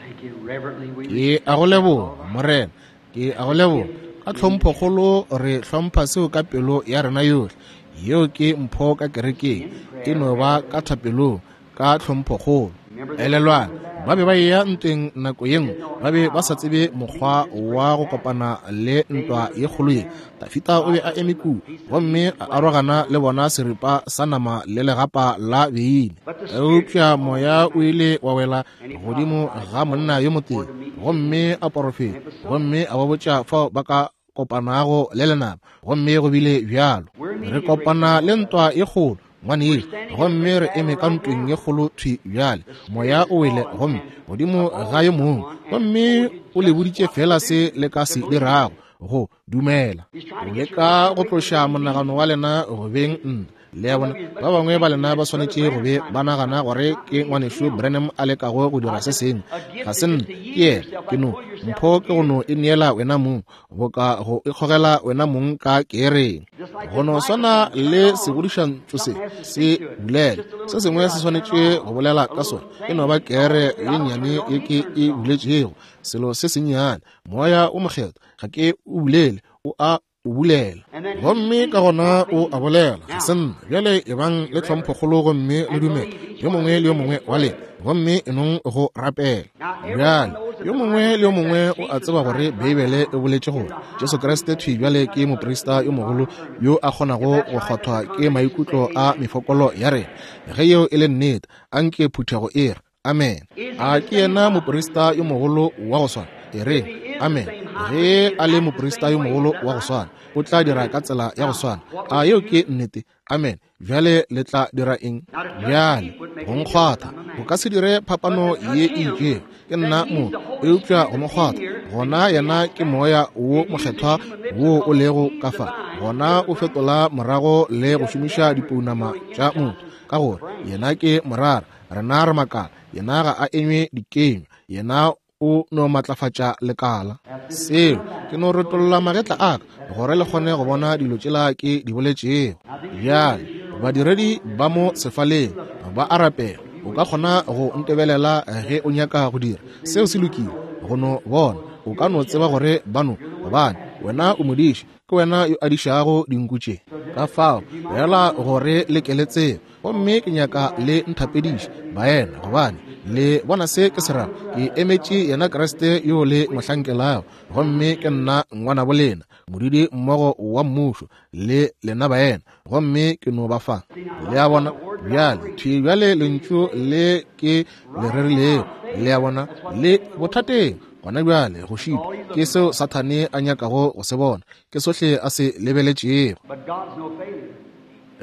Thank you. Reverently we Ke a go leboga, Morena. Ke a go leboga. Ka tlhomphokgolo re hlompha seo ka pelo ya rena yohle. Yeo ke mpho ka kerekeng. E no ba ka thapelong, ka tlhomphokgolo. Elelwang, Ba be ba eya ntweng nako ye nngwe, ba be ba sa tsebe mokgwa wa go kopana le ntwa ye kgolo ye. Dafida o be a eme kua gomme a arogana le bona seripa sa nama le legapa la beine. Eupša moya o ile wa wela godimo ga monna yo motee gomme a porofeta gomme a ba botša fao ba ka kopanago le lenaba, gomme go bile bjalo. Re kopana le ntwa ye kgolo, ngwanešu, gomme re eme ka ntweng ye kgolo thwi bjale. Moya o wele gomme godimo ga yo mongwe, gomme o le boditše fela se le ka se dirago, go dumela. O leka go tloša monagano wa lena go beng nna. Le a bona, ba bangwe ba lena ba swanetše go be ba nagana gore ke ngwanešu Branham a lekago go dira se sengwe. Ga se nna, ke yena. Ke no mpho ke go no e neela wena mong, boka go ikgogela wena mong ka keereng. Go no swana le segodišantšu se se bulela, se sengwe se swanetše go bolela ka sona. E no ba keere ye nnyane ye ke e buletšego, selo se sennyane. Moya o Mokgethwa ga ke o bulele, o a o bulela, gomme ka gona o a bolela. Ga se nna. Bjale ebang le tlhomphokgolo gomme le dumele, yo mongwe le yo mongwe wa lena, gomme e nong go rapela. Bjale yo mongwe le yo mongwe o a tseba gore Beibele e boletše gore Jesu Kriste thwi bjale ke moprista yo mogolo yo a kgonago go kgwathwa ke maikutlo a mefokolo ya rena. Ge yeo e le nnete, anke phuthego e re amen. A ke yena moprista yo mogolo wa go swana? E re amen. Ge a le moprista yo mogolo wa go swana, o tla dira ka tsela ya go swana. A yeo ke nnete? Amen. Bjale le tla dira eng bjale? Go nkgwatha go ka se dire phapano ye e itšego, ke nna motho, eupša go mo kgwatha, gona yena ke moya wo mokgethwa wo o lego ka fa, gona o fetola morago le go šomiša dipounama tša motho, ka gore yena ke morara, rena re makala. Yena ga a enywe dikenywa, yena o no matlafatša lekala. Seo ke no retolla magetla a ka gore le kgone go bona dilo tšela ke di boletšego. Bjale badiredi ba mo sefaleng ba a rapela. O ka kgona go ntebelela ge o nyaka go dira seo, se lokile go no bona. O ka no tseba gore ba no, gobane wena o modiši, ke wena yo a dišago dinku tše. Ka fao fela gore le ke le tsebe, gomme ke nyaka le nthapediše baena, gobane le bona se ke se rago. Ke emetše yena Kriste yo le mo hlankelago, gomme ke nna ngwanabo lena, modudi mmogo wa mmušo le lena baena, gomme ke no ba fa. Le a bona? Bjale thwi bjale lentšu le ke le rerilego, le a bona, le bothateng gona bjale go šitwa. Ke seo Sathane a nyakago go se bona, ke sohle a se lebeletšego.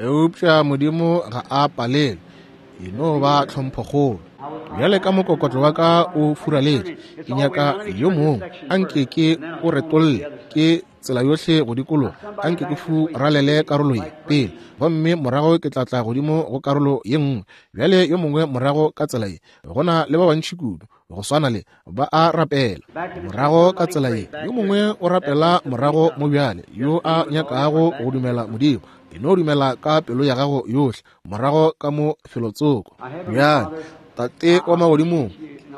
Eupša Modimo ga a palelwe, e no ba tlhomphokgolo. Bjale ka mokokotlo wa ka o furaletše, ke nyaka yo mongwe a nke ke o retolle ke tsela yohle go dikologa, a nke ke furalele karolo ye pele, gomme morago ke tla tla godimo go karolo ye nngwe. Bjale yo mongwe morago ka tsela ye, go na le ba bantši kudu go swana le ba a rapela morago ka tsela ye. Yo mongwe o rapela morago mo bjale, yo a nyakago go dumela Modimo. E no dumela ka pelo ya gago yohle morago ka mo felotsoko. Bjale Tate wa magodimong,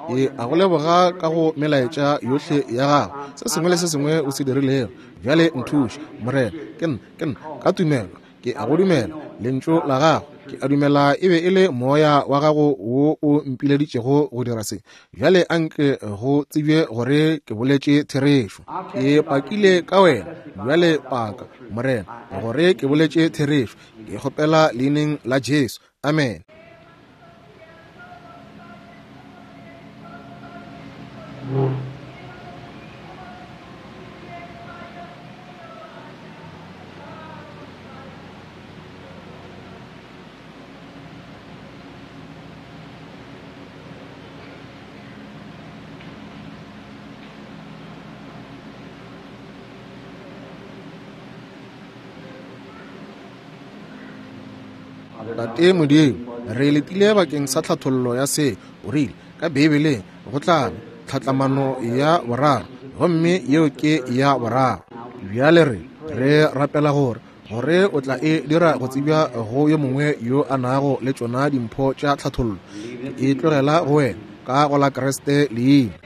ke a go leboga ka go melaetša yohle ya gago, se sengwe le se sengwe o se dirilego. Bjale nthuše, Morena. Ke nna, ke nna ka tumelo ke a go dumela lentšu la gago. Ke a dumela e be e le moya wa gago wo o mpileditšego go dira se. Bjale anke go tsebje gore ke boletše therešo. Ke pakile ka wena. Bjale paka, Morena, gore ke boletše therešo. Ke kgopela leineng la Jesu. Amen. Tate Modimo, re letile bakeng sa tlhathollo ya se o rile ka Beibeleng go tla ba tlhatlamano ya boraro, gomme yeo ke ya boraro. Bjale re re rapela gore gore o tla e dira go tsebja go yo mongwe yo a nago le tšona dimpho tša tlhathollo. Ke e tlogela go wena ka go la Kriste leina.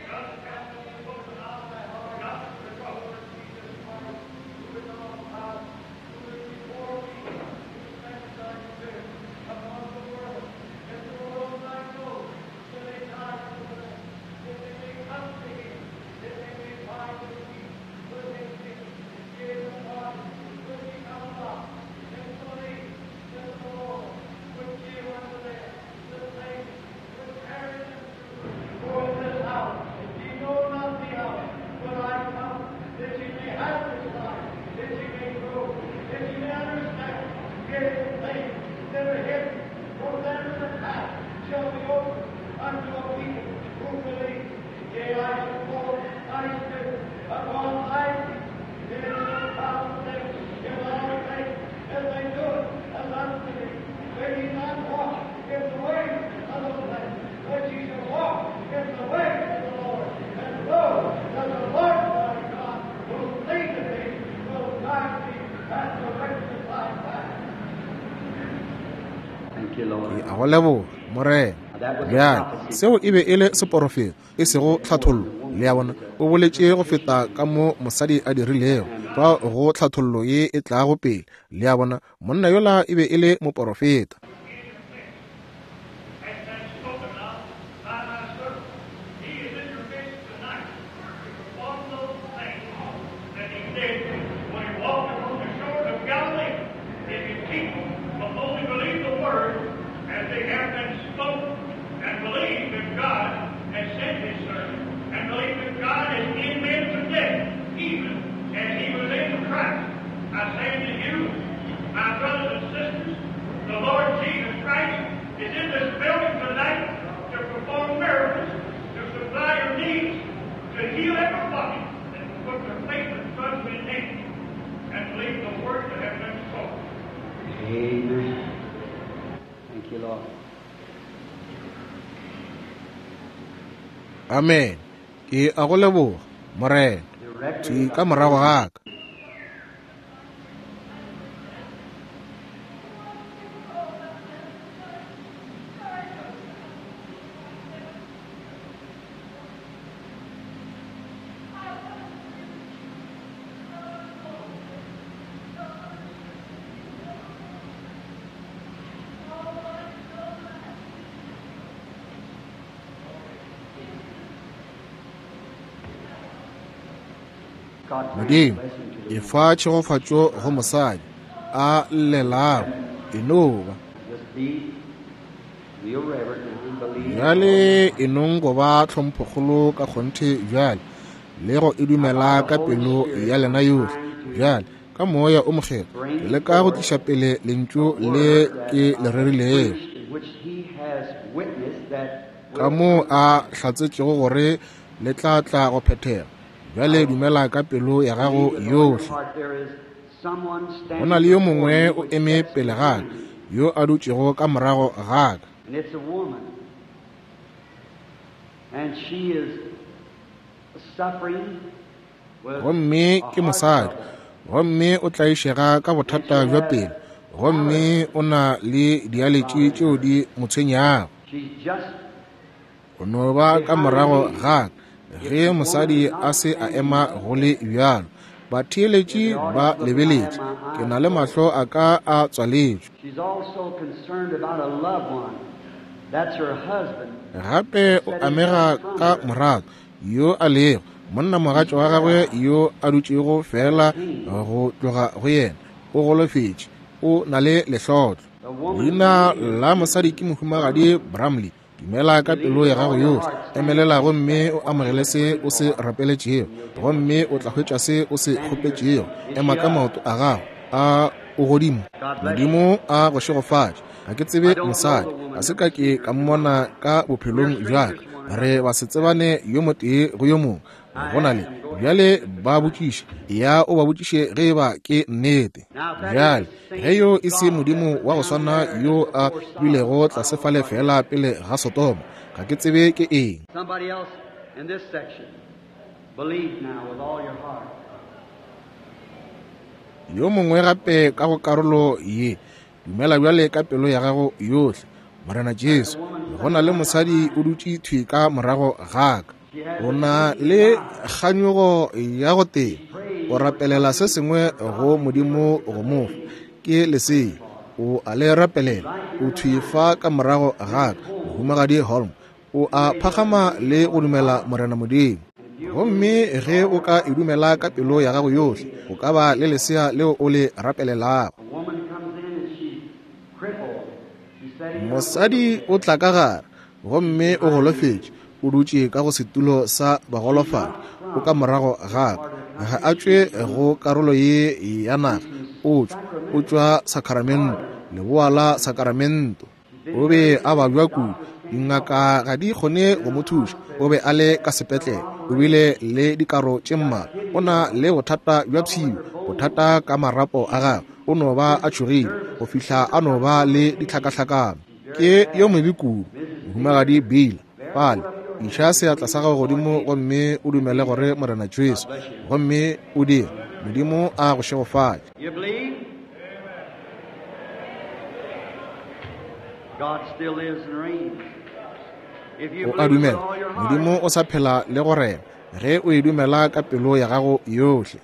Ke a go leboga, Morena. Bjale, seo e be e le seporofeto, e sego tlhathollo. Le a bona? O boletše go feta ka mo mosadi a dirilego, fao go tlhathollo ye e tlago pele. Le a bona? Monna yola e be e le moporofeta. Amen. Ke a go leboga, Morena. Thwi ka morago ga ka. Modimo, efa tšhegofatšo go mosadi a llelago, e no ba. Bjale e nong go ba tlhomphokgolo ka kgonthe bjale, le go e dumela ka pelo ya lena yohle. Bjale, ka Moya o Mokgethwa, ke leka go tliša pele Lentšu le ke le rerilego, ka moo a hlatsetšego gore le tla tla go phethega. Bjale dumela ka pelo ya gago yohle. Go na le yo mongwe o eme pele ga ka, yo a dutšego ka morago ga ka. Gomme ke mosadi, gomme o tlaišega ka bothata bja pelo, gomme o na le dialetši tšeo di mo tshwenyago. O no ba ka morago ga ka ge mosadi a se a ema go le bjalo. Batheeletši ba lebeletše. Ke na le mahlo a ka a tswaletšwe. Gape o amega ka morato yo a lego monnamogatša wa gagwe yo a dutšego feela go tloga go yena. O golofetše, o na le lehlotlo. Leina la mosadi ke Mohumagadi Bramley. Dumela ka pelo ya gago yohle, emelela gomme o amogele se o se rapeletšego, gomme o tla hwetša se o se kgopetšego. Ema ka maoto a gago a o godimo. Modimo a go šegofatše. Ga ke tsebe mosadi, ga se ka ke ka mmona ka bophelong bja ka. Re ba se tsebane yo motee go yo mongwe. Go na le bjale ba botšiše, ya o ba botšiše ge e ba ke nnete. Bjale ge yo e se Modimo wa go swana yo a bilego tlase fale feela pele ga Sodoma, ga ke tsebe ke eng. Yo mongwe gape ka go karolo ye, dumela bjale ka pelo ya gago yohle. Morena Jesu, go na le mosadi o dutše thwi ka morago ga ka. O na le kganyogo ya go tee, o rapelela se sengwe go Modimo go mo fa. Ke lesea, o a le rapelela. O thwi fa ka morago ga ka, Mohumagadi Holm. O a phagama le go dumela Morena Modimo. Gomme ge o ka e dumela ka pelo ya gago yohle, o ka ba le lesea leo o le rapelelago. Mosadi o tla ka gare, gomme o golofetše, o dutše ka go setulo sa bagolofadi, o ka morago ga ka. Ga a tšwe go karolo ye ya naga, o tšwa, o tšwa Sacramento, leboa la Sacramento. O be a babja kudu, dingaka ga di kgone go mo thuša. O be a le ka sepetlele, o bile le dikaro tše mmalwa, o na le bothata bja pshio, bothata ka marapo a gagwe, o no ba a tšhogile go fihla a no ba le ditlhakahlakano. Ke yo mobe kudu, Mohumagadi Bill. Fale, iša seatla sa gago godimo gomme o dumele gore Morena Jesu, gomme o dire. Modimo a go šegofatše. O a dumela Modimo o sa phela le go rena ge o e dumela ka pelo ya gago yohle.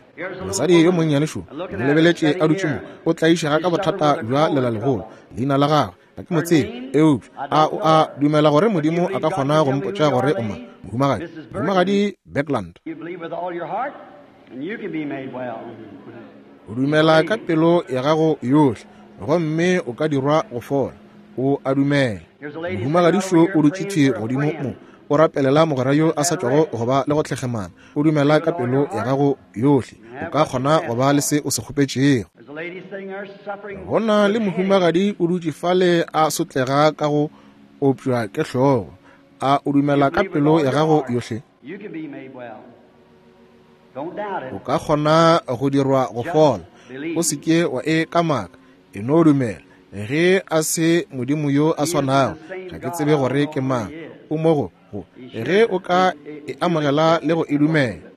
Mosadi yo monnyane šo, mo lebeletše a dutše mo, o tlaišega ka bothata bja lelalegolo. Leina la gagwe ga ke mo tsebe, eupša a o a dumela gore Modimo a ka kgona go mpotša gore o mang? Mohumagadi, Mohumagadi Bergland. O dumela ka pelo ya gago yohle, gomme o ka dirwa go fola. O a dumela. Mohumagadi šo o dutše thwi godimo mo, o rapelela mogwera yo a sa tšwago go ba le go tlhekgemana. O dumela ka pelo ya gago yohle, o ka kgona go ba le se o se kgopetšego. Go na le mohumagadi o dutše fale a sotlega ka go opšwa ke hlogo. A o dumela ka pelo ya gago yohle? O ka kgona go dirwa go fola. O se ke wa e kamaka, e no dumela. Ge a se Modimo yo a swanago, ga ke tsebe gore ke mang. O mo go go ge o ka e amogela le go e dumela.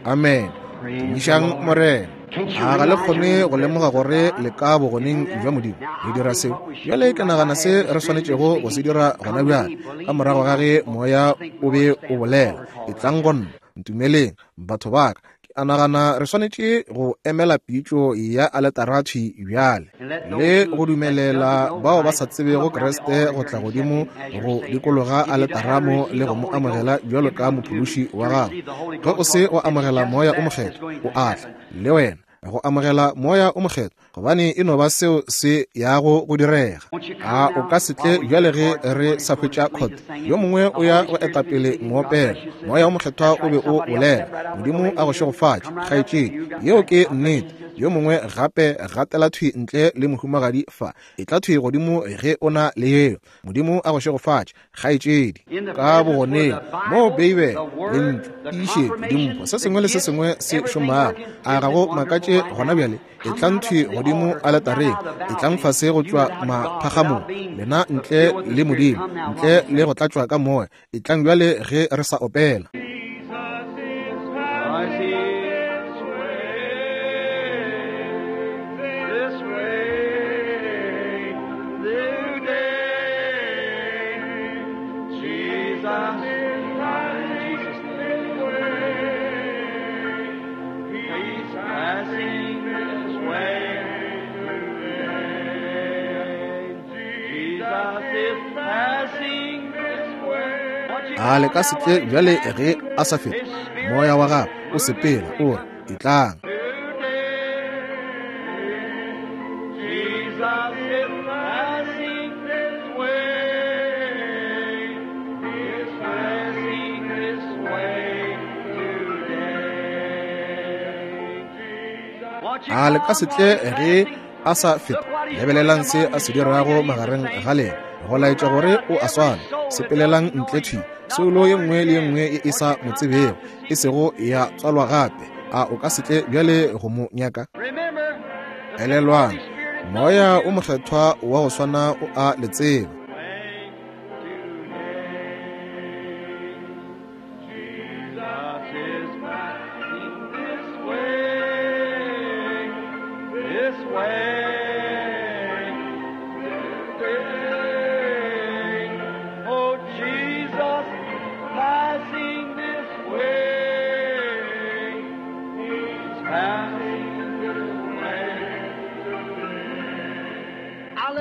Amen. Tumišang Morena. A ga le kgone go lemoga gore le ka bogoneng bja Modimo le dira seo? Bjale ke nagana se re swanetšego go se dira gona bjale, ka morago ga ge moya o be o bolela, etlang go nna, ntumeleng, batho ba ka. Ke a nagana re swanetše go emela pitšo ya aletara thwi bjale, le go dumelela bao ba sa tsebego Kriste go tla godimo go dikologa aletara mo le go mo amogela bjalo ka mophološi wa gago. Ge o se o amogela Moya o Mokgethwa, o a tla le wena go amogela Moya o Mokgethwa, gobane e no ba seo se yago go direga. A o ka se tle bjale ge re sa hwetša khote? Yo mongwe o ya go etapele moopelo. Moya o Mokgethwa o be o bolela. Modimo a go šegofatše, kgaetšedi. Yeo ke nnete. Yo mongwe gape gatela thwi ntle le mohumagadi fa. Etla thwi godimo ge o na le yeo. Modimo a go šegofatše, kgaetšedi. Ka bogoneng moo Beibele, Lentšu, tiišetšo, dimpho, se sengwe le se sengwe se šomago. A ga go makatše gona bjale? Etlang thwi godimo aletareng, etlang fase go tšwa maphagamong, lena ntle le Modimo, ntle le go tlatšwa ka Moya. Etlang bjale ge re sa opela. A le ka se tle bjale ge a sa feta? Moya wa gagwe o sepela, o re, etlang. A le ka se tle ge a sa feta? Lebelelang se a se dirago magareng ga lena, go laetša gore o a swana. Sepelelang ntle thwi, soulo ye nngwe le ye nngwe ye e sa mo tsebego, e sego ya tswalwa gape, a o ka se tle bjale go mo nyaka? Elelwang, Moya o Mokgethwa wa go swana o a le tseba.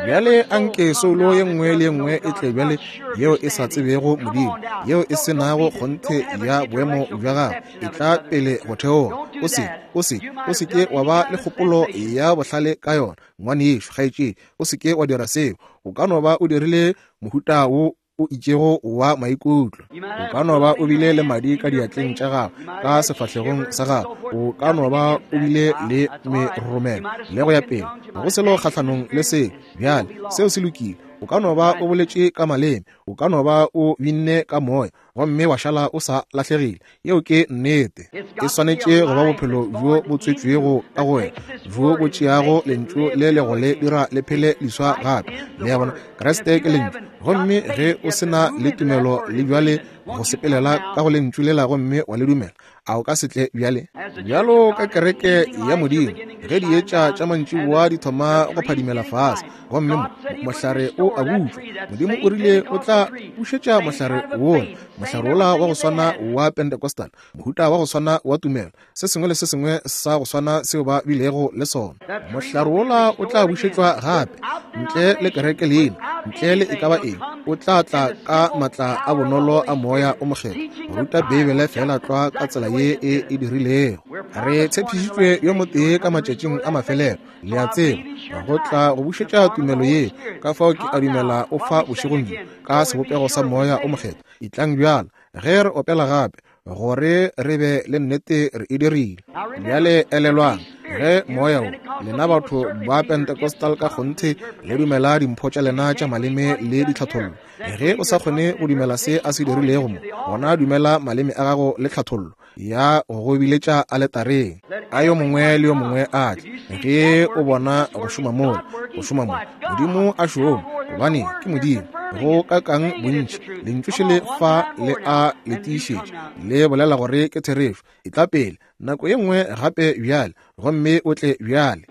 Bjale anke soulo ye nngwe le ye nngwe e tle bjale yeo e sa tsebego Modimo, yeo e se nago kgonthe ya boemo bja gagwe, e tla pele go theoga. O se, o se, o se ke wa ba le kgopolo ya bohlale ka yona, ngwanešu, kgaetšedi. O se ke wa dira seo. O ka no ba o dirile mohuta wo o itšego wa maikutlo. O ka no ba o bile le madi ka diatleng tša gago, ka sefahlegong sa gago. O ka no ba o bile le meroromelo le go ya pele. Ga go selo kgahlanong le seo. Bjale, seo se lokile. O ka no ba o boletše ka maleme. O ka no ba o binne ka moya, gomme wa šala o sa lahlegile. Yeo ke nnete. E swanetše go ba bophelo bjo bo tswetšwego ka go wena, bjo bo tšeago Lentšu le le go le dira le phele leswa gape. Le a bona? Kriste ke Lentšu. Gomme ge o se na le tumelo le bjale go sepelela ka go Lentšu lela gomme wa le dumela, a o ka se tle bjale? Bjalo ka kereke ya Modimo, ge dietša tša mantšiboa di thoma go phadimela fase, gomme mo, mohlare o a butšwa, Modimo o rile o tla bušetša mohlare wola, mohlare wola wa go swana wa Pentecostal, mohuta wa go swana wa tumelo, se sengwe le se sengwe sa go swana seo ba bilego le sona. Mohlare wola o tla bušetšwa gape, ntle le kereke leina, ntle le e ka ba eng, o tla tla ka matla a bonolo a Moya o Mokgethwa, go ruta Beibele feela tlwa ka tsela ye e e dirilego. Re tshepišitšwe yo motee ka matšatšing a mafelelo, le a tseba, go tla go bušetša tumelo ye. Ka fao ke a dumela o fa bošegong bjo, ka sebopego sa Moya o Mokgethwa. Etlang bjalo, ge re opela gape, gore re be le nnete re e dirile. Bjale elelwang, ge Moya wo, lena batho ba Pentecostal ka kgonthe le dumela dimpho tša lena tša maleme le ditlhathollo, ge o sa kgone go dumela se a se dirilego mo, gona dumela maleme a gago le tlhathollo ya go go biletša aletareng. A yo mongwe le yo mongwe a tle. Ge o bona go šoma mola, go šoma mo, Modimo a šoma, gobane ke Modimo. Go ka kang bontši, Lentšu šele fa le a le tiišetša, le bolela gore ke therešo. Etla pele, nako ye nngwe gape bjale, gomme o tle bjale.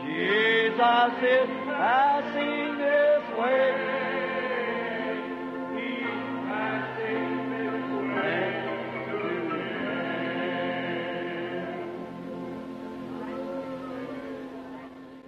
Jesus is passing this way. He's passing this way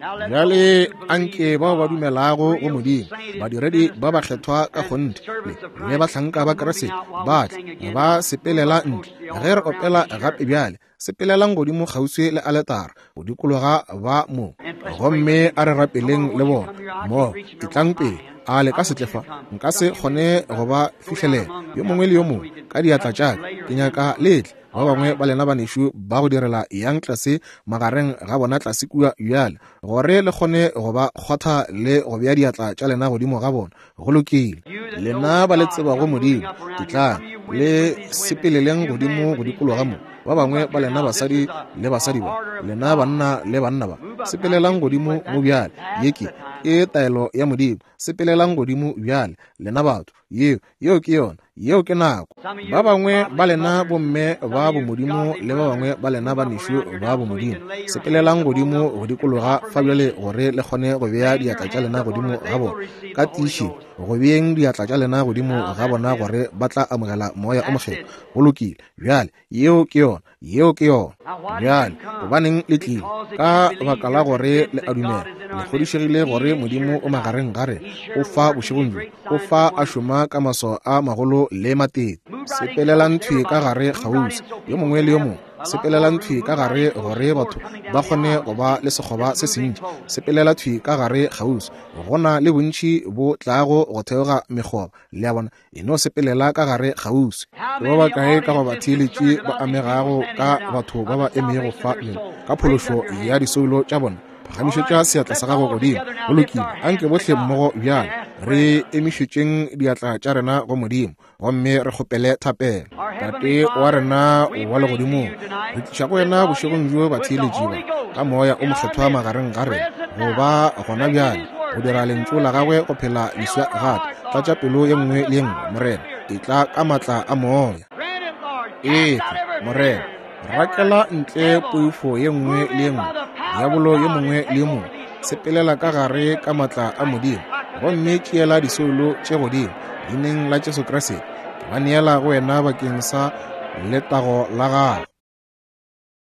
today. Bjale anke bao ba dumelago go Modimo, badiredi ba bakgethwa ka kgonthe le, le bahlanka ba Kriste, ba tle ba sepelela ntle ge re opela gape bjale. Sepelelang godimo kgauswi le aletara, go dikologa ba mo, gomme a re rapeleng le bona mo. Etlang pele, a le ka se tle fa? Nka se kgone go ba fihlelela, yo mongwe le yo mongwe, ka diatla tša ka. Ke nyaka le tle, ba bangwe ba lena banešu ba go direla, yang tlase magareng ga bona tlase kua bjale, gore le kgone go ba kgwatha le go bea diatla tša lena godimo ga bona. Go lokile. Lena ba le tsebago Modimo, etlang le sepeleleng godimo go dikologa mo. Ba bangwe ba lena basadi le basadi ba, lena banna le banna ba, sepelelang godimo mo bjale. Ye ke, ke taelo ya Modimo. Sepelelang godimo bjale, lena batho. Yeo, yeo ke yona. Yeo ke nako. Ba bangwe ba lena bomme ba bomodimo le ba bangwe ba lena banešu ba bomodimo, sepelelang godimo go dikologa fa bjale gore le kgone go bea diatla tša lena godimo ga bona. Ka tiišetšo, go beeng diatla tša lena godimo ga bona gore ba tla amogela Moya o Mokgethwa. Go lokile. Bjale, yeo ke yona. Yeo ke yona. Bjale, gobaneng le tlile? Ka baka la gore le a dumela, le kgodišegile gore Modimo o magareng ga rena, o fa bošegong bjo, o fa a šoma ka maswao a magolo le matete. Sepelelang thwi ka gare kgauswi, yo mongwe le yo mongwe. Sepelelang thwi ka gare gore batho ba kgone go ba le sekgoba se sentši. Sepelela thwi ka gare kgauswi. Go na le bontši bo tlago go theoga mekgoba, le a bona. E no sepelela ka gare kgauswi. Ke ba bakae ka go batheeletši ba amegago ka batho ba ba emego fa bjale ka phološo ya disoulo tša bona? Phagamišetša seatla sa gago godimo. Go lokile, anke bohle mmogo bjale re emišetšeng diatla tša rena go Modimo gomme re kgopele thapelo. Tate wa rena wa legodimong, re tliša go wena bošegong bjo batheeletši ba ka Moya o Mokgethwa magareng ga rena go ba gona bjale go dira lentšu la gagwe go phela leswa gape. Tlatša pelo ye nngwe le ye nngwe, Morena, etla ka maatla a Moya. Etla, Morena, rakela ntle poifo ye nngwe le ye nngwe, diabolo yo mongwe le yo mongwe. Sepelela ka gare ka maatla a Modimo gomme tšeela disoulo tše godimo leineng la Jesu Kriste. Ke ba neela go wena bakeng sa letago la gago.